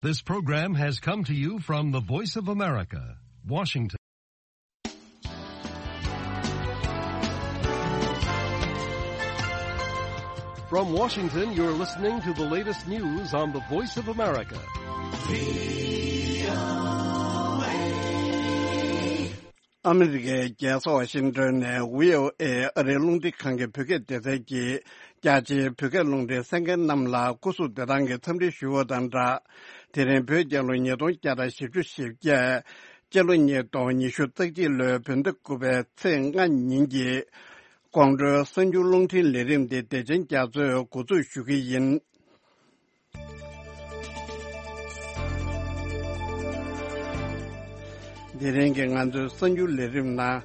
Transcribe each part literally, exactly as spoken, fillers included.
This program has come to you from the Voice of America, Washington. From Washington, you're listening to the latest news on the Voice of America. ཨ་མི་རི་ཀའི་རྒྱལ་ས་ཝ་ཤིང་ཏོན་ནས་བྷི་ཨོ་ཨེ་ཨ་རིའི་རླུང་འཕྲིན་ཁང་གི་བོད་སྐད་སྡེ་ཚན་གྱིས། རྒྱ་ཆེའི་བོད་སྐད་རླུང་འཕྲིན་གསན་མཁན་རྣམས་ལ་སྐུ་གཟུགས་བདེ་ཐང་གི་འཚམས་འདྲི་ཞུ་བ་དང་སྦྲགས། དེ་རིང་བོད་རྒྱལ་ལོ་ཉིས་སྟོང་བརྒྱ་དང་བཞི་བཅུ་ཞེ་བརྒྱད། སྤྱི་ལོ་ཉིས་སྟོང་ཉི་ཤུ་རྩ་གཅིག་ལོའི་བོད་ཟླ་དགུ་པའི་ཚེས་ལྔ་ཉིན་གྱི་དགོང་དྲོའི་གསར་འགྱུར་རླུང་འཕྲིན་ལས་རིམ་འདི་བདེ་ཆེན་རྒྱ་མཚོས་འགོ་འཛུགས་ཞུ་གི་ཡིན། དེ་རིང་གི་ང་ཚོའི་གསར་འགྱུར་ལས་རིམ་ནང་།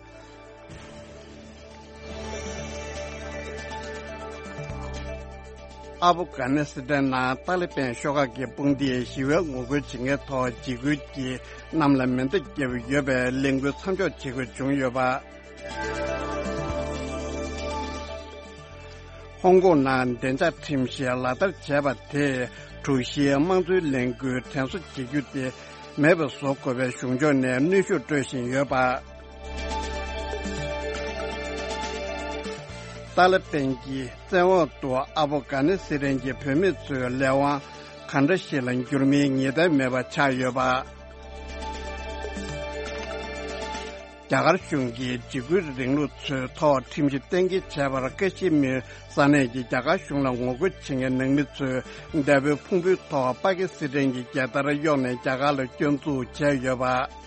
ཨ་ཕོ་གྷ་ནི་སི་ཐན་ནང་ཏཱ་ལི་པན་ཤོག་ཁག་གི་དཔུང་སྡེས་ཞི་བའི་ངོ་རྒོལ་བྱེད་མཁན་ཐོག་འཇིགས་སྐུལ་གྱིས་གནམ་ལ་མེ་མདའ་བརྒྱབ་ཡོད་པའི་ལས་འགུལ་མཚམས་འཇོག་བྱེད་དགོས་བྱུང་ཡོད་པ། ཧོང་ཀོང་ནང་བདེ་འཇགས་ཁྲིམས་གཞི་ལག་བསྟར་བྱས་པ་དེས་དྲུག་བཞིའི་དམངས་གཙོའི་ལས་འགུལ་དྲན་གསོ་བྱེད་རྒྱུ་དེ་མེད་པར་བཟོ་དགོས་པའི་གཞུང་ཕྱོགས་ནས་གནོན་ཤུགས་སྤྲོད་བཞིན་ཡོད་པ། ཏཱ་ལི་པན་གྱི་བཙན་འོག་ཏུ་ཨ་ཕོ་གྷ་ནི་སི་ཐན་གྱི་བུད་མེད་ཚོའི་ལས་དབང་ག་འདྲ་ཞིག་ལ་འགྱུར་མིན་ངེས་གཏན་མེད་པ་ཆགས་ཡོད་པ། རྒྱ་གར་གཞུང་གིས་འཇིགས་སྐུལ་རིང་ལུགས་ཚོའི་ཐོག་ཁྲིམས་གཞི་གཏན་འཁེལ་བྱས་པར་ཀ་ཤི་མིར་ས་གནས་ཀྱི་རྒྱ་གར་གཞུང་ལ་ངོ་རྒོལ་བྱེད་མཁན་ནང་མི་ཚོས་འདས་པོའི་ཕུང་པོའི་ཐོག་པ་ཀི་སི་ཐན་གྱི་རྒྱལ་དར་གཡོགས་ནས་རྒྱ་གར་ལ་སྐྱོད་འཛུགས་བྱས་ཡོད་པ།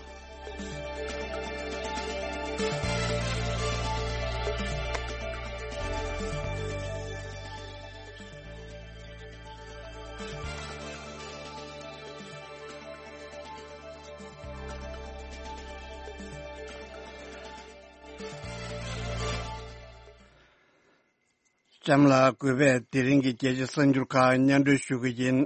གཤམ་ལ་གུས་པས་དེ་རིང་གི་རྒྱལ་སྤྱིའི་གསར་འགྱུར་ཁག་སྙན་སྒྲོན་ཞུ་གི་ཡིན།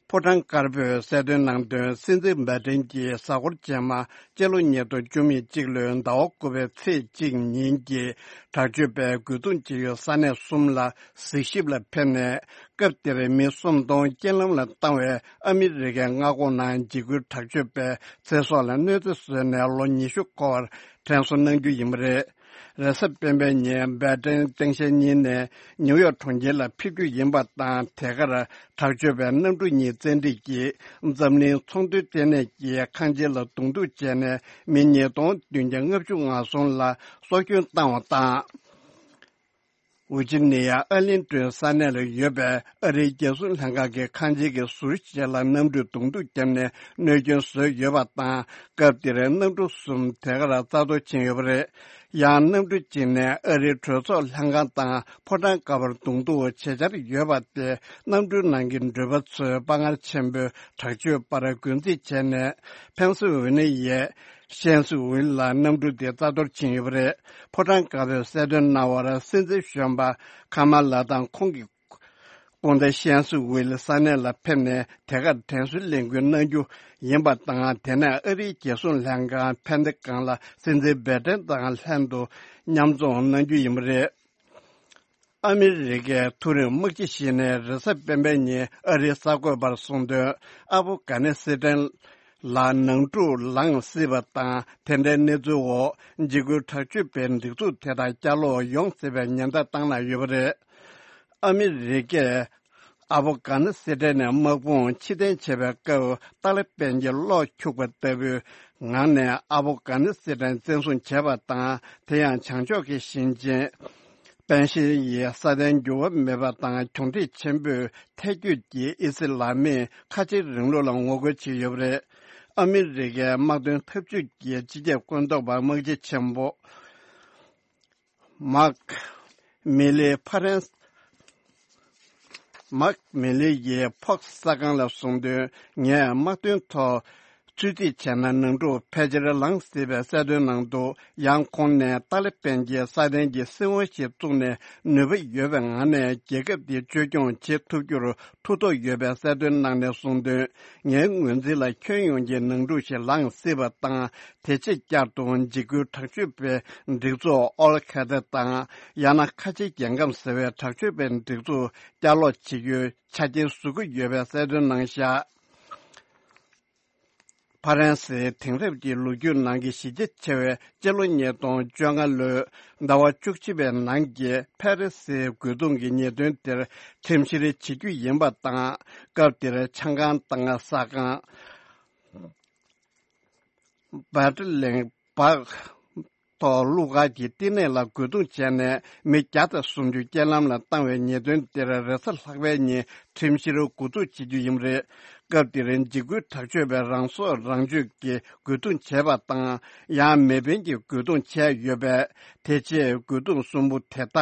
ཕོ་བྲང་དཀར་པོས་གསལ་སྟོན་གནང་དོན། སྲིད་འཛིན་བྷའི་ཌེན་གྱི་གཟའ་འཁོར་རྗེས་མ་སྤྱི་ལོ་ཉིས་སྟོང་བཅུ་མེད་གཅིག་ལོའི་ཟླ་བ་དགུ་པའི་ཚེས་གཅིག་ཉིན་གྱི་དྲག་སྤྱོད་པས་རྒོལ་རྡུང་བྱེད་ཡུལ་ས་གནས་གསུམ་ལ་གཟིགས་ཞིབ་ལ་ཕེབས་ནས། སྐབས་དེར་མི་སུམ་སྟོང་རྐྱེན་ལམ་ལ་བཏང་བའི་ཨ་མི་རི་ཀའི་མངའ་ཁོངས་ནང་འཇིགས་སྐུལ་དྲག་སྤྱོད་པས་ཚེ་སྲོག་ལ་གནོད་འཚེ་བཟོས་ནས་ལོ་ཉི་ཤུ་འཁོར་བར་དྲན་གསོ་གནང་རྒྱུ་ཡིན་པ་རེད། རེས་གཟའ་སྤེན་པའི་ཉིན་བྷའི་ཌེན་སྟངས་དཔྱལ་གཉིས་ནས་ནིའུ་ཡོག་གྲོང་ཁྱེར་ལ་ཕེབས་རྒྱུ་ཡིན་པ་དང་། དེ་གར་དྲག་སྤྱོད་པས་གནམ་གྲུ་གཉིས་བཙན་ཁྲིད་ཀྱིས་འཛམ་གླིང་ཚོང་དོན་ལྟེ་གནས་ཀྱི་ཁང་ཆེན་ལ་གདོང་ཐུག་བྱས་ནས་མི་ཉིས་སྟོང་བདུན་བརྒྱ་ལྔ་བཅུ་ང་གསུམ་ལ་སྲོག་སྐྱོན་བཏང་བ་དང་། ཝི་ཇི་ནི་ཡ་ཨར་ལིང་ཏོན་ས་གནས་ལ་ཡོད་པའི་ཨ་རིའི་རྒྱལ་སྲུང་ལྷན་ཁང་གི་ཁང་ཆེན་གྱི་ཟུར་ཞིག་ལ་གནམ་གྲུས་གདོང་ཐུག་བརྒྱབ་ནས་གནོད་སྐྱོན་བཟོས་ཡོད་པ་དང་། སྐབས་དེར་གནམ་གྲུ་གསུམ་དེ་གར་རྩ་གཏོར་ཕྱིན་ཡོད་པ་རེད། ཡང་གནམ་གྲུ་གཅིག་ནས་ཨ་རིའི་གྲོས་ཚོགས་ལྷན་ཁང་དང་ཕོ་བྲང་དཀར་པོར་གདོང་ཐུག་བྱེད་འཆར་ཡོད་པ་དེ། གནམ་གྲུའི་ནང་གི་འགྲུལ་པ་ཚོས་དཔའ་ངར་ཆེན་པོས་དྲག་སྤྱོད་པར་རྒོལ་རྩིས་བྱས་ནས། ཕན་སི་ཝེ་ནི་ཡའི་ཤན་སི་ཝིལ་ལ་གནམ་གྲུ་དེ་རྩ་གཏོར་ཕྱིན་ཡོད་པ་རེད། ཕོ་བྲང་དཀར་པོས་གསལ་སྟོན་གནང་བར། སྲིད་འཛིན་གཞོན་པ་ཁ་མ་ལ་དང་ཁོང་གི་སྐུ་ཟླ་ཤན་སི་ཝིལ་ས་གནས་ལ་ཕེབས་ནས། དེ་གར་དྲན་གསོའི་ལས་འགུལ་གནང་རྒྱུ་ཡིན་པ་དང་། དེ་ནས་ཨ་རིའི་རྒྱལ་སྲུང་ལྷན་ཁང་ཕན་ཏེ་ཀང་ལ་སྲིད་འཛིན་བྷའི་ཏན་དང་ལྷན་དུ་མཉམ་འཛོམས་གནང་རྒྱུ་ཡིན་པ་རེད། ཨ་མི་རི་ཀའི་མཐོ་རིམ་དམག་སྤྱི་ཞིག་ནས་རེས་གཟའ་སྤེན་པའི་ཉིན་ཨ་རིའི་གསར་འགོད་པར་གསུངས་དོན། ཨ་ཕོ་གྷ་ནི་སི་ཐན་ལ་ནང་འཁྲུག་ལངས་སྲིད་པ་དང་། དེ་འདྲའི་གནས་ཚུལ་འོག་འཇིགས་སྐུལ་དྲག་སྤྱོད་པའི་སྒྲིག་འཛུགས་དེ་དག་བསྐྱར་ལོག་ཡོང་སྲིད་པའི་ཉེན་བརྡ་བཏང་གནང་ཡོད་པ་རེད། ཨ་མི་རི་ཀས་ཨ་ཕོ་གྷ་ནི་སི་ཐན་ནས་དམག་དཔུང་ཕྱིར་འཐེན་བྱེད་པའི་སྐབས། ཏཱ་ལི་པན་གྱིས་གློག་འཁྱུག་པ་ལྟ་བུའི་ངང་ནས་ཨ་ཕོ་གྷ་ནི་སི་ཐན་བཙན་བཟུང་བྱས་པ་དང་། དེ་ཡང་བྱང་ཕྱོགས་ཀྱི་ཞིང་ཆེན་པན་ཤེར་ཡི་སྲ་བརྟན་འགྱུར་བ་མེད་པ་དང་། གྱོང་ཐིག་ཆེན་པོས་ཐལ་སྐྱོད་ཀྱིས་ཨི་སི་ལ་མིའི་ཁ་ཆེའི་རིང་ལུགས་ལ་ངོ་རྒོལ་བྱས་ཡོད་པ་རེད། ཨ་མི་རི་ཀའི་དམག་དོན་འཐབ་ཇུས་ཀྱི་སྤྱི་ཁྱབ་བཀོད་འདོམས་པ་དམག་སྤྱི་ཆེན་པོ་མཱག་མི་ལི་ཕ་རན་མཱག་མི་ལི་ཡིས་ཕོག་སི་གསར་ཁང་ལ་གསུངས་དོན། ངས་དམག་དོན་ཐོག་ཚོད་རྩིས་བྱས་ན། ནང་འཁྲུག་ཕལ་ཆེར་ལངས་སྲིད་པའི་གསལ་སྟོན་གནང་འདུག་ཡང་ཁོང་ནས་ཏཱ་ལི་པན་གྱིས་སྲ་བརྟན་གྱི་སྲིད་དབང་ཞིག་བཙུགས་ནས། ནུས་པ་ཡོད་པའི་ངང་ནས་རྒྱལ་ཁབ་འདི་བཅོས་སྐྱོང་བྱེད་ཐུབ་རྒྱུར་ཐུགས་ཐོག་ཡོད་པའི་གསལ་སྟོན་གནང་ནས་གསུངས་དོན། ངའི་ངོས་འཛིན་ལ་ཁྱོན་ཡོངས་ཀྱི་ནང་འཁྲུག་ཞིག་ལངས་སྲིད་པ་དང་། དེ་ཆེས་བསྐྱར་དུ་འཇིགས་སྐུལ་དྲག་སྤྱོད་པའི་སྒྲིག་འཛུགས་ཨོལ་ཁ་ཏ་དང་། ཡང་ན་ཁ་ཆེའི་རྒྱལ་ཁམས་ཟེར་བའི་དྲག་སྤྱོད་པའི་སྒྲིག་འཛུགས་བསྐྱར་ལོག་བྱེད་རྒྱུའི་ཆ་རྐྱེན་བཟོ་གི་ཡོད་པའི་གསལ་སྟོན་གནང་བཞག་ཕ་རན་སིའི་དེང་རབས་ཀྱི་ལོ་རྒྱུས་ནང་གི་གཞི་རྒྱ་ཆེ་བའི་སྤྱི་ལོ་ཉིས་སྟོང་བཅོ་ལྔ་ལོའི་ཟླ་བ་བཅུ་གཅིག་པའི་ནང་གི་ཕ་རི་སིའི་རྒོལ་རྡུང་གི་ཉེས་དོན་དེར་ཁྲིམས་བཤེར་བྱེད་རྒྱུ་ཡིན་པ་དང་། སྐབས་དེར་ཆང་ཁང་དང་ཟ་ཁང་། སྦར་ལིན་པར་ཐོག་གླུ་གར་གྱི་བསྟི་གནས་ལ་རྒོལ་རྡུང་བྱས་ནས་མི་བརྒྱ་དང་སུམ་ཅུ་རྐྱེན་ལམ་ལ་བཏང་བའི་ཉེས་དོན་དེར་རེས་གཟའ་ལྷག་པའི་ཉིན་ཁྲིམས་བཤེར་འགོ་འཛུགས་བྱེད་རྒྱུ་ཡིན་པ་རེད། སྐབས་དེར་འཇིགས་སྐུལ་དྲག་སྤྱོད་པས་རང་སྲོག་རང་གཅོད་ཀྱི་རྒོལ་རྡུང་བྱས་པ་དང་། ཡང་མེ་འཕེན་གྱི་རྒོལ་རྡུང་བྱས་ཡོད་པས། དེ་རྗེས་རྒོལ་རྡུང་གསུམ་པོ་དེ་དག་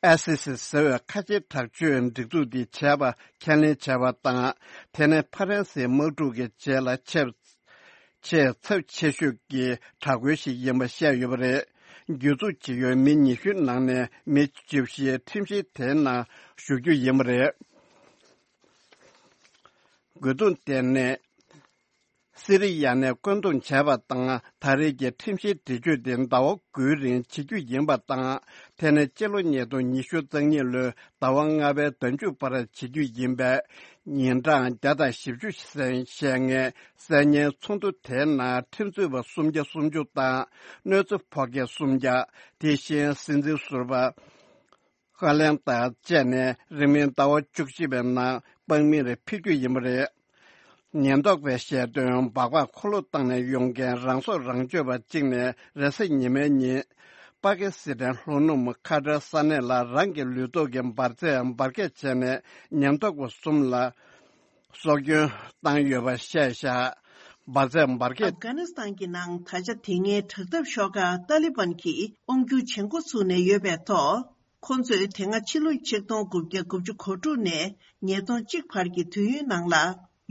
ཨའི་སི་སི་ཟེར་བའི་ཁ་ཆེའི་དྲག་སྤྱོད་སྒྲིག་འཛུགས་འདིས་བྱས་པ་ཁས་ལེན་བྱས་པ་དང་། དེ་ནི་ཕ་རན་སིའི་དམག་འཁྲུག་གི་རྗེས་ལ་ཆེས་ཆེས་ཚབས་ཆེ་ཤོས་ཀྱི་དྲག་རྒོལ་ཞིག་ཡིན་པ་བཤད་ཡོད་པ་རེད། གྱོད་འཛུགས་བྱེད་ཡུལ་མི་ཉི་ཤུའི་ནང་ནས་མི་བཅུ་བཞི་ཁྲིམས་བཤེར་དེའི་ནང་ཞུགས་རྒྱུ་ཡིན་པ་རེད། རྒོལ་རྡུང་དེ་ནི་སི་རི་ཡ་ནས་བཀོད་འདོམས་བྱས་པ་དང་། ད་རེས་ཀྱི་ཁྲིམས་བཤེར་འདྲི་གཅོད་དེ་ཟླ་བ་དགུའི་རིང་བྱེད་རྒྱུ་ཡིན་པ་དང་། དེ་ནི་སྤྱི་ལོ་ཉིས་སྟོང་ཉི་ཤུ་རྩ་གཉིས་ལོའི་ཟླ་བ་ལྔ་པའི་ཟླ་མཇུག་བར་བྱེད་རྒྱུ་ཡིན་པས། ཉིན་གྲངས་བརྒྱ་དང་བཞི་བཅུ་ཞེས་ཞེས་ངེས། གསན་ཉན་ཚོགས་འདུ་དེའི་ནང་ཁྲིམས་རྩོད་པ་སུམ་བརྒྱ་སུམ་ཅུ་དང་། གནོད་འཚེ་ཕོག་མཁན་སུམ་བརྒྱ། དེ་བཞིན་སྲིད་འཛིན་ཟུར་པ་ཧ་ལན་དང་བཅས་ནས་རིང་མིན་ཟླ་བ་བཅུ་གཅིག་པའི་ནང་དམག་མིར་ཕུད་རྒྱུ་ཡིན་པ་རེད། ཉེན་རྟོག་པས་བཤད་དོན། སྦག་སྦག་འཁོར་ལོ་བཏང་ནས་ཡོང་མཁན་རང་སྲོག་རང་གཅོད་པ་གཅིག་ནས་རེས་གཟའ་ཉི་མའི་ཉིན། པ་ཀི་སི་ཐན་ལྷོ་ནུབ་ཁ་ཏྲ་ས་གནས་ལ་རང་གི་ལུས་ཐོག་གི་འབར་རྫས་འབར་གས་བྱས་ནས་ཉེན་རྟོག་པ་གསུམ་ལ་སྲོག་སྐྱོན་བཏང་ཡོད་པ་བཤད་བཞག་འབར་རྫས་འབར་གས། ཨབ་གྷ་ནི་སི་ཐན་གྱི་ནང་ད་ཆ་དེ་སྔའི་དྲག་འཐབ་ཤོག་ཁག་ཏཱ་ལི་བན་གྱིས་དབང་སྒྱུར་བྱེད་འགོ་ཚུགས་ནས་ཡོད་པའི་ཐོག་ཁོ་ཚོས་དེ་སྔ་ཕྱི་ལོ་ཆིག་སྟོང་དགུ་བརྒྱ་དགུ་བཅུ་གོ་དྲུག་ནས་ཉིས་སྟོང་གཅིག་བར་གྱི་དུས་ཡུན་ནང་ལ།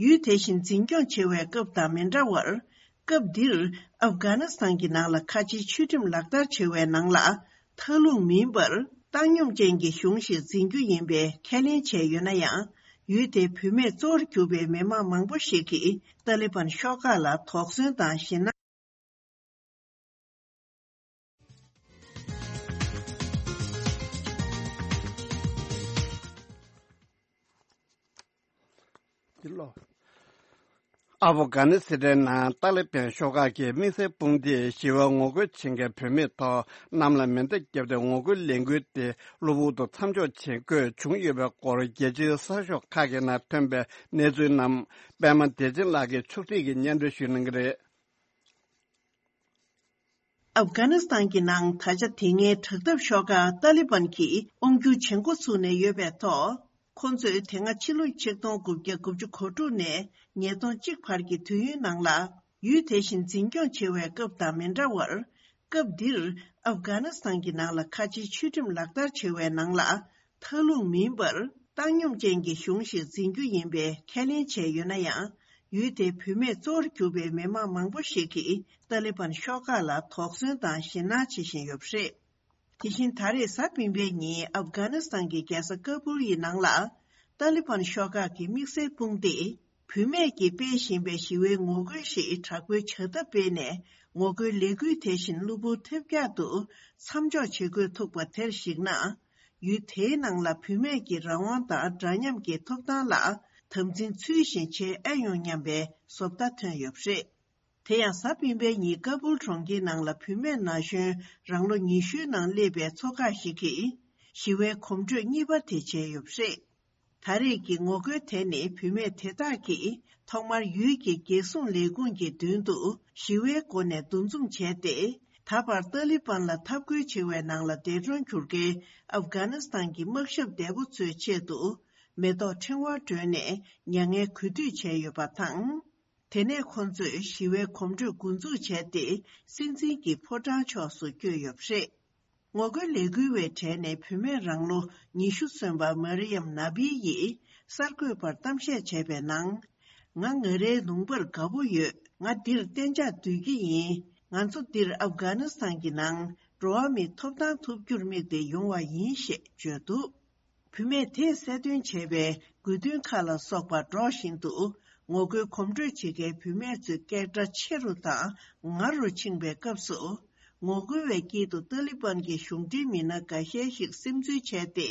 ཡུལ་དེ་བཞིན་འཛིན་སྐྱོང་བྱེད་པའི་སྐབས་དང་མི་འདྲ་བར། སྐབས་འདིར་ཨབ་གྷ་ནི་སི་ཐན་གྱི་ནང་ལ་ཁ་ཆེའི་ཆོས་ཁྲིམས་ལག་བསྟར་བྱེད་པའི་ནང་ལ། མཐའ་ལྷུང་མིན་པར། བཏང་སྙོམས་ཅན་གྱི་གཞུང་ཞིག་འཛིན་རྒྱུ་ཡིན་པའི་ཁས་ལེན་བྱས་ཡོད་ན་ཡང་། ཡུལ་དེའི་བུད་མེད་གཙོ་བོར་གྱུར་པའི་མི་མང་མང་པོ་ཞིག་གིས་ཏཱ་ལི་བན་ཤོག་ཁག་ལ་དོགས་ཟོན་དང་ཞེད་སྣང་། འདི་ལོ། ཨ་ཕོ་གྷ་ནི་སི་ཐན་ནང་ཏཱ་ལི་བན་ཤོག་ཁག་གི་དམིགས་བསལ་དཔུང་སྡེས་ཞི་བའི་ངོ་རྒོལ་བྱེད་མཁན་བུད་མེད་ཐོག་གནམ་ལ་མེ་མདའ་བརྒྱབ་སྟེ་ངོ་རྒོལ་ལས་འགུལ་དེ་གློ་བུར་དུ་མཚམས་འཇོག་བྱེད་དགོས་བྱུང་ཡོད་པའི་སྐོར་རྒྱལ་སྤྱིའི་གསར་ཤོག་ཁག་གི་ནང་ཐོན་པའི་གནས་ཚུལ་རྣམས་པད་མ་བདེ་ཆེན་ལགས་ཀྱིས་ཕྱོགས་སྒྲིག་གིས་སྙན་སྒྲོན་ཞུ་གནང་གི་རེད། ཨབ་གྷ་ནི་སི་ཐན་གྱི་ནང་ད་ཆ་དེ་སྔའི་དྲག་འཐབ་ཤོག་ཁག་ཏཱ་ལི་བན་གྱིས་དབང་སྒྱུར་བྱེད་འགོ་ཚུགས་ནས་ཡོད་པའི་ཐོག་ཁོ་ཚོས་དེ་སྔ་ཕྱི་ལོ་ཆིག་སྟོང་དགུ་བརྒྱ་དགུ་བཅུ་གོ་དྲུག་ནས་ཉིས་སྟོང་གཅིག་བར་གྱི་དུས་ཡུན་ནང་ལ། ཡུལ་དེ་བཞིན་འཛིན་སྐྱོང་བྱེད་པའི་སྐབས་དང་མི་འདྲ་བར། སྐབས་འདིར་ཨབ་གྷ་ནི་སི་ཐན་གྱི་ནང་ལ་ཁ་ཆེའི་ཆོས་ཁྲིམས་ལག་བསྟར་བྱེད་པའི་ནང་ལ། མཐའ་ལྷུང་མིན་པར། བཏང་སྙོམས་ཅན་གྱི་གཞུང་ཞིག་འཛིན་རྒྱུ་ཡིན་པའི་ཁས་ལེན་བྱས་ཡོད་ན་ཡང་། ཡུལ་དེའི་བུད་མེད་གཙོ་བོར་གྱུར་པའི་མི་མང་མང་པོ་ཞིག་གིས་ཏཱ་ལི་བན་ཤོག་ཁག་ལ་དོགས་ཟོན་དང་ཞེད་སྣང་བྱེད་བཞིན་ཡོད་པ་རེད། དེ་བཞིན་ད་རེས་གཟའ་སྤེན་པའི་ཉིན་ཨབ་གྷ་ནི་སི་ཐན་གྱི་རྒྱལ་ས་ཀ་བུལ་ཡི་ནང་ལ། ཏཱ་ལི་བན་ཤོག་ཁག་གི་དམིགས་བསལ་དཔུང་སྡེས། བུད་མེད་ཀྱིས་སྤེལ་བཞིན་པའི་ཞི་བའི་ངོ་རྒོལ་ཞིག་དྲག་པོའི་བྱ་ཐབས་སྤེལ་ནས། ངོ་རྒོལ་ལས་འགུལ་དེ་བཞིན་གློ་བུར་ཐེབས་རྒྱག་ཏུ་མཚམས་འཇོག་བྱེད་དགོས་ཐུག་པ་དེར་གཞིགས་ན། ཡུལ་དེའི་ནང་ལ་བུད་མེད་ཀྱི་རང་དབང་དང་འདྲ་མཉམ་གྱི་ཐོབ་ཐང་ལ་དམ་འཛིན་ཚུལ་བཞིན་བྱེད་ཨེ་ཡོང་སྙམ་པའི་བཟོ་ལྟ་ཐོན་ཡོད་པ་རེད། དེ་ཡང་གཟའ་སྤེན་པའི་ཉིན་ཀ་བུལ་གྲོང་ཁྱེར་ནང་ལ་བུད་མེད་ན་གཞོན་རང་ལོ་ཉི་ཤུའི་ནང་སླེབས་པའི་ཚོ་ཁག་ཞིག་གིས་ཞི་བའི་གོམ་བགྲོད་གཉིས་པ་དེ་བྱས་ཡོད་པ་རེད། ད་རེས་ཀྱི་ངོ་རྒོལ་དེ་ནི་བུད་མེད་དེ་དག་གིས་ཐོག་མར་ཡུལ་གྱི་རྒྱལ་སྲུང་ལས་ཁུངས་ཀྱི་མདུན་དུ་ཞི་བའི་སྒོ་ནས་འདུ་འཛོམས་བྱས་ཏེ། ད་བར་ཏཱ་ལི་བན་ལ་འཐབ་རྒོལ་བྱེད་པའི་ནང་ལ་འདས་གྲོངས་གྱུར་མཁན་ཨབ་གྷ་ནི་སི་ཐན་གྱི་དམག་ཞབས་འདས་པོ་ཚོའི་ཆེད་དུ་མེ་ཏོག་ཕྲེང་བ་སྒྲོན་ནས་མྱ་ངན་གུས་འདུད་བྱས་ཡོད་པ་དང་། དེ་ནས་ཁོང་ཚོས་ཞི་བའི་གོམ་བགྲོད་འགོ་འཛུགས་བྱས་ཏེ། སྲིད་འཛིན་གྱི་ཕོ་བྲང་ཕྱོགས་སུ་བསྐྱོད་ཡོད་པ་རེད། ངོ་རྒོལ་ལས་འགུལ་བའི་གྲས་ནས་བུད་མེད་རང་ལོ་ཉི་ཤུ་སོན་པ་མ་རི་ཡམ་ན་བི་ཡིས་གསར་འགོད་པར་གཏམ་བཤད་བྱས་པའི་ནང་། ང་ང་རའི་ལུང་པར་དགའ་པོ་ཡོད། ང་འདིར་གཏན་འཇགས་སྡོད་ཀྱི་ཡིན། ང་ཚོ་འདིར་ཨབ་གྷ་ནི་སི་ཐན་གྱི་ནང་འགྲོ་བ་མིའི་ཐོབ་ཐང་ཐོབ་རྒྱུར་དམིགས་ཏེ་ཡོང་བ་ཡིན་ཞེས་བརྗོད་འདུག་བུད་མེད་དེས་གསལ་སྟོན་བྱས་པའི་དགོས་འདུན་ཁག་ལ་སོགས་པ་སྒྲོག་བཞིན་དུ། ངོ་རྒོལ་གོམ་བགྲོད་བྱེད་མཁན་བུད་མེད་ཚོའི་སྐད་སྒྲ་ཆེ་རུ་དང་ངར་རུ་ཕྱིན་པའི་སྐབས་སུ། ངོ་རྒོལ་བའི་དཀྱིལ་དུ་ཏཱ་ལི་བན་གྱི་གཞུང་འབྲེལ་མི་སྣ་འགའ་ཤས་ཤིག་སིམ་འཛུལ་བྱས་ཏེ།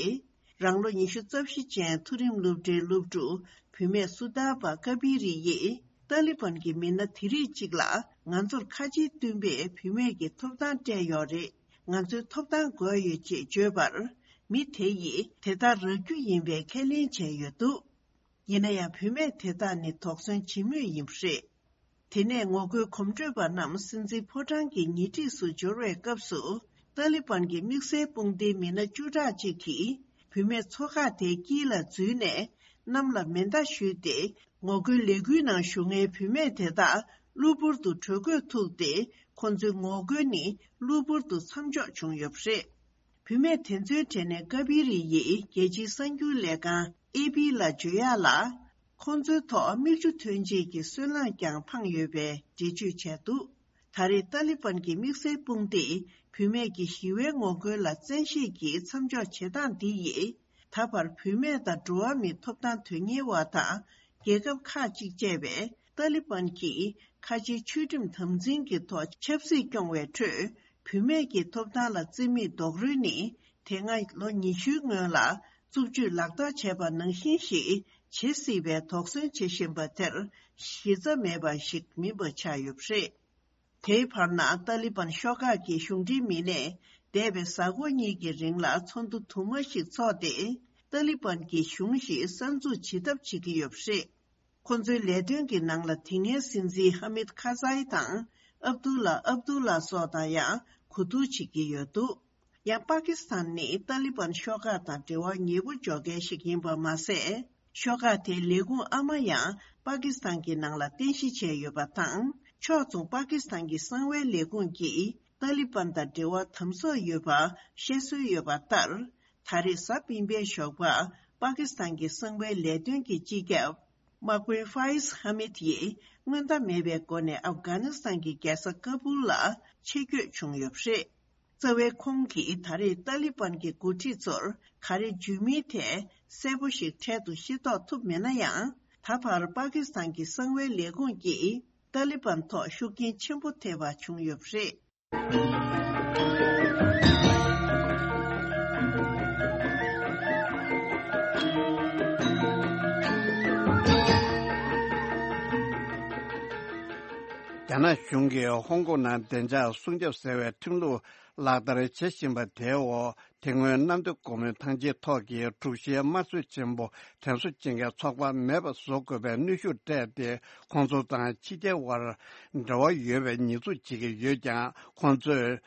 རང་ལོ་ཉི་ཤུ་རྩ་བཞི་ཅན་མཐོ་རིམ་སློབ་གྲྭའི་སློབ་ཕྲུག་བུད་མེད་སུ་དཱ་བ་ཀ་བི་རི་ཡིས། ཏཱ་ལི་བན་གྱི་མི་སྣ་དེ་རིགས་གཅིག་ལ་ང་ཚོར་ཁ་ཆེའི་བསྟུན་པས་བུད་མེད་ཀྱི་ཐོབ་ཐང་སྤྲད་ཡོད་རེད། ང་ཚོའི་ཐོབ་ཐང་དགོས་ཡོད་ཅེས་བརྗོད་པར། མི་དེ་ཡིས་དེ་ལྟར་རག་རྒྱུ་ཡིན་པའི་ཁས་ལེན་བྱས་ཡོད་འདུག་ཡིན་ན་ཡང་བུད་མེད་དེ་དག་ནི་དོགས་ཟོན་བྱེད་མུས་ཡིན་པ་རེད། དེ་ནས་ངོ་རྒོལ་གོམ་བགྲོད་པ་རྣམས་སྲིད་འཛིན་ཕོ་བྲང་གི་ཉེ་འཁྲིས་སུ་འབྱོར་བའི་སྐབས་སུ། ཏཱ་ལི་བན་གྱི་དམིགས་བསལ་དཔུང་སྡེའི་མི་སྣ་བཅུ་ཕྲག་ཅིག་གིས་བུད་མེད་ཚོ་ཁག་དེའི་དཀྱིལ་ལ་འཛུལ་ནས་གནམ་ལ་མེ་མདའ་གཞུས་ཏེ། ངོ་རྒོལ་ལས་འགུལ་ནང་ཞུགས་མཁན་བུད་མེད་དེ་དག་གློ་བུར་དུ་བྲོས་བཀོད་ཐུག་སྟེ། ཁོ་ཚོའི་ངོ་རྒོལ་ནི་གློ་བུར་དུ་མཚམས་འཇོག་བྱུང་ཡོད་པ་རེད། བུད་མེད་དེ་ཚོའི་གྲས་ནས་ཀ་བི་རི་ཡིས་རྒྱལ་སྤྱིའི་གསར་འགྱུར་ལས་ཁང་ཨེ་པི་ལ་བརྗོད་ཡག་ལ། ཁོང་ཚོའི་ཐོག་མིག་ཆུ་ཐོན་བྱེད་ཀྱི་སོལ་རླངས་ཀྱང་འཕངས་ཡོད་པའི་འགྲེལ་བརྗོད་བྱས་འདུག་ད་རེས་ཏཱ་ལི་བན་གྱི་དམིགས་བསལ་དཔུང་སྡེས་བུད་མེད་ཀྱི་ཞི་བའི་ངོ་རྒོལ་ལ་བཙན་ཤེད་ཀྱིས་མཚམས་འཇོག་བྱེད་སྟངས་འདི་ཡིས། ད་བར་བུད་མེད་དང་འགྲོ་བ་མིའི་ཐོབ་ཐང་དོན་གཉེར་བ་དང་། རྒྱལ་ཁབ་ཁག་ཅིག་བཅས་པས་ཏཱ་ལི་བན་གྱིས་ཁ་ཆེའི་ཆོས་ཁྲིམས་དམ་འཛིན་གྱི་ཐོག་ཆབ་སྲིད་སྐྱོང་བའི་ཁྲོད། བུད་མེད་ཀྱི་ཐོབ་ཐང་ལ་བརྩི་མེད་རྡོག་རོལ་ནི། དེ་སྔ་ལོ་ཉི་ཤུའི་སྔོན་ལ་རྩུབ་སྤྱོད་ལག་བསྟར་བྱས་པ་ནང་བཞིན་ཞིག་བྱེད་སྲིད་པའི་དོགས་ཟོན་བྱེད་བཞིན་པ་དེར་གཞི་རྩ་མེད་པ་ཞིག་མིན་པ་ཆགས་ཡོད་པ་རེད། དེའི་བར་ན་ཏཱ་ལི་བན་ཤོག་ཁག་གི་གཞུང་འབྲེལ་མི་སྣས་འདས་པའི་གཟའ་འཁོར་གཉིས་ཀྱི་རིང་ལ་ཚོགས་འདུ་དུ་མ་ཞིག་འཚོགས་ཏེ། ཏཱ་ལི་བན་གྱི་གཞུང་ཞིག་གསར་འཛུགས་བྱེད་ཐབས་བྱེད་ཀྱི་ཡོད་པ་རེད། ཁོ་ཚོའི་ལས་དོན་གྱི་ནང་ལ་དེ་སྔའི་སྲིད་འཛིན་ཧ་མིད་ཁ་ཛའི་དང་། ཨབ་དུ་ལ་ཨབ་དུ་ལ་སོགས་དང་ཡང་གོ་བསྡུར་བྱེད་ཀྱི་ཡོད་འདུག་ཡང་པ་ཀི་སི་ཐན་ནི་ཏཱ་ལི་བན་ཤོག་ཁག་དང་འབྲེལ་བ་ཉེ་པོ་འཇོག་མཁན་ཞིག་ཡིན་པ་མ་ཟད། ཤོག་ཁག་དེའི་ལས་ཁུངས་ཨ་མ་ཡང་པ་ཀི་སི་ཐན་གྱི་ནང་ལ་རྟེན་གཞི་བྱས་ཡོད་པ་དང་། ཕྱོགས་མཚུངས་པ་ཀི་སི་ཐན་གྱི་གསང་བའི་ལས་ཁུངས་ཀྱིས་ཏཱ་ལི་བན་དང་འབྲེལ་བ་དམ་ཟབ་ཡོད་པ་བཤད་སྲོལ་ཡོད་པ་ལྟར། ད་རེས་གཟའ་སྤེན་པའི་ཞོགས་པ་པ་ཀི་སི་ཐན་གྱི་གསང་བའི་ལས་དོན་གྱི་སྤྱི་ཁྱབ། མ་ཀུན་ཧྥ་ཡིས་ཧ་མིད་ཡིས་སྔོན་བརྡ་མེད་པའི་སྒོ་ནས་ཨབ་གྷ་ནི་སི་ཐན་གྱི་རྒྱལ་ས་ཀ་བུལ་ལ་ཆེད་བསྐྱོད་བྱུང་ཡོད་པ་རེད། རྩ་བའི་ཁོང་གིས་ད་རེས་ཏཱ་ལི་བན་གྱི་འགོ་ཁྲིད་ཚོར་ག་རེ་བརྗོད་མིན་ཐད་གསལ་པོ་ཞིག་འཕྲལ་དུ་ཤེས་རྟོགས་ཐུབ་མེད་ན་ཡང་། ད་བར་པ་ཀི་སི་ཐན་གྱི་གསང་བའི་ལས་ཁུངས་ཀྱིས་ཏཱ་ལི་བན་ཐོག་ཤུགས་རྐྱེན་ཆེན་པོ་ཐེབས་པ་བྱུང་ཡོད་པ་རེད། རྒྱ་ནག་གཞུང་གིས་ཧོང་ཀོང་ནང་བདེ་འཇགས་སྲུང་སྐྱོབ་ཟེར་བའི་ཁྲིམས་ལུགས་ལག་བསྟར་བྱེད་བཞིན་པ་དེའི་འོག་དེ་སྔོན་གནམ་བདེ་སྒོ་མོའི་ཐང་ཆེན་ཐོག་གི་དྲུག་བཞིའི་དམར་གསོད་ཆེན་པོ་དྲན་གསོ་བྱེད་མཁན་ཚོགས་པ་མེད་པ་བཟོ་དགོས་པའི་གནོན་ཤུགས་སྤྲད་དེ། ཁོང་ཚོ་དང་ཕྱི་རྒྱལ་དབར་འབྲེལ་བ་ཡོད་པའི་ཉེས་འཛུགས་བྱེད་ཀྱི་ཡོད་ཀྱང་། ཁོང་ཚོས་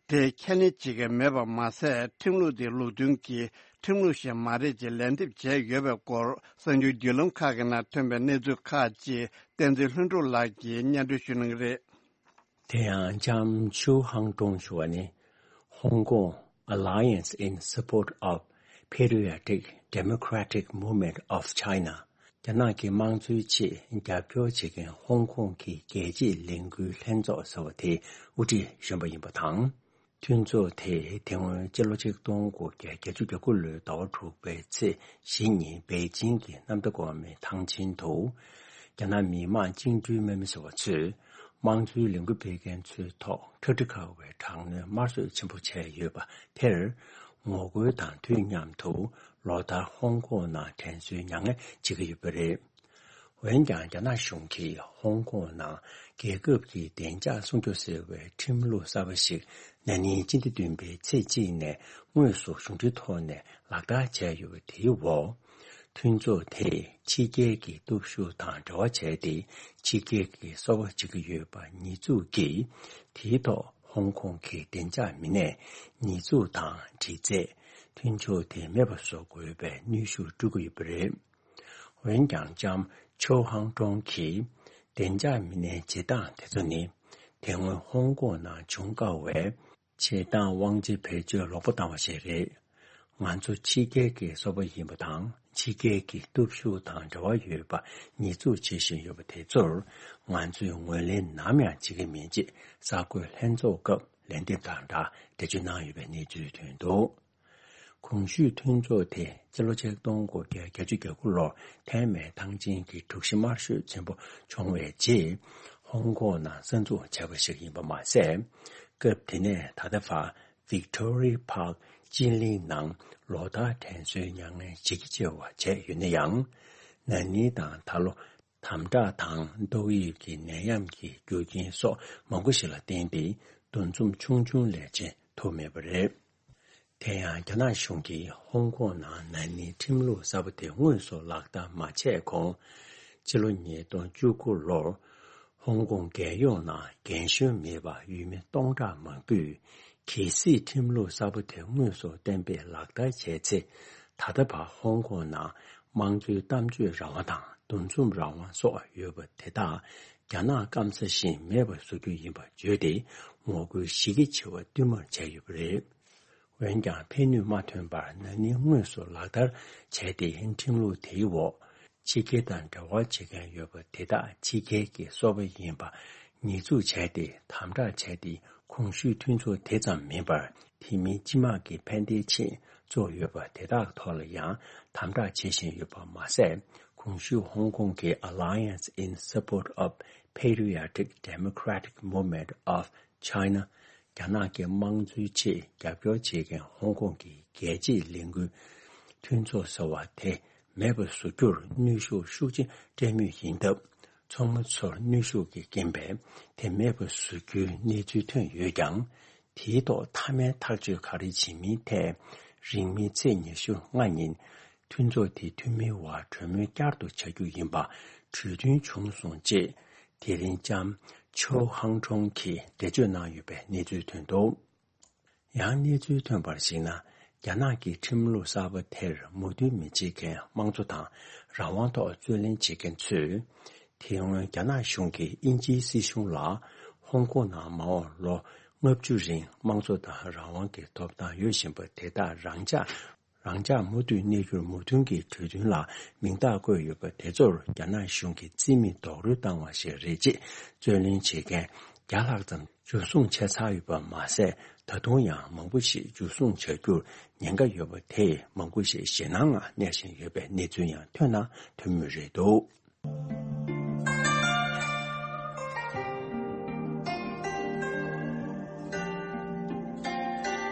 དེ་ཁས་ལེན་བྱེད་ཀྱི་མེད་པ་མ་ཟད། ཁྲིམས་ལུགས་དེ་ལུགས་མཐུན་གྱི་ཁྲིམས་ལུགས་ཤིག་མ་རེད་ཅེས་ལན་འདེབས་བྱས་ཡོད་པའི་སྐོར། གསར་འགྱུར་བརྒྱུད་ལམ་ཁག་གི་ནང་ཐོན་པའི་གནས་ཚུལ་ཁག་ཅིག་བསྟན་འཛིན་ལྷུན་གྲུབ་ལགས་ཀྱིས་སྙན་སྒྲོན་ཞུ་གནང་གི་རེད། དེ་ཡང་ལྕམ་ཆུའུ་ཧང་ཀྲུང་ཞུ་བ་ནི། Hong Kong Alliance in Support of Patriotic Democratic Movement of China། རྒྱ་ནག་གི་དམངས་གཙོའི་ཆེད་རྒྱབ་སྐྱོར་བྱེད་མཁན་ཧོང་ཀོང་གི་རྒྱལ་གཅེས་ལས་འགུལ་ལྷན་ཚོགས་ཟེར་བ་དེའི་དབུ་ཁྲིད་གཞོན་པ་ཡིན་པ་དང་། མཐུན་ཚོགས་དེས་དེ་སྔོན་སྤྱི་ལོ་ཆིག་སྟོང་དགུ་བརྒྱ་བརྒྱད་ཅུ་གྱ་དགུ་ལོའི་ཟླ་བ་དྲུག་པའི་ཚེས་བཞི་ཉིན་པེ་ཅིང་གི་གནམ་བདེ་སྒོ་མོའི་ཐང་ཆེན་དུ། རྒྱ་ནག་མི་དམངས་བཅིངས་འགྲོལ་དམག་མི་ཟེར་བ་ཚོས་དམངས་གཙོའི་ལས་འགུལ་སྤེལ་མཁན་ཚོའི་ཐོག་ཁྲ་ཁྲི་ཁ་བའི་དྲག་གནོན་དམར་གསོད་ཆེན་པོ་བྱས་ཡོད་པ་དེར་ངོ་རྒོལ་དང་དུས་མཉམ་དུ་ལོ་ལྟར་ཧོང་ཀོང་ནང་དྲན་གསོའི་མྱ་ངན་བྱེད་ཀྱི་ཡོད་པ་རེད། འོན་ཀྱང་། རྒྱ་ནག་གཞུང་གིས་ཧོང་ཀོང་ནང་རྒྱལ་ཁབ་ཀྱི་བདེ་འཇགས་སྲུང་སྐྱོབ་ཟེར་བའི་ཁྲིམས་ལུགས་གསར་པ་ཞིག་ན་ནིང་སྤྱི་ཟླ་བདུན་པའི་ཚེས་གཅིག་ནས་དངོས་སུ་གཞུང་འབྲེལ་ཐོག་ནས་ལག་བསྟར་བྱས་ཡོད་པ་དེའི་འོག་མཐུན་ཚོགས་དེས་ཕྱི་རྒྱལ་གྱི་སྟོབས་ཤུགས་དང་འབྲེལ་བ་བྱས་ཏེ། ཕྱི་རྒྱལ་གྱི་སོ་པ་བྱེད་ཀྱི་ཡོད་པ་ཉེས་འཛུགས་ཀྱིས། དེའི་ཐོག་ཧོང་ཀོང་གི་བདེ་འཇགས་མི་སྣས་ཉེས་འཛུགས་དང་འདྲི་རྩད། མཐུན་ཕྱོགས་དེ་མེད་པ་བཟོ་དགོས་པའི་གནོན་ཤུགས་སྤྲོད་ཀྱི་ཡོད་པ་རེད། འོན་ཀྱང་། ལྕམ་ཆོ་ཧང་ཀྲོང་གིས། བདེ་འཇགས་མི་སྣའི་བྱེད་སྟངས་དེ་ཚོ་ནི། དེ་སྔོན་ཧོང་ཀོང་ནང་བྱུང་དཀའ་བའི། བྱེད་སྟངས་དབང་ཆ་བེད་སྤྱོད་ལོག་པ་བཏང་བ་ཞིག་རེད། ང་ཚོ་ཕྱི་རྒྱལ་གྱི་སོ་པ་ཡིན་པ་དང་། ཕྱི་རྒྱལ་གྱི་སྟོབས་ཤུགས་དང་འབྲེལ་བ་ཡོད་པ་ཉེས་འཛུགས་བྱེད་བཞིན་ཡོད་པ་དེ་ཚོར། ང་ཚོས་ངོས་ལེན་ནམ་ཡང་བྱེད་ཀྱི་མིན་ཅེས་གསར་འགོད་ལྷན་ཚོགས་སྐབས་ལན་འདེབས་དང་སྦྲགས་འགྲེལ་བརྗོད་གནང་ཡོད་པའི་གནས་ཚུལ་ཐོན་འདུག་གོང་ཞུས་མཐུན་ཚོགས་དེ་སྤྱི་ལོ་ཆིག་སྟོང་དགུ་བརྒྱ་བརྒྱད་ཅུ་གྱ་དགུ་ལོར་ཐའེ་མེན་ཐང་ཆེན་གྱི་དྲུག་བཞི་དམར་གསོད་ཆེན་པོ་བྱུང་བའི་རྗེས། ཧོང་ཀོང་ནང་གསར་འཛུགས་བྱས་པ་ཞིག་ཡིན་པ་མ་ཟད། སྐབས་དེ་ནས་ད་ལྟ་བར་Victoria Park་སྤྱི་གླིང་ནང་ལོ་ལྟར་དྲན་གསོའི་མྱ་ངན་བྱེད་ཀྱི་བྱེད་པ་བྱས་ཡོད་ན་ཡང་། ན་ནིང་དང་ད་ལོ། དམ་དྲག་དང་ཏོག་དབྱིབས་ཀྱི་ནད་ཡམས་ཀྱི་རྒྱུ་རྐྱེན་སོགས་མང་པོ་ཞིག་ལ་བརྟེན་ཏེ། འདུ་འཛོམས་ཆུང་ཆུང་ལས་བྱེད་ཐུབ་མེད་པ་རེད། དེ་ཡང་རྒྱ་ནག་གཞུང་གིས་ཧོང་ཀོང་ནང་ན་ནིང་ཁྲིམས་ལུགས་གསར་པ་དེ་དངོས་སུ་ལག་བསྟར་མ་བྱས་གོང་། ཕྱི་ལོ་ཉིས་སྟོང་བཅུ་དགུ་ལོར་ཧོང་ཀོང་རྒྱལ་ཡོངས་ནང་རྒན་གཞོན་མེད་པར་ཡུལ་མི་སྟོང་ཕྲག་མང་པོས་གལ་སྲིད་ཁྲིམས་ལུགས་གསར་པ་དེ་དངོས་སུ་གཏན་འབེབས་ལག་བསྟར་བྱས་ཚེ། ད་ལྟ་བར་ཧོང་ཀོང་ནང་དམངས་གཙོའི་གཏམ་བརྗོད་རང་དབང་དང་འདུ་འཛོམས་རང་དབང་སོགས་ཡོད་པ་དེ་དག་རྒྱ་ནག་སྐམ་ས་བཞིན་མེད་པར་བཟོ་རྒྱུ་ཡིན་པར་བརྗོད་དེ། ངོ་རྒོལ་གཞི་རྒྱ་ཆེ་བ་བསྟུད་མར་བྱས་ཡོད་པ་རེད། འོན་ཀྱང་ཕན་ནུས་མ་ཐོན་པར་ན་ནིང་དངོས་སུ་ལག་བསྟར་བྱས་ཏེ། ཁྲིམས་ལུགས་དེའི་འོག་ཕྱི་རྒྱལ་དང་འབྲེལ་བ་བྱེད་མཁན་ཡོད་པ་དེ་དག་ཕྱི་རྒྱལ་གྱི་སོ་པ་ཡིན་པ་ཉེས་འཛུགས་བྱས་ཏེ། དམ་དྲག་བྱས་ཏེ། གོང་ཞུས་མཐུན་ཚོགས་དེ་ཙམ་མིན་པར། དེ་མིན་སྤྱི་དམངས་ཀྱི་ཕན་བདེའི་ཆེད་བཙུགས་ཡོད་པ་དེ་དག་ཐོག་ལ་ཡང་དམ་དྲག་བྱེད་བཞིན་ཡོད་པ་མ་ཟད། གོང་ཞུས་ཧོང་ཀོང་གི་Alliance in Support of Patriotic Democratic Movement of China། རྒྱ་ནག་གི་དམངས་གཙོའི་ཆེད་རྒྱབ་སྐྱོར་བྱེད་མཁན་ཧོང་ཀོང་གི་རྒྱལ་གཅེས་ལས་འགུལ་མཐུན་ཚོགས་ཟེར་བ་དེ་མེད་པར་བཟོ་རྒྱུར་ནུས་ཤུགས་ཤུགས་ཆེ་སྤྲད་མུས་ཡིན་སྟབས། ཚོགས་མི་ཚོར་གནོན་ཤུགས་ཀྱི་རྐྱེན་པས་དེ་མེད་པར་བཟོ་རྒྱུའི་གནས་ཚུལ་ཐོན་ཡོད་ཀྱང་། དེའི་ཐོག་མཐའ་མའི་ཐག་གཅོད་ག་རེ་བྱེད་མིན་ཐད། རིང་མིན་ཚེས་ཉི་ཤུ་ལྔ་ཉིན་མཐུན་ཚོགས་དེའི་འཐུས་མིའི་དབར་གྲོས་མོལ་བསྐྱར་དུ་བྱ་རྒྱུ་ཡིན་པ་གྲོས་མཐུན་བྱུང་སོང་ཅེས། དེ་རིང་ལྕམ་ཆོ་ཧང་ཁྲོང་གིས་འགྲེལ་བརྗོད་གནང་ཡོད་པའི་གནས་ཚུལ་ཐོན་འདུག། ཡང་གནས་ཚུལ་ཐོན་པར་གཞིགས་ན། རྒྱ་ནག་གི་ཁྲིམས་ལུགས་གསར་པ་དེར་མོས་མཐུན་མི་བྱེད་མཁན་དམངས་གཙོ་དང་རང་དབང་ཐོག་རྩོད་ལེན་བྱེད་མཁན་ཚོས། དེ་སྔོན་རྒྱ་ནག་གཞུང་གིས་དབྱིན་ཇིའི་སྲིད་གཞུང་ལ་ཧོང་ཀོང་ནང་མ་འོངས་ལོ་ལྔ་བཅུ་རིང་དམངས་གཙོ་དང་རང་དབང་གི་ཐོབ་ཐང་ཡོད་བཞིན་པ་དེ་དག་རང་འཇགས། རང་འཇགས་མུ་མཐུད་གནས་རྒྱུར་མོས་མཐུན་གྱི་གྲོས་མཐུན་ལ་མིང་རྟགས་བཀོད་ཡོད་པ་དེ་ཚོར་རྒྱ་ནག་གཞུང་གིས་རྩིས་མེད་རྡོག་རོལ་བཏང་བ་ཞིག་རེད་ཅེས་རྩོད་ལེན་བྱེད་མཁན་བརྒྱ་ལྷག་ཙམ་འཇུ་བཟུང་བྱས་ཚར་ཡོད་པ་མ་ཟད། ད་དུང་ཡང་མང་པོ་ཞིག་འཇུ་བཟུང་བྱ་རྒྱུར་ཉེན་ཁ་ཡོད་པ་དེས་མང་པོ་ཞིག་ཞེད་སྣང་ངང་གནས་བཞིན་ཡོད་པའི་གནས་ཚུལ་ཡང་ཐོན་ན་ཐོན་མུས་རེད་འདུག།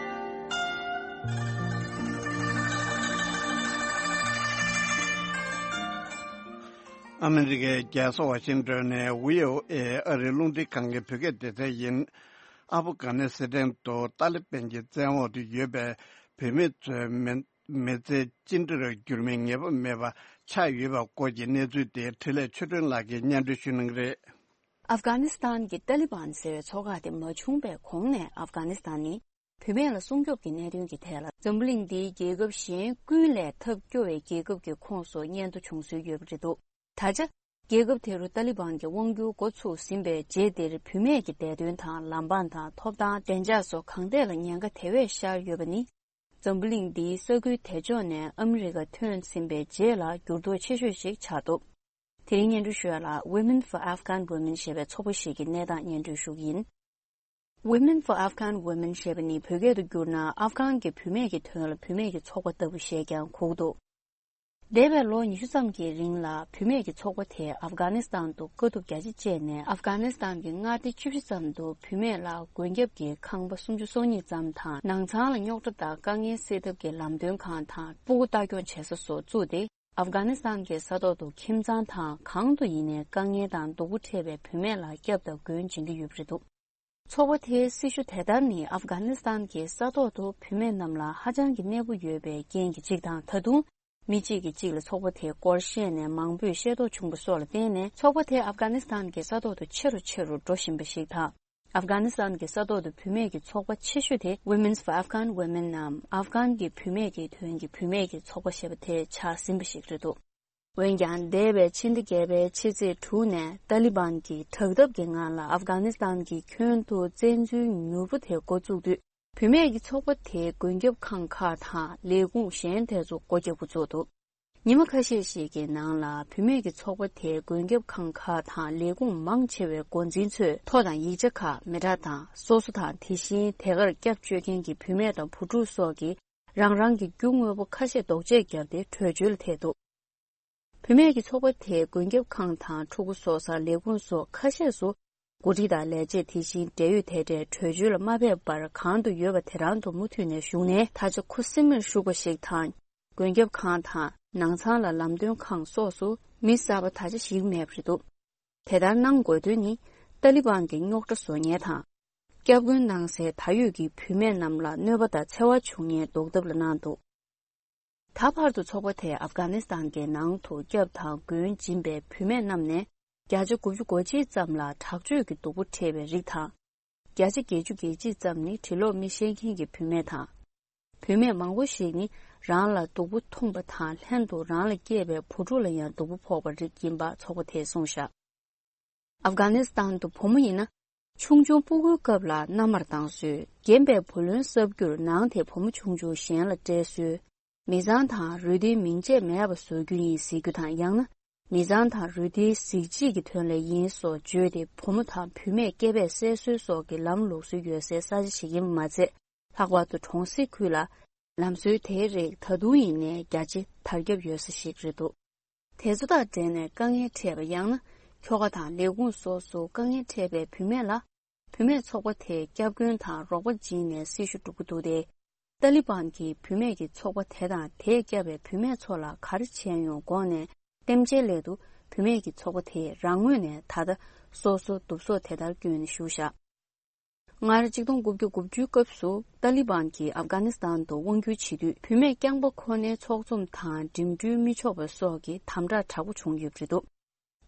ཨ་མི་རི་ཀའི་རྒྱལ་ས་ཝ་ཤིང་ཏོན་ནས་བྷི་ཨོ་ཨེ་ཨ་རིའི་རླུང་འཕྲིན་ཁང་གི་བོད་སྐད་སྡེ་ཚན་ཡིན། ཨ་ཕ་གྷ་ནི་སི་ཐན་དུ་ཏཱ་ལི་བན་གྱི་བཙན་འོག་ཏུ་ཡོད་པའི་བོད་མི་ཚོའི་མི་མི་ཚེ་ཅི་འདྲར་འགྱུར་མིན་ངེས་པ་མེད་པ་ཆགས་ཡོད་པ་སྐོར་གྱི་གནས་ཚུལ་དེ་འཕྲིན་ལས་ཆོས་སྒྲོན་ལགས་ཀྱིས་སྙན་སྒྲོན་ཞུ་གནང་གི་རེད། ཨབ་གྷ་ནི་སི་ཐན་གྱི་ཏཱ་ལི་བན་ཟེར་བའི་ཚོགས་ཁག་དེ་མ་བྱུང་བའི་གོང་ནས་ཨབ་གྷ་ནི་སི་ཐན་ནི་བུད་མེད་ལ་སྲུང་སྐྱོབ་ཀྱི་གནད་དོན་གྱི་ཐད་ལ་འཛམ་བུ་གླིང་འདིའི་རྒྱལ་ཁབ་གཞན་ཀུན་ལས་ཐབས་སྐྱོ་བའི་རྒྱལ་ཁབ་ཀྱི་ཁོངས་སུ་སྙན་ཐོ་བྱུང་སྲོལ་ཡོད་པ་རེད་འདུག། ད་ཆ་རྒྱལ་ཁབ་དེ་རུ་ཏཱ་ལི་བན་གྱི་དབང་སྒྱུར་འགོ་ཚུགས་ཟིན་པའི་རྗེས་འདིར་བུད་མེད་ཀྱི་བདེ་དོན་དང་ལམ་འབངས་དང་ཐོབ་ཐང་བདེ་འཇགས་སོགས་གང་ཐད་ལ་ཉེན་ཁ་དེ་བས་ཤར་ཡོད་པ་ནི། འཛམ་བུ་གླིང་འདིའི་ས་ཁུལ་དེ་ཕྱོགས་ནས་ཨ་མི་རི་ཀ་ཐོན་ཟིན་པའི་རྗེས་ལ་འགྱུར་ལྡོག་ཆེ་ཤོས་ཤིག་ཆགས་འདུག། དེ་རིང་སྙན་སྒྲོན་ཞུ་ཡ་ལ་Women for Afghan Women ཞེས་པའི་ཚོགས་པ་ཞིག་གི་གནས་སྟངས་སྙན་སྒྲོན་ཞུ་གི་ཡིན། Women for Afghan Women ཞེས་པ་ནི་བོད་སྐད་དུ་བསྒྱུར་ན་ཨབ་གྷན་གྱི་བུད་མེད་ཀྱི་དོན་ལ་བུད་མེད་ཀྱི་ཚོགས་པ་ལྟ་བུ་ཞེས་ཀྱང་གོ་གི་འདུག། འདས་པའི་ལོ་ཉི་ཤུ་ཙམ་གྱི་རིང་ལ་བུད་མེད་ཀྱི་ཚོགས་པ་དེས་ཨབ་གྷ་ནི་སི་ཐན་དུ་དཀའ་སྡུག་རྒྱ་ཆེ་སྤྱད་ནས། ཨབ་གྷ་ནི་སི་ཐན་གྱི་མངའ་སྡེ་བཅུ་བཞི་ཙམ་དུ་བུད་མེད་ལ་མགོན་སྐྱབས་ཀྱི་ཁང་པ་སུམ་ཅུ་སོ་གཉིས་ཙམ་དང་། ནང་ཚང་ལ་རྙོག་དྲ་དང་དཀའ་ངལ་སེལ་ཐབས་ཀྱི་ལམ་སྟོན་ཁང་དང་སྤུ་གུ་ལྟ་སྐྱོང་བྱེད་ས་སོགས་བཙུགས་ཏེ། ཨབ་གྷ་ནི་སི་ཐན་གྱི་ས་ཐོག་ཏུ་ཁྱིམ་ཚང་དང་གང་དུ་ཡིན་ནའི་དཀའ་ངལ་དང་སྡུག་པོ་འཕྲད་པའི་བུད་མེད་ལ་སྐྱབས་དང་མགོན་སྦྱིན་གྱི་ཡོད་པ་རེད་འདུག། ཚོགས་པ་དེའི་སྲི་ཞུ་དེ་ལྟར་ནི་ཨབ་གྷ་ནི་སི་ཐན་གྱི་ས་ཐོག་ཏུ་བུད་མེད་རྣམས་ལ་ཧ་ཅང་གི་གནས་སྤོ་ཡོད་པའི་རྐྱེན་གྱིས་གཅིག་དང་། ད་དུང་མི་གཅིག་གིས་གཅིག་ལ་ཚོགས་པ་དེའི་སྐོར་བཤད་ནས་མང་པོས་ཤེས་རྟོགས་བྱུང་བ་སོགས་ལ་བརྟེན་ནས། ཚོགས་པ་དེ་ཨབ་གྷ་ནི་སི་ཐན་གྱི་ས་ཐོག་ཏུ་ཆེ་རུ་ཆེ་རུ་འགྲོ་བཞིན་པ་ཞིག་དང་། ཨབ་གྷ་ནི་སི་ཐན་གྱི་ས་ཐོག་ཏུ་བུད་མེད་ཀྱི་ཚོགས་པ་ཆེ་ཤོས་དེ་Women's for Afghan Women ནམ་ཨབ་གྷན་གྱི་བུད་མེད་ཀྱི་དོན་གྱི་བུད་མེད་ཀྱི་ཚོགས་པ་ཞེས་པ་དེ་ཆགས་ཟིན་པ་ཞིག་རེད་འདུག། འོན་ཀྱང་། འདས་པའི་ཕྱི་ཟླ་བརྒྱད་པའི་ཕྱི་ཚེས་དྲུག་ནས་ཏཱ་ལི་བན་གྱིས་དྲག་འཐབ་ཀྱི་ངང་ལ་ཨབ་གྷ་ནི་སི་ཐན་གྱི་ཁྱོན་དུ་བཙན་འཛུལ་མྱུར་པོ་དེ་འགོ་བཙུགས་དུས། བུད་མེད་ཀྱི་ཚོགས་པ་དེའི་མགོན་སྐྱབས་ཁང་ཁག་དང་ལས་ཁུངས་གཞན་དེ་ཚོ་སྒོ་རྒྱག་འགོ་བཙུགས་འདུག། ཉི་མ་ཁ་ཤས་ཤིག་གི་ནང་ལ་བུད་མེད་ཀྱི་ཚོགས་པ་དེའི་མགོན་སྐྱབས་ཁང་ཁག་དང་ལས་ཁུངས་མང་ཆེ་བའི་འགོ་འཛིན་ཚོས་ཐོ་དང་ཡིག་ཆ་ཁག་མི་གྲངས་དང་སོ་སོ་དང་། དེ་བཞིན་དེ་གར་སྐྱབས་བཅོལ་མཁན་གྱི་བུད་མེད་དང་བུ་ཕྲུག་སོགས་ཀྱིས་རང་རང་གི་རྒྱུ་དངོས་པོ་ཁ་ཤས་ལྡོག་ཆས་བརྒྱབ་སྟེ་བྲོས་བྱོལ་ལ་ཐད་འདུག། བུད་མེད་ཀྱི་ཚོགས་པ་དེས་མགོན་སྐྱབས་ཁང་དང་ཕྲུ་གུ་གསོ་ས། ལས་ཁུངས་སོགས་ཁ་ཤས་སུ་འགོ་ཁྲིད་དང་ལས་བྱེད། དེ་བཞིན་འབྲེལ་ཡོད་དེ་འདྲས་བྲོས་བྱོལ་ལ་མ་ཕེབས་པར་གང་དུ་ཡོད་པ་དེ་རང་དུ་མུ་མཐུད་ནས་བཞུགས་ནས། ད་ཆ་ཁུ་སིམ་མེར་བཞུགས་པ་ཞིག་དང་། མགོན་སྐྱབས་ཁང་དང་ནང་ཚང་ལ་ལམ་སྟོན་ཁང་སོགས་སུ་ མི་གསར་པ་ད་ཆ་ཞིག་མེད་པ་རེད་འདུག་དེ་ལྟར་གནང་དགོས་དོན་ནི། ཏཱ་ལི་བན་གྱི་རྙོག་དྲ་བཟོ་མཁན་དང་། སྐྱབས་མགོན་གནང་སའི་ད་ཡོད་ཀྱི་བུད་མེད་རྣམས་ལ་གནོད་པ་དང་འཚེ་བ་བྱུང་ཉེན་ཟློག་ཐབས་ལ་གནང་འདུག་ད་བར་དུ་ཚོགས་པ་དེས་ཨབ་གྷ་ནི་སི་ཐན་གྱི་ནང་དུ་སྐྱབས་དང་མགོན་སྦྱིན་པའི་བུད་མེད་རྣམས་ནས་བརྒྱ་ཆ་དགུ་བཅུ་གོ་གཅིག་ཙམ་ལ་དྲག་སྤྱོད་ཀྱི་སྡུག་པོ་འཕྲད་པའི་རིགས་དང་། བརྒྱ་ཆ་བརྒྱད་ཅུ་གྱ་གཅིག་ཙམ་ནི་གྲི་ལོག་མི་ཤེས་མཁན་གྱི་བུད་མེད་དང་། བུད་མེད་མང་པོ་ཞིག་ནི་རང་ལ་སྡུག་པོ་འཐུངས་པ་དང་ལྷན་དུ་རང་ལ་སྐྱེས་པའི་བུ་ཕྲུག་ལ་ཡང་སྡུག་པོ་ཕོག་པའི་རིགས་ཡིན་པ་ཚོགས་པ་དེས་གསུངས་བཞག་ཨབ་གྷ་ནི་སི་ཐན་དུ་བུ་མོ་ཡིན་ན། ཆུང་ཆུང་སྤུ་གུའི་སྐབས་ལ་མནའ་མར་བཏང་སྲོལ། རྒན་པའི་བུ་ལོན་གསབ་རྒྱུར་ནང་དེ་བུ་མོ་ཆུང་ཆུང་གཞན་ལ་སྤྲད་སྲོལ། མི་ཚང་དང་རུས་སྡེའི་མིང་བརྗེད་མེད་པ་བཟོ་རྒྱུ་ཡིན་ཟེར་རྒྱུ་དང་། ཡང་ན་མི་ཚང་དང་རུས་སྡེའི་གཟི་བརྗིད་ཀྱི་དོན་ལ་ཡིན་སོགས་བརྗོད་དེ། བུ་མོ་དང་བུད་མེད་སྐྱེ་འཕེལ་སྲེག་སྲོལ་སོགས་ཀྱི་ལམ་ལུགས་སྲོལ་ཡོད་སའི་ས་ཆ་ཞིག་ཡིན་པ་མ་ཚད། ལྷག་པར་དུ་གྲོང་གསེབ་ཁུལ་ལ་ལམ་སྲོལ་དེའི་རིགས་ད་དུང་ཡིན་ནའི་རྒྱ་ཆེ་དར་ཁྱབ་ཡོད་ས་ཞིག་རེད་འདུག་དེ་ཚོ་དང་འབྲེལ་ནས་དཀའ་ངལ་འཕྲད་པ། ཡང་ན་ཁྱོ་ག་དང་ལས་ཁུངས་སོགས་སུ་དཀའ་ངལ་འཕྲད་པའི་བུད་མེད་ལ། བུད་མེད་ཚོགས་པ་དེས་སྐྱབས་མགོན་དང་རོགས་པ་བྱིན་ནས་སྲི་ཞུ་སྒྲུབ་ཀྱི་འདུག་སྟེ། ཏཱ་ལི་བན་གྱིས་བུད་མེད་ཀྱི་ཚོགས་པ་དེ་དང་དེས་བསྐྱབས་པའི་བུད་མེད་ཚོ་ལ་ག་རེ་བྱས་ཡོང་དགོངས་ནས་གཏམ་བྱའི་སླད་དུ། བུད་མེད་ཀྱི་ཚོགས་པ་དེས་རང་ངོས་ནས་ད་ལྟ་སོ་སོ་བསྡུ་གསོག་དེ་ལྟར་བསྐྱོན་ནས་བཞུགས་བཞག་སྔར་ཆིག་སྟོང་དགུ་བརྒྱ་དགུ་བཅུའི་སྐབས་སུ་ཏཱ་ལི་བན་གྱིས་ཨབ་གྷ་ནི་སི་ཐན་དུ་དབང་སྒྱུར་བྱེད་དུས། བུད་མེད་རྐྱང་པ་ཁོ་ནའི་ཚོགས་འཛོམས་དང་འགྲིམ་འགྲུལ་མི་ཆོག་པ་སོགས་ཀྱི་དམ་དྲག་དྲག་པོ་བྱུང་ཡོད་པ་རེད་འདུག་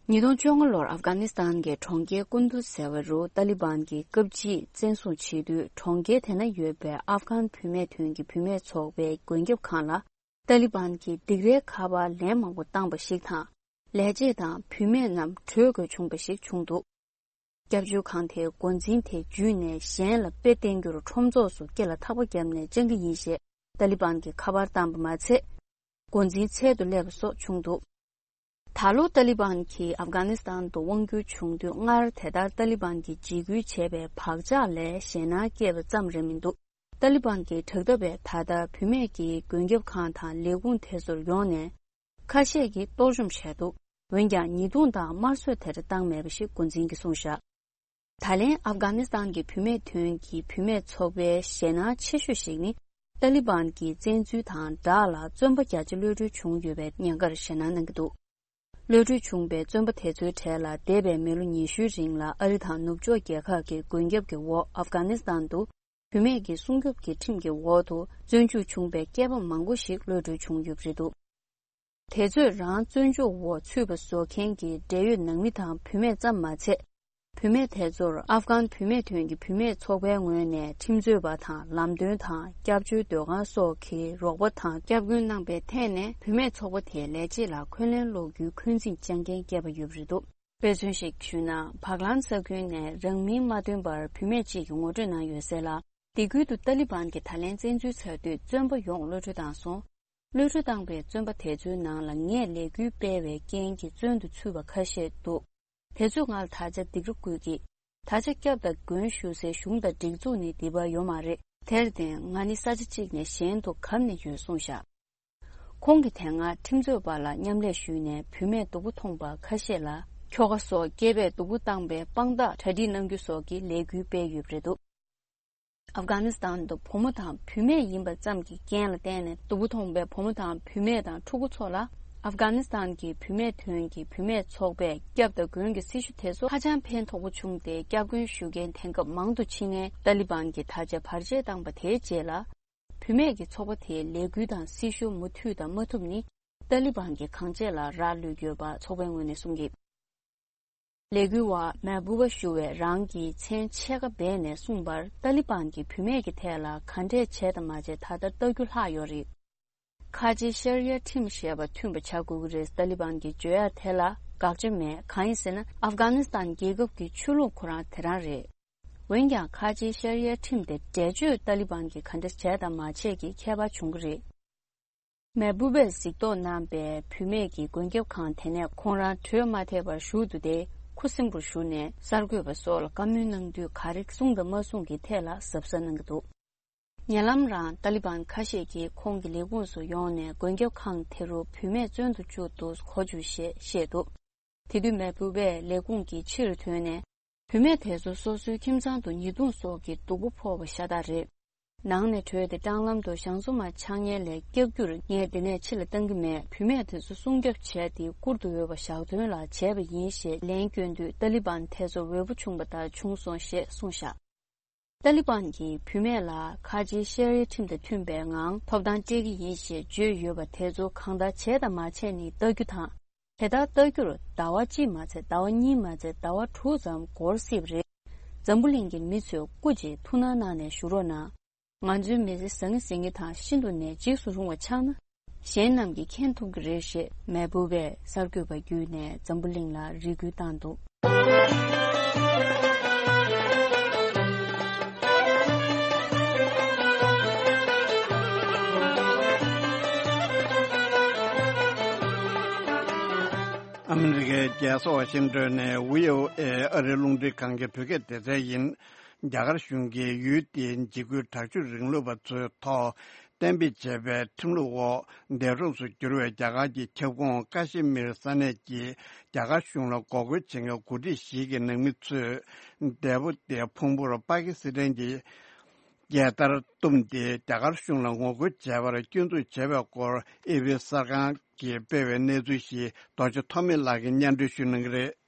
ཉིས་སྟོང་བཅོ་ལྔ་ལོར་ཨབ་གྷ་ནི་སི་ཐན་གྱི་གྲོང་ཁྱེར་ཀུན་དུ་ཟེར་བ་རུ་ཏཱ་ལི་བན་གྱིས་སྐབས་གཅིག་བཙན་བཟུང་བྱེད་དུས། གྲོང་ཁྱེར་དེ་ན་ཡོད་པའི་ཨབ་གྷན་བུད་མེད་དོན་གྱི་བུད་མེད་ཚོགས་པའི་མགོན་སྐྱབས་ཁང་ལ་ཏཱ་ལི་བན་གྱིས་སྡིགས་རའི་ཁ་པར་ལན་མང་པོ་བཏང་པ་ཞིག་དང་། ལས་བྱེད་དང་བུད་མེད་རྣམས་བྲོས་དགོས་བྱུང་བ་ཞིག་བྱུང་འདུག་སྐྱབས་བཅོལ་ཁང་དེའི་འགོ་འཛིན་དེ་འཇུས་ནས་གཞན་ལ་དཔེ་བསྟན་རྒྱུར་ཁྲོམ་ཚོགས་སུ་སྐེ་ལ་ཐག་པ་བརྒྱབ་ནས་བཅར་གྱི་ཡིན་ཞེས་ཏཱ་ལི་བན་གྱིས་ཁ་པར་བཏང་པ་མ་ཚད། འགོ་འཛིན་ཚལ་དུ་སླེབས་པ་སོགས་བྱུང་འདུག་ད་ལོ་ཏཱ་ལི་བན་གྱིས་ཨབ་གྷ་ནི་སི་ཐན་དུ་དབང་བསྒྱུར་བྱུང་དུས། སྔར་དེ་ལྟར་ཏཱ་ལི་བན་གྱིས་འཇིགས་སྐུལ་བྱས་པའི་བག་ཆགས་ལས་ཞེད་སྣང་སྐྱེས་པ་ཙམ་རེད་མི་འདུག་ཏཱ་ལི་བན་གྱིས་དྲག་འཐབ་པས་ད་ལྟ་བུད་མེད་ཀྱི་མགོན་སྐྱབས་ཁང་དང་ལས་ཁུངས་དེ་ཚོར་ཡོང་ནས་ཁ་ཤས་ཀྱིས་གཏོར་བཅོམ་བྱས་འདུག་འོན་ཀྱང་ཉེས་རྡུང་དང་དམར་གསོད་དེ་འདྲ་བཏང་མེད་པ་ཞིག་འགོ་འཛིན་གྱིས་གསུངས་བཞག་ད་ལན་ཨབ་གྷ་ནི་སི་ཐན་གྱི་བུད་མེད་དོན་གྱི་བུད་མེད་ཚོགས་པའི་ཞེད་སྣང་ཆེ་ཤོས་ཤིག་ནི། ཏཱ་ལི་བན་གྱི་བཙན་འཛུལ་དང་སྦྲགས་ལ་བཙོན་པ་བརྒྱ་ཆ་གློད་གྲོལ་བྱུང་ཡོད་པའི་ཉེན་ཁར་ཞེད་སྣང་གནང་གི་འདུག་གློད་གྲོལ་བྱུང་བའི་བཙོན་པ་དེ་ཚོའི་གྲས་ལ་འདས་པའི་མི་ལོ་ཉི་ཤུའི་རིང་ལ་ཨ་རི་དང་ནུབ་ཕྱོགས་རྒྱལ་ཁབ་ཀྱི་མགོན་སྐྱབས་ཀྱི་འོག་ཨབ་གྷ་ནི་སི་ཐན་དུ་བུད་མེད་ཀྱི་སྲུང་སྐྱོབ་ཀྱི་ཁྲིམས་ཀྱི་འོག་ཏུ་བཙོན་འཇུག་བྱུང་བའི་སྐྱེས་པ་མང་པོ་ཞིག་གློད་གྲོལ་བྱུང་ཡོད་པ་རེད་འདུག་དེ་ཚོས་རང་བཙོན་འཇུག་འོག་ཚུད་པ་བཟོ་མཁན་གྱི་འབྲེལ་ཡོད་ནང་མི་དང་བུད་མེད་ཙམ་མ་ཚད། བུད་མེད་དེ་ཚོར་ཨབ་གྷན་བུད་མེད་དོན་གྱི་བུད་མེད་ཚོགས་པའི་ངོས་ནས་ཁྲིམས་རྩོད་པ་དང་ལམ་སྟོན་དང་སྐྱབས་བཅོལ་སྡོད་ཁང་སོགས་ཀྱི་རོགས་པ་དང་། སྐྱབས་མགོན་གནང་པའི་ཐད་ནས་བུད་མེད་ཚོགས་པ་དེའི་ལས་བྱེད་ལ་འཁོན་ལན་སློག་རྒྱུའི་འཁོན་འཛིན་བཅངས་མཁན་བསྐྱལ་བ་ཡོད་པ་རེད་འདུག་དཔེ་མཚོན་ཞིག་ཞུས་ན། བག་ལང་ས་ཁུལ་ནས་རང་མིང་མ་བཏོན་པར་བུད་མེད་ཅིག་གིས་ངོ་སྤྲོད་གནང་ཡོད་གསལ་ལ། སྡེ་ཁུལ་དུ་ཏཱ་ལི་བན་གྱིས་ད་ལན་བཙན་འཛུལ་ཚར་དུས། བཙོན་པ་ཡོངས་གློད་གྲོལ་བཏང་སོང་། གློད་གྲོལ་བཏང་པའི་བཙོན་པ་དེ་ཚོའི་ནང་ལ་ངས་ལས་འགུལ་སྤེལ་བའི་རྐྱེན་གྱིས་བཙོན་དུ་ཚུད་པ་ཁ་ཤས་འདུག་དེ་ཚོས་ང་ལ་ད་ཆ་སྡིགས་ར་བསྐུལ་གྱིས། ད་ཆ་སྐྱབས་དང་མགོན་ཞུ་སའི་གཞུང་དང་སྒྲིག་འཛུགས་ནི་འདི་པར་ཡོད་མ་རེད། དེར་བརྟེན་ང་ནི་ས་ཆ་གཅིག་ནས་གཞན་དུ་གབ་ནས་ཡོད་གསུངས་བཞག་ཁོང་གིས་དེ་སྔ་ཁྲིམས་རྩོད་པ་ལ་མཉམ་ལས་ཞུས་ནས་བུད་མེད་སྡུག་པོ་མཐོང་པ་ཁ་ཤས་ལ་ཁྱོ་ག་སོགས་སྐྱེས་པས་སྡུག་པོ་བཏང་པའི་དཔང་རྟགས་གྲ་སྒྲིག་གནང་རྒྱུ་སོགས་ཀྱི་ལས་འགུལ་སྤེལ་ཡོད་པ་རེད་འདུག་ཨབ་གྷ་ནི་སི་ཐན་དུ་བུ་མོ་དང་བུད་མེད་ཡིན་པ་ཙམ་གྱི་རྐྱེན་ལ་བརྟེན་ནས་སྡུག་པོ་མཐོང་པའི་བུ་མོ་དང་བུད་མེད་དང་ཕྲུ་གུ་ཚོ་ལ། ཨབ་གྷ་ནི་སི་ཐན་གྱི་བུད་མེད་དོན་གྱི་བུད་མེད་ཚོགས་པས་སྐྱབས་དང་མགོན་གྱི་སྲི་ཞུ་དེ་ཚོ་ཧ་ཅང་ཕན་ཐོགས་པོ་བྱུང་སྟེ། སྐྱབས་མགོན་ཞུ་མཁན་དེང་སྐབས་མང་དུ་ཕྱིན་ནས། ཏཱ་ལི་བན་གྱིས་ད་ཆ་བར་ཆད་བཏང་པ་དེའི་རྗེས་ལ། བུད་མེད་ཀྱི་ཚོགས་པ་དེའི་ལས་འགུལ་དང་སྲི་ཞུ་མུ་མཐུད་དང་མ་ཐུབ་ནི། ཏཱ་ལི་བན་གྱིས་གང་བྱས་ལ་རག་ལུས་ཡོད་པ་ཚོགས་པའི་ངོས་ནས་གསུངས་ཀྱི། ལས་འགུལ་བ་མེ་བུ་བ་ཞུ་བས་རང་གི་མཚན་ཕྱེད་ཀ་སྦས་ནས་གསུངས་པར། ཏཱ་ལི་བན་གྱིས་བུད་མེད་ཀྱི་ཐད་ལ་ག་འདྲས་བྱས་དང་མ་བྱས་ད་ལྟ་ལྟ་རྒྱུ་ལྷག་ཡོད་རེད། ཁ་ཆེའི་ཤར་ཡ་ཁྲིམས་ཞེས་པ་མཐུན་པ་བྱ་དགོས་ཀྱི་རེད། ཏཱ་ལི་བན་གྱིས་བརྗོད་ཡ་དེ་ལ་དགག་བྱ་མེད། གང་ཡིན་ཟེར་ན། ཨབ་གྷ་ནི་སི་ཐན་རྒྱལ་ཁབ་ཀྱི་ཆོས་ལུགས་ཁོ་རང་དེ་རང་རེད། འོན་ཀྱང་ཁ་ཆེའི་ཤར་ཡ་ཁྲིམས་དེ་འགྲེལ་བརྗོད་ཏཱ་ལི་བན་གྱིས་ག་འདྲ་བྱས་དང་མ་བྱས་ཀྱི་ཁྱད་པར་བྱུང་གི་རེད། མེ་བུ་བས་གཟིགས་རྟོག་གནང་པའི་བུད་མེད་ཀྱི་མགོན་སྐྱབས་ཁང་དེ་ནས་ཁོང་རང་བྲོས་མ་ཐེག་པར་བཞུགས་འདུག་སྟེ། ཁུ་སིམ་པོར་བཞུགས་ནས་གསར་འགོད་པ་སོགས་ལ་བཀའ་མོལ་གནང་དུས། ག་རེ་གསུངས་དང་མ་གསུངས་ཀྱི་ཐད་ལ་གཟབ་གཟབ་གནང་གི་འདུག་ཉེ་ལམ་རང་ཏཱ་ལི་བན་ཁ་ཤས་ཀྱིས་ཁོང་གི་ལས་ཁུངས་སུ་ཡོང་ནས། མགོན་སྐྱབས་ཁང་དེ་རུ་བུད་མེད་བཙོན་དུ་བཅུག་འདུག་གོ་བཅུག་ཞེས་བཤད་འདུག་དེ་དུས་མེ་བུ་བས་ལས་ཁུངས་ཀྱི་ཕྱིར་ཐོན་ནས། བུད་མེད་དེ་ཚོ་སོ་སོའི་ཁྱིམ་ཚང་དུ་ཉེས་རྡུང་སོགས་ཀྱི་སྡུག་པོ་ཕོག་པ་ཤ་སྟག་རེད། ནང་ནས་བྲོས་ཏེ་སྲང་ལམ་དུ་ཞང་བཙུན་མ་ཕྱག་གཉལ་ལས་བཀྱག་རྒྱུར་ངས་འདི་ནས་ཕྱི་ལ་བཏང་གི་མེད། བུད་མེད་དེ་ཚོ་སྲུང་སྐྱོབ་བྱས་ཏེ་བཀུར་དུ་འོས་པ་ཞག་ཐོན་ལ་བྱས་པ་ཡིན་ཞེས་ལན་བསྐྱོན་དུས། ཏཱ་ལི་བན་དེ་ཚོ་འོས་པོ་བྱུང་བ་ལྟར་བྱུང་སོང་ཞེས་གསུངས་བཞག་ཏཱ་ལི་བན་གྱིས་བུད་མེད་ལ་ཁ་ཆེའི་ཤེས་རིག་ཁྲིམས་དང་མཐུན་པའི་ངང་ཐོབ་ཐང་སྤྲད་ཀྱི་ཡིན་ཞེས་བརྗོད་ཡོད་པ་དེ་ཚོ་གང་ལྟར་བྱས་དང་མ་བྱས་ནི་ལྟ་རྒྱུ་དང་། དེ་ལྟར་ལྟ་རྒྱུར་ཟླ་བ་གཅིག་མ་ཚད་ཟླ་བ་གཉིས་མ་ཚད་ཟླ་བ་དྲུག་ཙམ་འགོར་སྲིད་པ་རེད། འཛམ་བུ་གླིང་གི་མི་ཚོས་སྐུ་མཁྱེན་ཐུགས་སྣང་གནང་ནས་བཞུགས་རོགས་གནང་། ང་ཚོའི་མི་ཚེ་བཟང་ངེ་ཟིང་ངེ་དང་ཤིན་ཏུ་ནས་འཇིགས་སུ་རུང་བ་ཆགས་ན། གཞན་རྣམས་ཀྱིས་མཁྱེན་ཐུབ་ཀྱི་རེད་ཞེས་མེས་པོ་པས་གསར་འགོད་པ་བརྒྱུད་ནས་འཛམ་བུ་གླིང་ལ་རེ་སྐུལ་བཏང་འདུག་ཨ་མི་རི་ཀའི་རྒྱལ་ས་ཝ་ཤིང་ཏོན་ནས་བྷི་ཨོ་ཨེ་ཨ་རིའི་རླུང་འཕྲིན་ཁང་གི་བོད་སྐད་སྡེ་ཚན་ཡིན། རྒྱ་གར་གཞུང་གིས་ཡུལ་དེའི་འཇིགས་སྐུལ་དྲག་སྤྱོད་རིང་ལུགས་པ་ཚོའི་ཐོག་གཏན་འབེབས་བྱས་པའི་ཁྲིམས་ལུགས་འོག་འདས་གྲོངས་སུ་གྱུར་བའི་རྒྱ་གར་གྱི་ཁྱབ་ཁོངས་ཀ་ཤི་མིར་ས་གནས་ཀྱི་རྒྱ་གར་གཞུང་ལ་འགོག་རྒོལ་བྱེད་མཁན་འགོ་ཁྲིད་ཞིག་གི་ནང་མི་ཚོས་འདས་པོ་དེ་ཕུང་པོར་པ་ཀི་སི་ཐན་གྱི་རྒྱལ་དར་བཏུམས་ཏེ་རྒྱ་གར་གཞུང་ལ་ངོ་རྒོལ་བྱས་པར་སྐྱོན་འཛུགས་བྱས་པའི་སྐོར་ཨེ་པི་གསར་ཁང་གིས་སྤེལ་བའི་གནས་ཚུལ་ཞིག་རྡོ་རྗེ་ཐོགས་མེད་ལགས་ཀྱིས་སྙན་སྒྲོན་ཞུ་གནང་གི་རེད།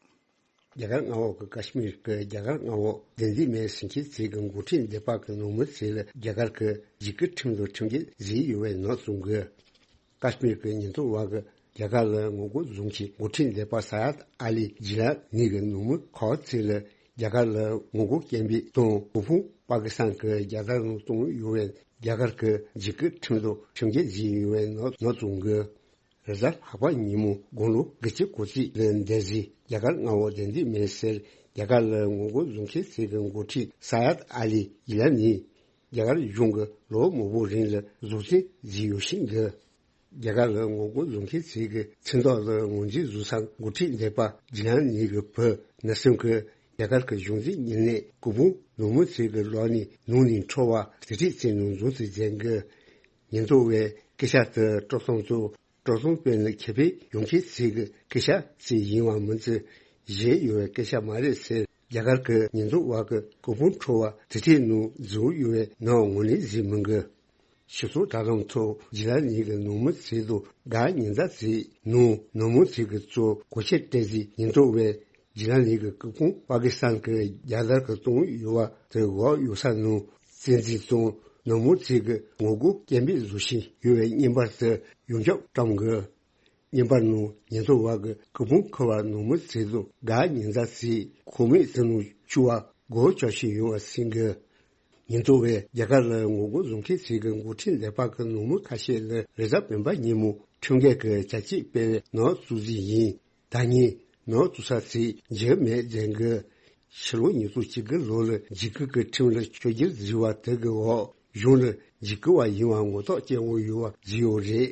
རྒྱ་གར་མངའ་འོག་གི་ཀ་ཤི་མིར་གྱི་རྒྱ་གར་མངའ་འོག་བདེན་འཛིན་མའི་ཟིང་ཆེན་རྩེ་གི་འགོ་ཁྲིད་སྡེ་པ་གི་ནང་མི་ཚོ་ལ་རྒྱ་གར་གྱི་འཇིགས་སྐུལ་ཁྲིམས་དང་ཁྲིམས་འགལ་བཟོས་ཡོད་པའི་ནག་བཙོང་གི། ཀ་ཤི་མིར་གྱི་ཉེན་རྟོག་པ་གིས་རྒྱ་གར་ལ་ངོ་རྒོལ་བཟོ་མཁན་འགོ་ཁྲིད་སྡེ་པ་ས་ཡད་ཨ་ལི་ཇི་ལ་ནི་གི་ནང་མི་ཁག་ཅིག་ལ་རྒྱ་གར་ལ་ངོ་རྒོལ་སྐད་འབོད་དང་གོ་ཕུང་པ་ཀི་སི་ཐན་གྱི་རྒྱལ་དར་ནང་བཏང་ཡོད་པའི་རྒྱ་གར་གྱི་འཇིགས་སྐུལ་ཁྲིམས་དང་ཁྲིམས་འགལ་བཟོས་ཡོད་པའི་ནག་ནག་བཙོང་གི། རེས་གཟའ་ལྷག་པ་ཉིན་མོ་དགུང་ལོ་དགུ་བཅུ་གོ་གཅིག་ལ་འདས་ཟིན་རྒྱ་གར་མངའ་འོག་བདེན་འཛིན་མའི་སར་རྒྱ་གར་ལ་ངོ་རྒོལ་བཟོ་མཁན་ཚོ་གི་འགོ་ཁྲིད་ས་ཡད་ཨ་ལི་ཡི་ལ་ནི་རྒྱ་གར་གཞུང་གི་ལོ་མང་པོ་རིང་ལ་བཟོ་རྩིས་བཟོས་ཡོད་བཞིན་འདུག་རྒྱ་གར་ལ་ངོ་རྒོལ་བཟོ་མཁན་ཚོ་གི་མཚན་ཐོག་ལ་ངོས་འཛིན་བཟོ་ས་འགོ་ཁྲིད་སྡེ་པ་ཇི་ལ་ནི་གི་བུ་ན་སུན་གི་རྒྱ་གར་གྱི་གཞུང་འཛིན་ཉེ་གནས་སྐུ་ཕུང་ནང་མི་ཚོ་གི་ལག་ནས་ནང་ནས་འཕྲོ་བར་དེ་འདྲས་བྱས་ནས་འཛིན་བཟུང་བྱས་འགོ། ཉེན་རྟོག་པས་སྐད་ཆ་དེ་སྤྲོ་གསེང་དང་སྤྲོ་གསེང་སྤེལ་ནས་ཁེ་ཕན་ཡོང་མཁན་ཚོ་གི་སྐད་ཆ་ཞིག་ཡིན་པ་མིན་ཚེ་གཞན་ཡོད་པའི་སྐད་ཆ་མ་རེད་ཟེར། རྒྱ་གར་གྱི་ཉེན་རྟོག་པ་གི་སྐུ་ཕུང་འཕྲོ་བར་དེ་འདྲས་ནང་འཛུལ་ཡོད་པའི་ནག་ངོས་ནས་གཟིགས་མི་འགོ། སྤྱི་ཚོགས་དྲ་ལམ་ཐོག་ཇི་ལ་ནི་གི་ནང་མི་ཚོ་དང་དགའ་ཉེ་མཛའ་ཚོའི་ནང་ནང་མི་ཚོ་གི་གཙོ་གོ་ཆེར་སྤྲད་རྗེས་ཉེན་རྟོག་པས་ཇི་ལ་ནི་གི་སྐུ་ཕུང་པ་ཀི་སི་ཐན་གྱི་རྒྱལ་དར་གྱི་བཏང་ཡོད་པ་དེ་འགོག་ཡོད་ས་ནང་བཙན་འཛུལ་དང་ནང་མི་ཚོ་གི་ངོ་རྒོལ་སྐད་འབོད་བཟོ་བཞིན་ཡོད་པའི་བརྙན་པར་དེ་ཡོངས་ཁྱབ་བཀྲམ་དགོས། བརྙན་པར་ནང་ཉེན་རྟོག་པ་གི་སྐུ་ཕུང་ཁུར་བ་ནང་མི་ཚོ་དང་དགའ་ཉེ་མཛའ་ཚོས་ཁོག་སྨད་དེ་ནང་བཅུག་པ་སྒོ་ཕྱེ་བཞིན་ཡོད་པ་གསན་གི། ཉེན་རྟོག་པས་རྒྱ་གར་ལ་ངོ་རྒོལ་བཟོ་མཁན་ཚོ་གི་འགོ་ཁྲིད་སྡེ་པ་གི་ནང་མི་ཁ་ཤས་ལ་རེས་གཟའ་སྤེན་པ་ཉིན་མོ་ཁྲིམས་འགལ་གྱི་བྱ་སྤྱོད་སྤེལ་བའི་ནག་བཙུགས་རྩིས་ཡིན། ད་ངས་ནག་བཙུགས་ས་ཚོ་འཇིགས་མེད་མཛད་གི། ཕྱི་ལོ་ཉིས་སྟོང་བཅུ་དགུ་ལོ་ལ་འཇིགས་སྐུལ་གྱི་ཁྲིམས་ལ་ཆོས་བསྒྱུར་བཟོས་པ་དེ་གི་འོག་གཞུང་ལ་འཇིགས་སྐུལ་བ་ཡིན་པ་ངོ་ཐོག་སྐྱེལ་དགོས་ཡོད་པ་བཟོས་ཡོད་རེད།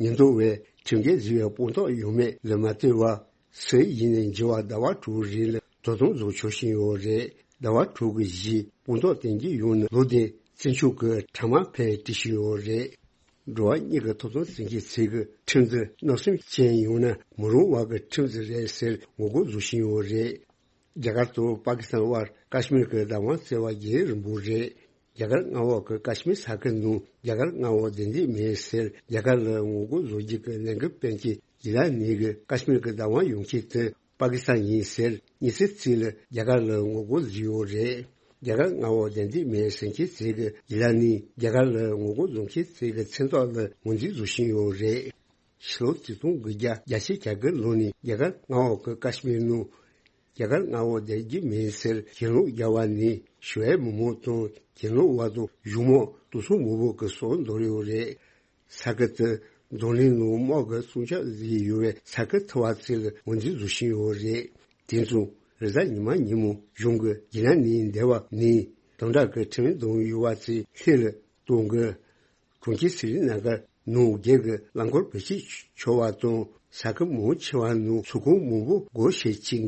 ཉེན་རྟོག་པས་ཁྲིམས་འགལ་བཟོས་པའི་དཔང་རྟགས་ཡོད་མེད་ལ་མ་ལྟོས་པར་སུ་ཡིན་ནའི་འགྱུར་བ་ཟླ་བ་དྲུག་རིང་ལ་དོ་དམ་བཟོ་ཆོག་བཞིན་ཡོད་རེད། ཟླ་བ་དྲུག་གི་རྗེས་དཔང་རྟགས་བསྟན་གྱི་ཡོད་ན་ལོ་དེའི་བཙུན་ཆུང་གི་ཕྲ་མ་ཕལ་བྲིས་བཞིན་ཡོད་རེད། འགྲོ་བ་མིའི་ཐོབ་ཐང་འཛིན་མཁན་ཚོས་ཀྱི་ཁྲིམས་འདི་གནམ་གཤིས་ཅན་ཡོང་ན་མི་རུང་བ་གི་ཁྲིམས་ཟིག་རེད་ཟེར་ངོ་རྒོལ་བཟོ་བཞིན་ཡོད་རེད། རྒྱ་གར་དང་པ་ཀི་སི་ཐན་དབར་ཀ་ཤི་མིར་གྱི་བདག་དབང་བརྩི་བ་རྒྱུན་རིང་པོ་རེད། རྒྱ་གར་མངའ་འོག་གི་ཀ་ཤི་མིར་ས་ཁུལ་ནང་རྒྱ་གར་མངའ་འོག་བདེན་འཛིན་མེད་ཟེར་རྒྱ་གར་ལ་ངོ་རྒོལ་བཟོ་རྒྱུ་གི་ལས་འགུལ་སྤེལ་མཁན་ཇི་ལ་ནི་གི་ཀ་ཤི་མིར་གྱི་བདག་དབང་ཡོང་མཁན་དེ་པ་ཀི་སི་ཐན་ཡིན་ཟེར་ཉི་ཤུ་ཙམ་ལ་རྒྱ་གར་ལ་ངོ་རྒོལ་བཟོས་ཡོད་རེད། རྒྱ་གར་མངའ་འོག་བདེན་འཛིན་མེད་ཟེར་མཁན་ཚོས་ཀྱི་ཇི་ལ་ནི་རྒྱ་གར་ལ་ངོ་རྒོལ་བཟོ་མཁན་ཚོས་ཀྱི་མཚན་ཐོག་ལ་ངོས་འཛིན་བཟོ་བཞིན་ཡོད་རེད། ཕྱི་ལོ་ཆིག་སྟོང་དགུ་བརྒྱ་བརྒྱད་ཅུ་གྱ་དགུ་ལོ་ནས་རྒྱ་གར་མངའ་འོག་གི་ཀ་ཤི་མིར་ནང་རྒྱ་གར་མངའ་འོག་བསྡད་རྒྱུ་མིན་ཟེར་གྱེན་ལོག་རྒྱག་པ་ནི་ཞི་བའི་མི་མང་དང་གྱེན་ལོག་པ་དང་གཞུང་མང་དུག་སོང་མང་པོ་གི་སྲོག་འདོར་ཡོད་རེད། ས་ཁུལ་དེ་རྡུང་ལེན་ནང་དམག་གི་སྲུང་སྐྱོབ་བཟོས་ཡོད་པའི་ས་ཁུལ་ཐུབ་པ་ཚོ་ལ་ངོས་འཛིན་བཟོ་བཞིན་ཡོད་རེད། དེ་མཚུངས་རེས་གཟའ་ཉི་མ་ཉིན་མོ་གཞུང་གི་ཇི་ལ་ནི་འདས་པ་ནས་དམ་དྲག་གི་ཁྲིམས་དང་ཡོད་པ་ཚོ་ལྷེ་ལ་གཏོང་གི། གྲོང་ཁྱེར་སི་རི་ན་གར་ནང་སྒེར་གྱི་རླངས་འཁོར་བེད་སྤྱོད་ཆོག་པ་དང་ས་ཁུལ་མང་ཆེ་བ་ནང་ཚོང་ཁང་མང་པོ་སྒོ་ཕྱེ་བྱེད་ཀྱི།